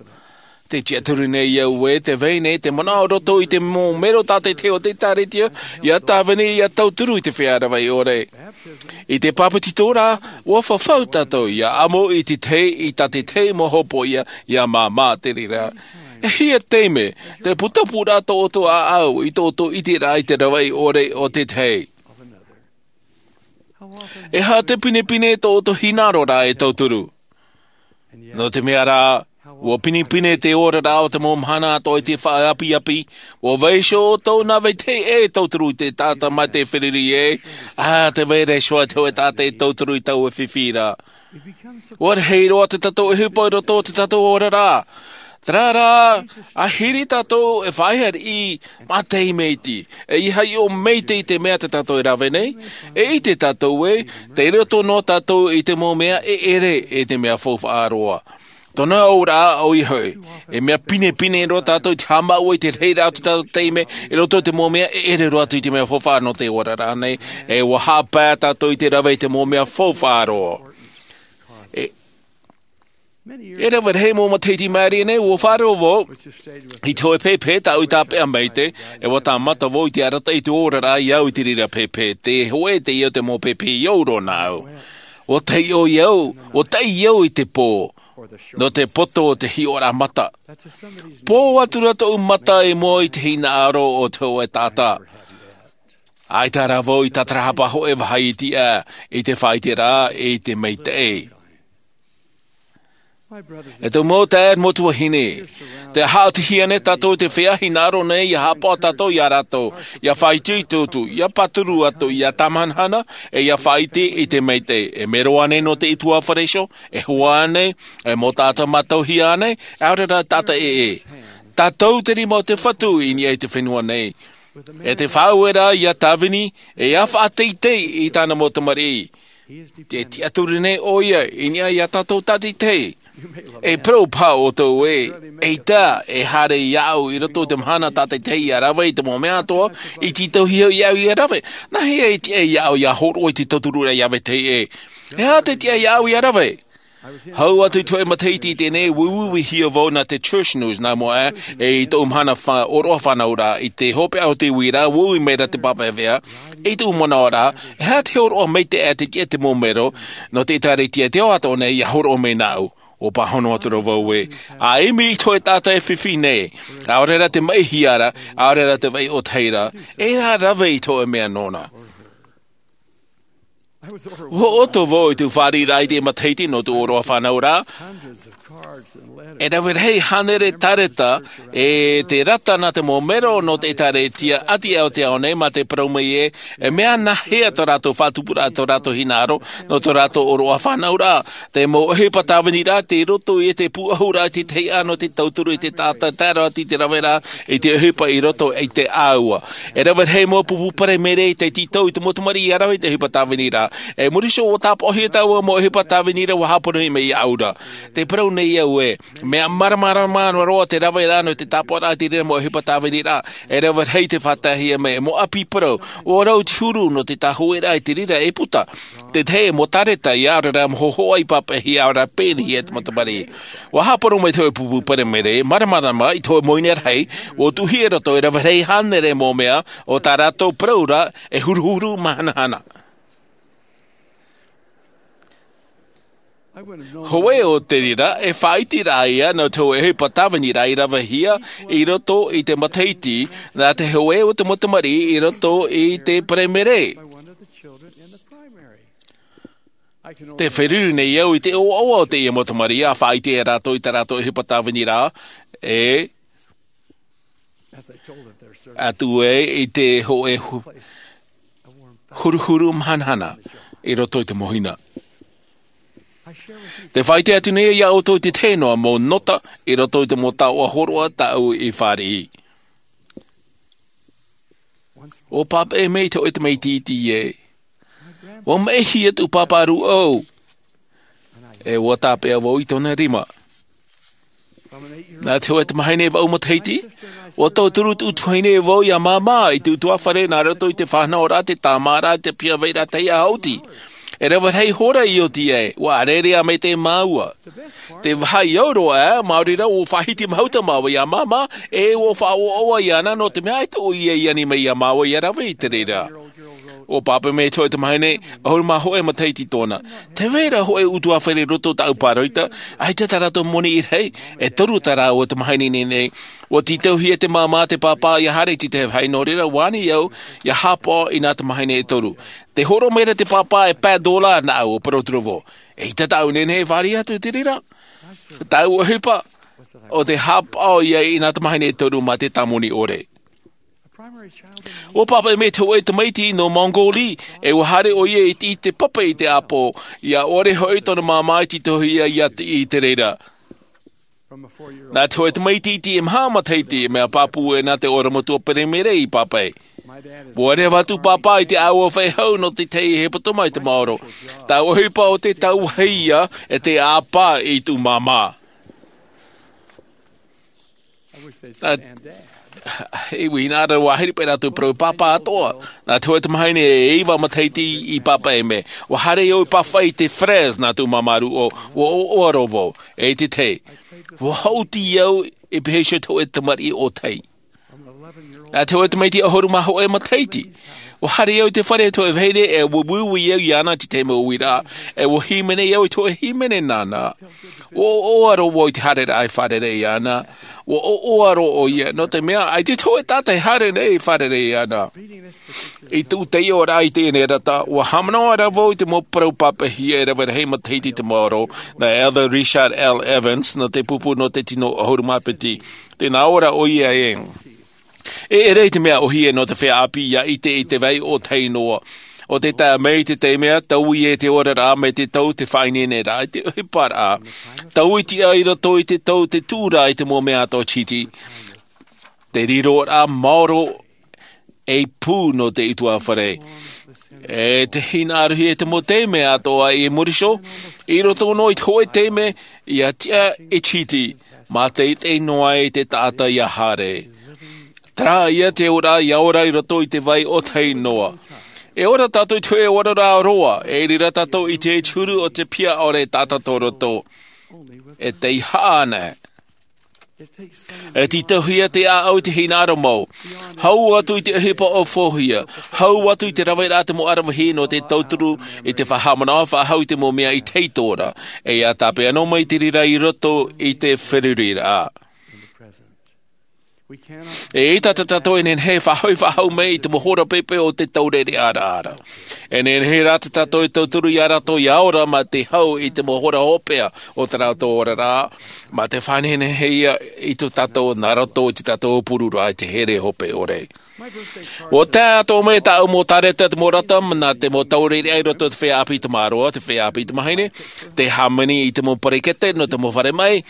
Tē tiʻaturi nei au ē tē vai nei te manaʻo roto i te mau mero tātaʻitahi o te ʻĒkālesia, ʻia tāvini, ʻia tauturu i te feiā rave ʻore. I te bāpetizoraʻa, ʻua fafau tātou ʻia ʻamo i te tahi, i tā te tahi mau hopoiʻa, ʻia māmā te reira. E hia taime, te putapūraʻa tō ʻoutou ʻāʻau, i tō ʻoutou ʻiteraʻa i te rave ʻore o te tahi. E aha te pinepine tō ʻoutou hinaʻaroraʻa e tauturu. Nō te mea rā, ʻua pinepine te oraraʻa o te mau mahana atoʻa i te faʻaapiapi, ʻua vai iho ʻoutou nā vetahi ē e tauturu i te taʻata mā te feruri ē, ʻa, tē vai ra iho ā te hōʻē taʻata e tauturu i taua fifi ra. ʻUa rahi roa tā tātou ʻohipa i roto i tā tātou oraraʻa. Terā rā, ʻahiri tātou e faʻaʻite i te mea tei mai te, e ʻeiaha ʻo mai te, i te mea tā tātou e rave nei, e ʻite tātou ē, tei roto noa tātou i te mau mea e ʻere i te mea faufaʻa roa. Tōna auraʻa ʻoia hoʻi, e mea pinepine roa tātou i te haʻamāuʻa i te reira o te tātou taime, i roto i te mau mea e ʻere roa atu i te mea faufaʻa nō te oraraʻa nei, e ʻua haʻapae tātou i te rave i te mau mea faufaʻa roa. E, e rave rahi mau matahiti maere nei, ʻua faʻaroʻo vau i te hōʻē pēpē tāʻu i tāpeʻa mai te, e ʻua tāmata vau i te arataʻi i te oraraʻa i au i te reira pēpē, te hōʻē teie o te mau pēpē i ʻō roa nāʻu. ʻUa taʻi au, ʻua taʻi au i te pō, nō te poto o te hiʻoraʻa mata. Pō atu ra tōʻu mata i mua i te hinaʻaro o te hōʻē taʻata. ʻAita rā vau i tātarahapa hōʻē vāhi i tiʻa, i te faʻaʻiteraʻa, i te maitaʻi. E tōʻu mau taeaʻe, mau tuahine, tē haʻatihia nei tātou i te feiā hinaʻaro nei, ʻia haʻapaʻo tātou ia rātou, ʻia faʻaitoito, ʻia pāturu atu, ʻia tāmahanahana, e ʻia faʻaʻite i te maitaʻi. E mero ānei nō te ʻutuāfare iho, e hoa ānei, e mau taʻata mātauhia ānei, ʻaore rā taʻata ʻē. Tātou te rima o te Fatu i niʻa i te fenua nei. E te Faʻaueraʻa ia tāvini, e ʻia faʻateitei i tāna mau tamariʻi. Tē tiʻaturi nei ʻoia i niʻa ia tātou tātaʻitahi. E parau paha ʻoutou ē, eʻita e haere iāʻu i roto i te mahana tātaʻitahi ʻia rave i te mau mea atoʻa i tītauhia iāʻu ʻia rave. Nā hea e tiʻa iāʻu ʻia hōroʻa i te tautururaʻa i te vetahi ʻē? E aha te tiʻa iāʻu ʻia rave? Hau atu i te hōʻē matahiti i teie nei, ʻua uiuihia vau nā te Church News nā mua aʻe, e i tōʻu mahana fa-, ʻōroʻa fānauraʻa, i te hopeʻa o te uiraʻa, ʻua ui mai ra te pāpaʻi vea, i tōʻu manaʻoraʻa, e aha te hōroʻa maitaʻi te tiʻa te mau mero, nō te ʻĒtārētia i te ao atoʻa nei, ʻia hōroʻa mai nāʻu. ʻUa pāhono atu ra vau ē, ʻa ʻimi i te hōʻē taʻata e fifi nei, ʻaore rā te maʻihia ra, ʻaore rā te vai ʻōtahi ra, e rave i te hōʻē mea nōna. ʻUa ʻoto vau i tōʻu fāriʻiraʻa i te matahiti nō tōʻu ʻōroʻa fānauraʻa. E rave rahi hānere tāreta, e te rata nā te mau mero nō te ʻĒtārētia ʻati o te ao nei, mā te parau mai ē, e mea nāhea tō rātou faʻatupuraʻa, tō rātou hinaʻaro, nō tō rātou ʻōroʻa fānauraʻa. Te mau ʻohipa tāviniraʻa, tei roto i te pūʻohuraʻa i te tahi ʻano, te tauturu i te taʻata, tae roa atu i te raveraʻa, i te ʻohipa i roto i te ʻāua. E rave rahi mau pupu paremere tei tītau i te mau tamariʻi ʻia rave i te ʻohipa tāviniraʻa. E muri iho ʻua tāpaʻohia taua mau ʻohipa tāviniraʻa ʻua haʻapono mai iāʻu ra. Tē parau nei au ē, mea māramarama roa te raveraʻa nō te tāpaʻoraʻa i te reira mau ʻohipa tāviniraʻa. E rave rahi tei faʻataehia mai, mau ʻāpī parau, ʻua rau te huru nō te tāhuʻeraʻa i te reira e puta. Te tahi mau tāreta ʻia ʻaore rā mau hōhoʻa i pāpaʻihia, ʻaore rā pēneiaʻe te mau tamariʻi. ʻUa haʻapono mai te hōʻē pupu paremere, māramarama i te hōʻē mau ine rahi, ʻua tuʻuhia i roto e rave rahi hānere mau mea, ʻo tā rātou parau ra, e huruhuru mahanahana. Hōʻē o te reira, e faʻaʻiteraʻa ia nō te hōʻē ʻohipa tāviniraʻa i ravehia i roto i te matahiti, nā te hōʻē o te mau tamariʻi i roto i te paremere. Tē feruri nei au i te ʻoaʻoa o teie mau tamariʻi, ʻa faʻaʻite rātou i tā rātou ʻohipa tāviniraʻa, e atu ai i te hōʻē hu-, huruhuru mahanahana i roto i te mau hina. Tē faʻaʻite atu nei au iā ʻoutou i te tahi noa mau nota i roto i te mau taoʻa hōroʻa tāʻu i fāriʻi. ʻUa pāpaʻi mai te hōʻē tamaiti iti ē. ʻUa maʻihia tōʻu pāpā rūʻau. E ʻua tāpeʻa vau i tōna rima. Nā te hōʻē tamahine vaʻu matahiti, ʻua tauturu tōʻu tuahine e vau iā māmā i te ʻutuāfare nā roto i te faʻanahoraʻa, te tāmāraʻa, te piha vairaʻa tahi ʻāʻoti. E rave rahi hora i oti ai, ʻua ʻārearea maitaʻi māua. Te vāhi ʻau roa, maori rā ʻua faʻahiti mahuta māua iā māmā, e ʻua faʻaʻoaʻoa iāna nō te mea ʻaita ʻoia i ani mai iā māua ʻia rave i te reira. ʻUa pāpaʻi mai te hōʻē tamahine, ʻahuru mā hōʻē matahiti tōna. Tē vai ra hōʻē ʻutuāfare i roto tāʻu pāroita, ʻaita tā rātou moni i rahi, e toru tā rāua tamahine nei nei. ʻUa tītauhia te māmā, te pāpā, ʻia haere i te tahi vāhi, nō reira, ʻua ani au, ʻia haʻapaʻo i nā tamahine e toru. Tē hōroʻa mai ra te pāpā e pae dōlā nāʻu, ʻua parau atu ra vau. ʻEita tāʻu e nehenehe e fāriʻi atu i te reira. Tāʻu ʻohipa, ʻo te haʻapaʻo ia i nā tamahine e toru mā te tāmoni ʻore. ʻUa pāpaʻi mai te hōʻē tamaiti nō Mongolia, e ʻua haere ʻoia i te, i te pape i te ʻāpō, ʻia ʻore hoʻi tōna māmā i tītauhia ʻia tiʻi i te reira. Nā te hōʻē tamaiti iti e maha matahiti, e mea pāpū ʻē nā te ʻorometua peremehere i pāpaʻi. Ua reva atu pāpā i te ʻāua faʻehau nō te tahi hepetoma i te maoro. Taua ʻohipa o te tauahi ia e te ʻāpā i tū māmā. Nā, i ui nā rāua hiri pē rātou parau pāpā atoʻa. Nā te hōʻē tamahine e iva matahiti i pāpaʻi mea. Ua haere au i pāpaʻi i te Fresno nā tū māmā rūʻau, ua ʻoaʻoa roa vau, e te tahi. Ua haʻuti au e pēhea te hōʻē tamariʻi ʻōtahi. Nā te hōʻē tamaiti ʻahuru mā hōʻē matahiti. Ua haere au i te fare o te hōʻē vahine e uiui au iāna te tahi mau uiraʻa, e ua hīmene au i te hōʻē hīmene nāna. Ua ʻoaʻoa roa vau i te haereraʻa i fārerei iāna. Ua ʻoaʻoa roa ʻoia, nō te mea, ʻaita te hōʻē taʻata e haere nei i fārerei iāna. I tōʻu taiʻoraʻa i teie nei rata, ua haʻamanaʻo ra vau i te mau parau pāpaʻihia e rave rahi matahiti i te maoro, nā Elder Richard L. Evans, nō te pupu nō te tino ʻahuru mā piti. Tē nā ʻō ra ʻoia ē. E ʻere i te mea ʻōhie nō te feiā ʻāpī ʻia ʻite i te vai ʻōtahi noa. ʻO te tae mai i te taime, taui e te oraraʻa mai te tau te faʻaineineraʻa, i te ʻohiparaʻa. Taui tiʻa i roto i te tau te tūraʻa i te mau mea atoʻa tītī. Te riroraʻa maoro ei pū nō te ʻutuāfare. E te hinaʻarohia te mau taime atoʻa i muri iho, i roto noa i te hōʻē taime, ʻia tiʻa e tītī, mā te ʻite noa ai te taʻata ʻia haere. Terā ia te ora, ʻia ora i roto i te vai ʻōtahi noa. E ora tātou i te hōʻē oraraʻa roa, e riro tātou i te huru o te piha ʻore taʻata tō roto. E tei haʻa ana. E tītauhia te ʻāʻau i te hinaʻaro mau. Hau atu i te ʻohipa ʻōfaʻōhia. Hau atu i te raveraʻa te mau aravihi nō te tauturu i te faʻahaʻamanaʻo faʻahou i te mau mea i tei tora. E ʻia tāpeʻa noa mai te reira i roto i te feruriraʻa. E ʻaita tātou e nehenehe e faʻahoʻi faʻahou mai i te mau hora pēpē o te taureʻareʻa ra. E nehenehe rā tātou e tauturu ia rātou ʻia ora mā te hau i te mau hora hopeʻa o tā rātou oraraʻa, mā te faʻanehenehe ia i tō tātou nā roto i tō tātou pururaʻa i te here hope ʻore. Ua tae atoʻa mai tāʻu mau tāreta te mau rata, nā te mau taureʻareʻa i roto i te feiā ʻāpī tamāroa, te feiā ʻāpī tamāhine, te hāmani i te mau perekete nō te mau fare maʻi,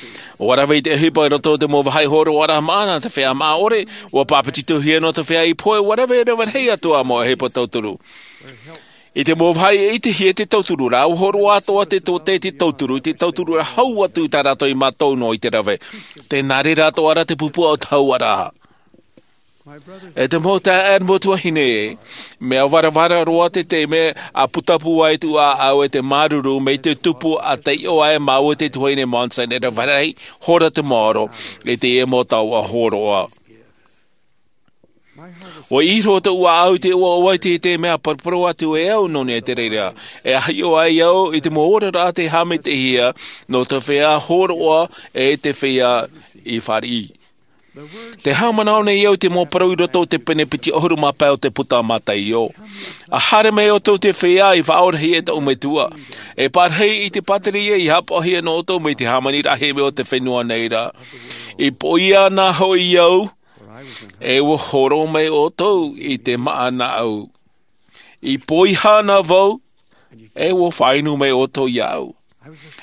ua rave i te ʻohipa i roto i te mau vāhi hōroʻaraʻa maʻa nā te feiā māʻa ʻore, ua pāpetitohia nō te feiā i pohe, ua rave, rave rahi atu ā mau ʻohipa tauturu. I te mau vāhi e ʻitehia te tauturu ra, ua hōroʻa atoʻa te tōtē te tauturu, te tauturu ra hau atu i tā rātou i mātau noa i te rave. Tē nā reira atoʻa ra te pupu o te hauaraʻa. E te mau taeaʻe, mau tuahine, mea varavara roa te taime a putapū ai tō ʻāʻau e te māuruuru mai te tupu a taiʻo ai māua te tuahine Monson e rave rahi hora te maoro i teie mau taoʻa hōroʻa. Ua ʻī roa tō ʻāʻau i te ʻoaʻoa i te taime a paraparau atu e au nō niʻa i te reira. E hiʻo ai au i te mau oraraʻa tei haʻamaitaʻihia nō te feiā hōroʻa e te feiā i fāriʻi. Tē haʻamanaʻo nei au i te mau parau i roto i te pene piti ʻahuru mā pae o te puta a Mataio. A haere mai ʻoutou te feiā i faʻaorahia e tōʻu Metua. E pārahi i te pātireia i haʻapaʻohia nō ʻoutou mai te hāmani rahi mai o te fenua nei ra. I poʻia na hoʻi au, e ua horo mai ʻoutou i te māʻa nāʻu. I poʻihā na vau, e ua faʻainu mai ʻoutou iāʻu.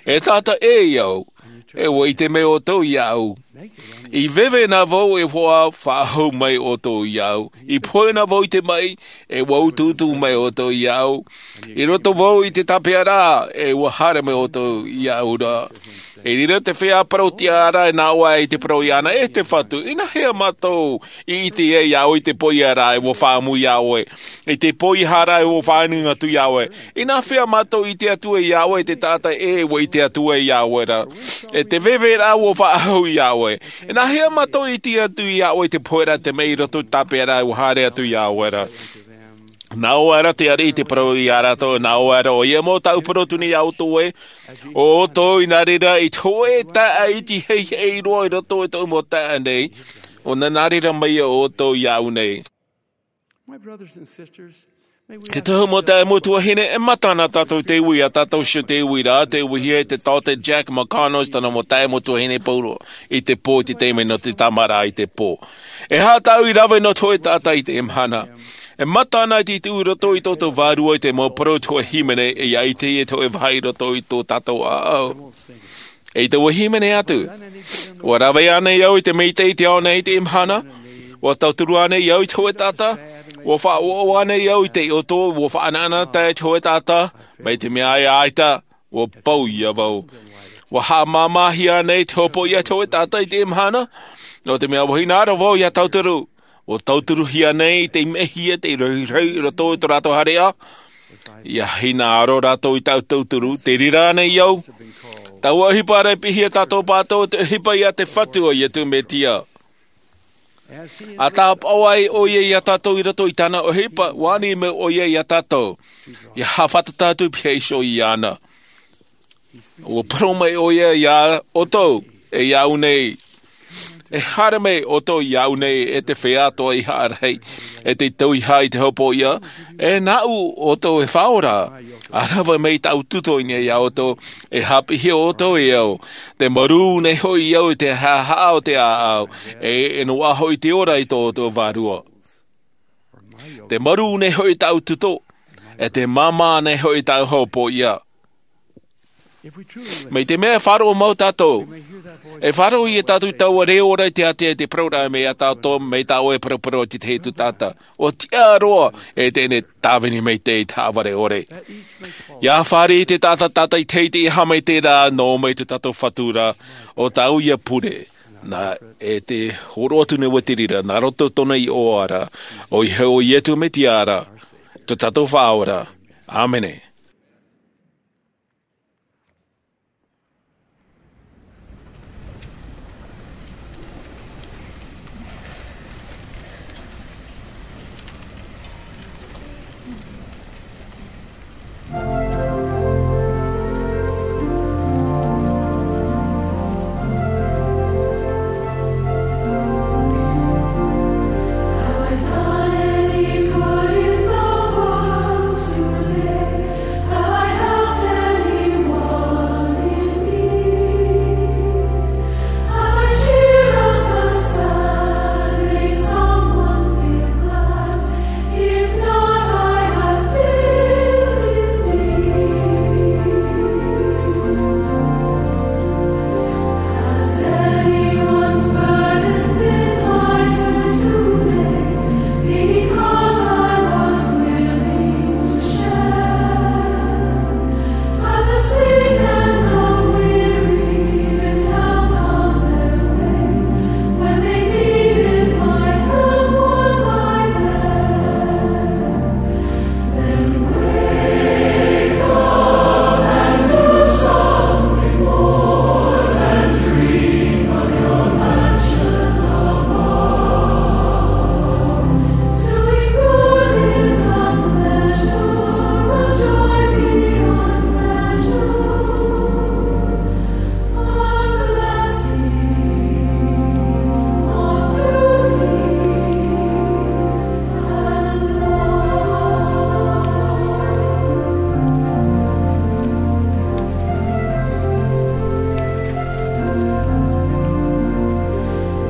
E taʻata ʻē au, e ua ʻite mai ʻoutou iāʻu. I veve na vau, e ua faʻahou mai ʻoutou iāʻu. I pohe na vau i te maʻi, e ua utuutu mai ʻoutou iāʻu. I roto vau i te tāpeʻaraʻa, e ua haere mai ʻoutou iāʻu ra. I reira te feiā parau tiʻa ra, e nā ʻō ai te parau iāna, e te Fatu, ināhea mātou i ʻite ai iāʻu i te poʻia ra e ua faʻaʻamu iā ʻoe, i te poʻihā ra e ua faʻainu atu iā ʻoe. Ināhea mātou i ʻite atu ai iā ʻoe i te taʻata ʻē e ua ʻite atu ai iā ʻoe ra, e te veve ra ua faʻahou iā ʻoe. Ināhea mātou i ʻite atu iā ʻoe i te pohe ra te maʻi i roto i te tāpeʻa ra e ua haere atu iā ʻoe ra. Nā ʻō ra te ariʻi i te parau iā rātou, nā ʻō ra ʻoia, mau tāʻu parau atu nei iā ʻoutou ē, ʻo ʻoutou i nā reira i te hōʻē taeaʻe iti heihei roa i roto i tōʻu mau taeaʻe nei, ʻo nā, nā reira mai ia ʻoutou iāʻu nei. My brothers and sisters, may we Te ask tohu mau taeaʻe, mau tuahine, e mata na tātou i te ui, ʻa tātou ʻoia te ui ra, tē uihia e te taote Jack McConnell, tana mau taeaʻe mau tuahine pauroa, i te pō, i te taime nō te tāmāraʻa i te pō. E aha tāʻu i rave nō te hōʻē taʻata i teie mahana? E mata na i te ui i roto i tō tātou vārua i te mau parau o te hōʻē hīmene, e ʻia ʻite e te hōʻē vāhi i roto i tō tātou ʻāʻau. ʻEita, ʻua hīmene atu. ʻUa rave ānei au i te maitaʻi i te ao nei i teie mahana? ʻUa tauturu ānei au i te hōʻē taʻata? ʻUa faʻaʻoaʻoa ānei au i te ʻoto ʻua faʻanaʻanatae i te hōʻē taʻata? Mai te mea ē ʻaita, ʻua pau ia vau. ʻUa haʻamāmāhia ānei te hopoiʻa i te hōʻē taʻata i teie mahana? Nō te mea ʻua hinaʻaro vau ʻia tauturu. ʻUa tauturuhia ānei te mehia te rahirahi i roto i tō rātou haereʻa? ʻIa hinaʻaro rātou i tāʻu tauturu, te reira ānei au? Taua ʻohipa ra e piʻihia tātou pātou, te ʻohipa ia te Fatu o Iesu Mesia. ʻA tāpaʻo ai ʻoia ia tātou i roto i tāna ʻohipa, ʻua ani mai ʻoia ia tātou. ʻIa haʻafātata atu pihaʻi iho iāna. ʻUa parau mai ʻoia iā ʻoutou, e iāʻu nei. E haere mai ʻoutou iāʻu nei, e te feiā atoʻa i haʻa rahi, e te tauihaʻa i te hopoiʻa, e nāʻu ʻoutou e faʻaora. ʻA rave mai tāʻu tuto i niʻa iā ʻoutou, e haʻapiʻihia ʻoutou e au. Te marū nei hoʻi au i te haʻahaʻa o te ʻāʻau, e, e noaʻa hoʻi te ora i tō ʻoutou vārua. Te marū nei hoʻi tāʻu tuto, e te māmā nei hoʻi tāʻu hopoiʻa. Mai te mea e faʻaroʻo mau tātou, e faʻaroʻo ia tātou i taua reo ra i te ātea i te parau ra mai iā tātou, mai tā ʻoe e paraparau i te tahi atu taʻata. ʻUa tiʻa roa, e teie nei tāvini maitaʻi i te haʻavare ʻore. ʻIa fāriʻi te taʻata tātaʻitahi i te haʻamaitaʻi ra nō mai tō tātou Fatu ra, ʻo tāʻu ia pure. Nā, e te hōroʻa atu nei ʻoe i te reira, nā roto tōna iʻoa ra, ʻoia hoʻi ʻo Iesu Mesia ra, tō tātou Faʻaora. ʻĀmene.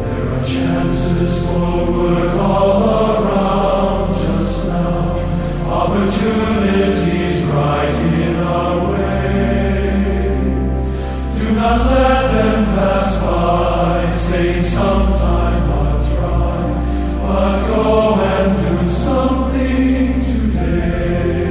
There are chances for work all around just now, opportunities right in our way. Do not let them pass by. Say, "Sometime I'll try," but go and do something today.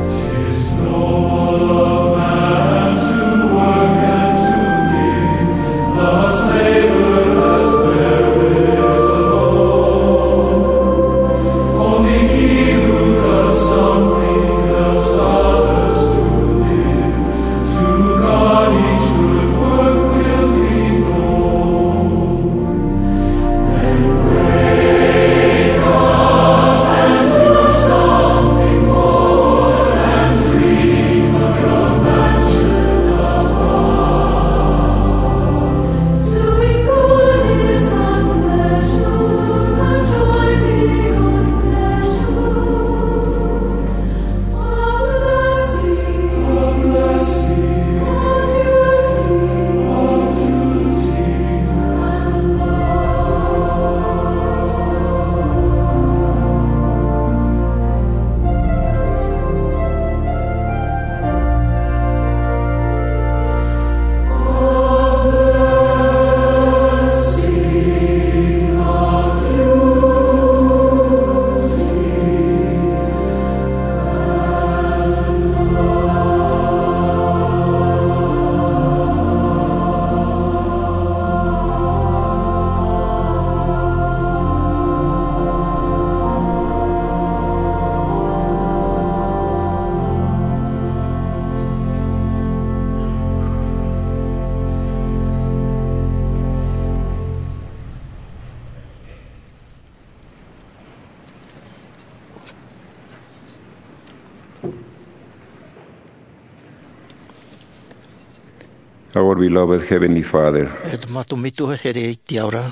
'Tis noble of man to work and to give. Let us labor as merit alone. Only he who does something helps others to Our beloved Heavenly Father, E te mātou metua here i te ao ra.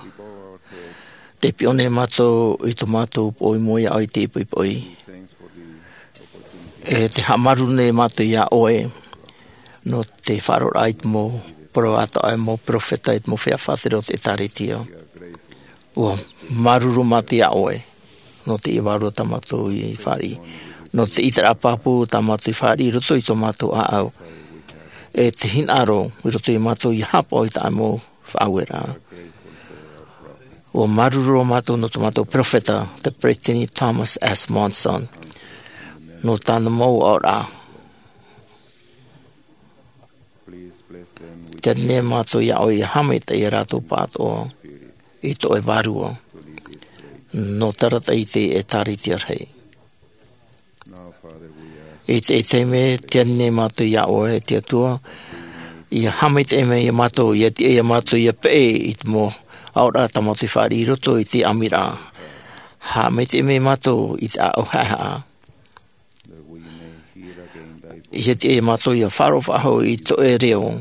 Te piʻo nei mātou i tō mātou poʻi moe i te poʻipoʻi. E te haʻamāuruuru nei mātou iā ʻoe. Nō te faʻaroʻoraʻa i te mau parau atoʻa, e mau peropheta, i te mau feiā faʻatere o te ʻĒtārētia. ʻUa māuruuru mātou iā ʻoe. Nō te vārua tā mātou i fāriʻi. Nō te ʻiteraʻa pāpū tā mātou i fāriʻi i roto i tō mātou ʻāʻau. E te hinaʻaro i roto i mātou i haʻapaʻo i tā mau faʻaueraʻa. ʻUa māuruuru mātou nō tō mātou peropheta, te peresideni Thomas S. Monson. Nō tāna mau aʻoraʻa. Te ani nei mātou iā ʻoe ʻia haʻamaitaʻi ia rātou pāʻatoʻa i tō ʻoe vārua. Nō te arataʻi i te ʻĒtārētia rahi. I te, i te mea, te ani nei mātou iā ʻoe, e te Atua, ʻia haʻamaitaʻi mai ia mātou, ʻia tiʻa ia mātou, ʻia peʻe i te mau aʻoraʻa tā mātou i fāriʻi i roto i te ʻāmiraʻa. Haʻamaitaʻi mai mātou i te ʻāʻau haʻehaʻa. ʻIa tiʻa ia mātou ʻia faʻaroʻo faʻahou i tō ʻoe reo.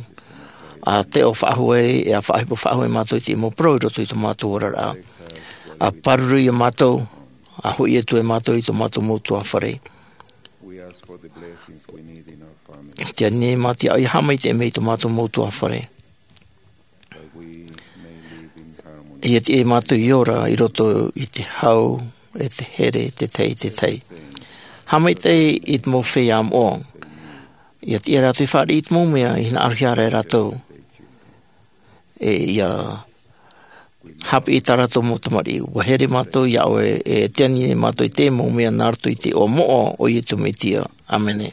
ʻA taiʻo faʻahou ai, e ʻa faʻaʻohipa faʻahou ai mātou i te mau parau i roto i tō mātou oraraʻa. ʻA pāruru ia mātou, ʻa hoʻi atu ai mātou i tō mātou mau ʻutuāfare. Te ani nei mātou iā ʻoe ʻia haʻamaitaʻi mai i tō mātou mau ʻutuāfare. ʻIa tiʻa ia mātou ʻia ora i roto i te hau, e te here, te tahi, te tahi. Haʻamaitaʻi i te mau feiā moʻa. ʻIa tiʻa rātou i fāriʻi i te mau mea i hinaʻarohia ra e rātou. E ʻia haʻapiʻi i tā rātou mau tamariʻi. ʻUa here mātou iā ʻoe, e te ani nei mātou i te mau mea nā roto i te iʻoa moʻa o Iesu Mesia. ʻĀmene.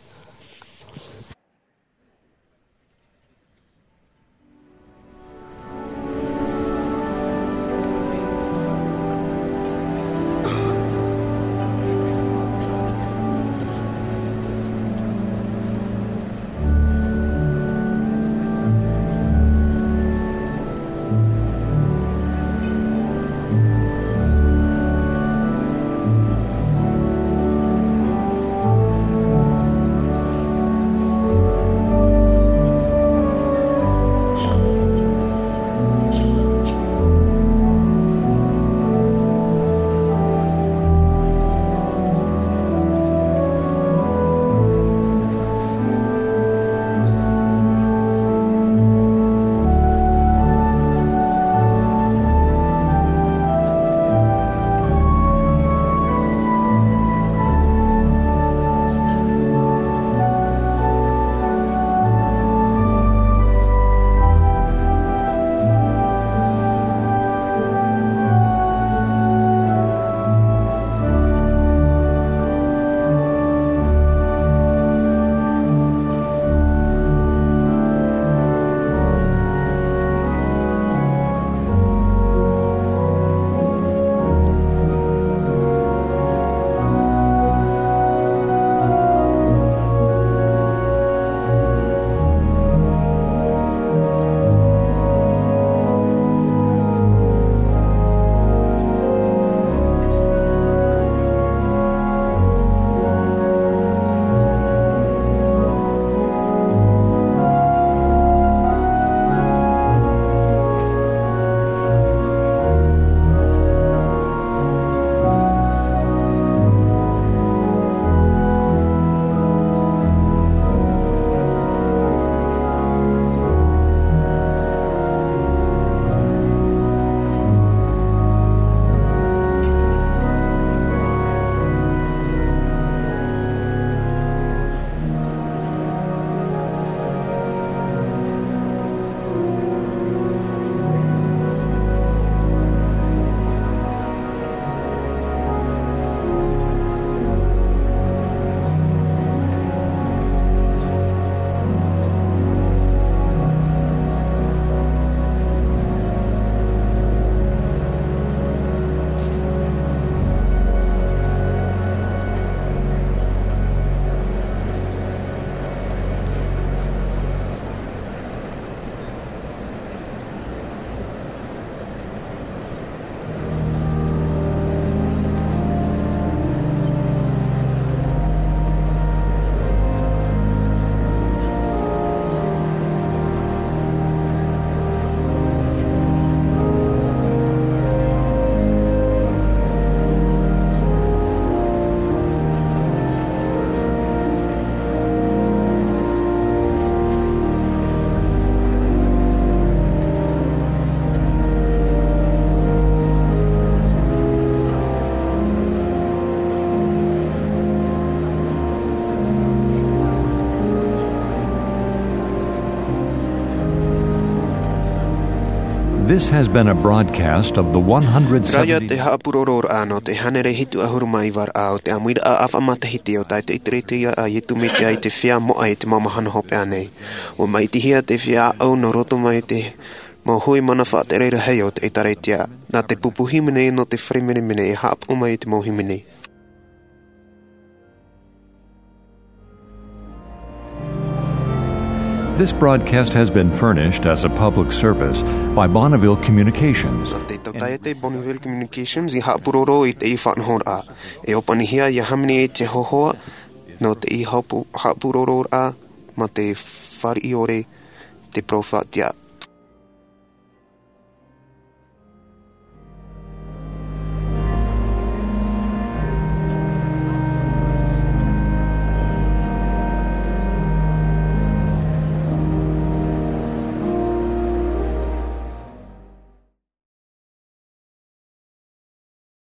This has been a broadcast of the Rā ia te one hundred seventy haʻapūroroʻraʻa nō te hānere hitu ʻahuru mā iva raʻa o te ʻāmuiraʻa ʻāvaʻe matahiti o tā te ʻēkālesia a Iesu Mesia i te feiā moʻa i te mau mahana hopeʻa nei. ʻUa maʻitihia te feiā ʻāʻau nō roto mai te mau hui mana faʻatere rahi o te ʻēkālesia. Nā te pupu hīmene nō te fare menemene e haʻapaʻo mai i te mau hīmene. This broadcast has been furnished as a public service by Bonneville Communications. Nā te tautaiete Bonneville Communications i haʻapūroro i te faʻanahoraʻa. E ʻōpanihia ia hāmani i te hōhoʻa nō te haʻapū-, haʻapūroroʻraʻa mā te fāriʻi ʻore te peropheta.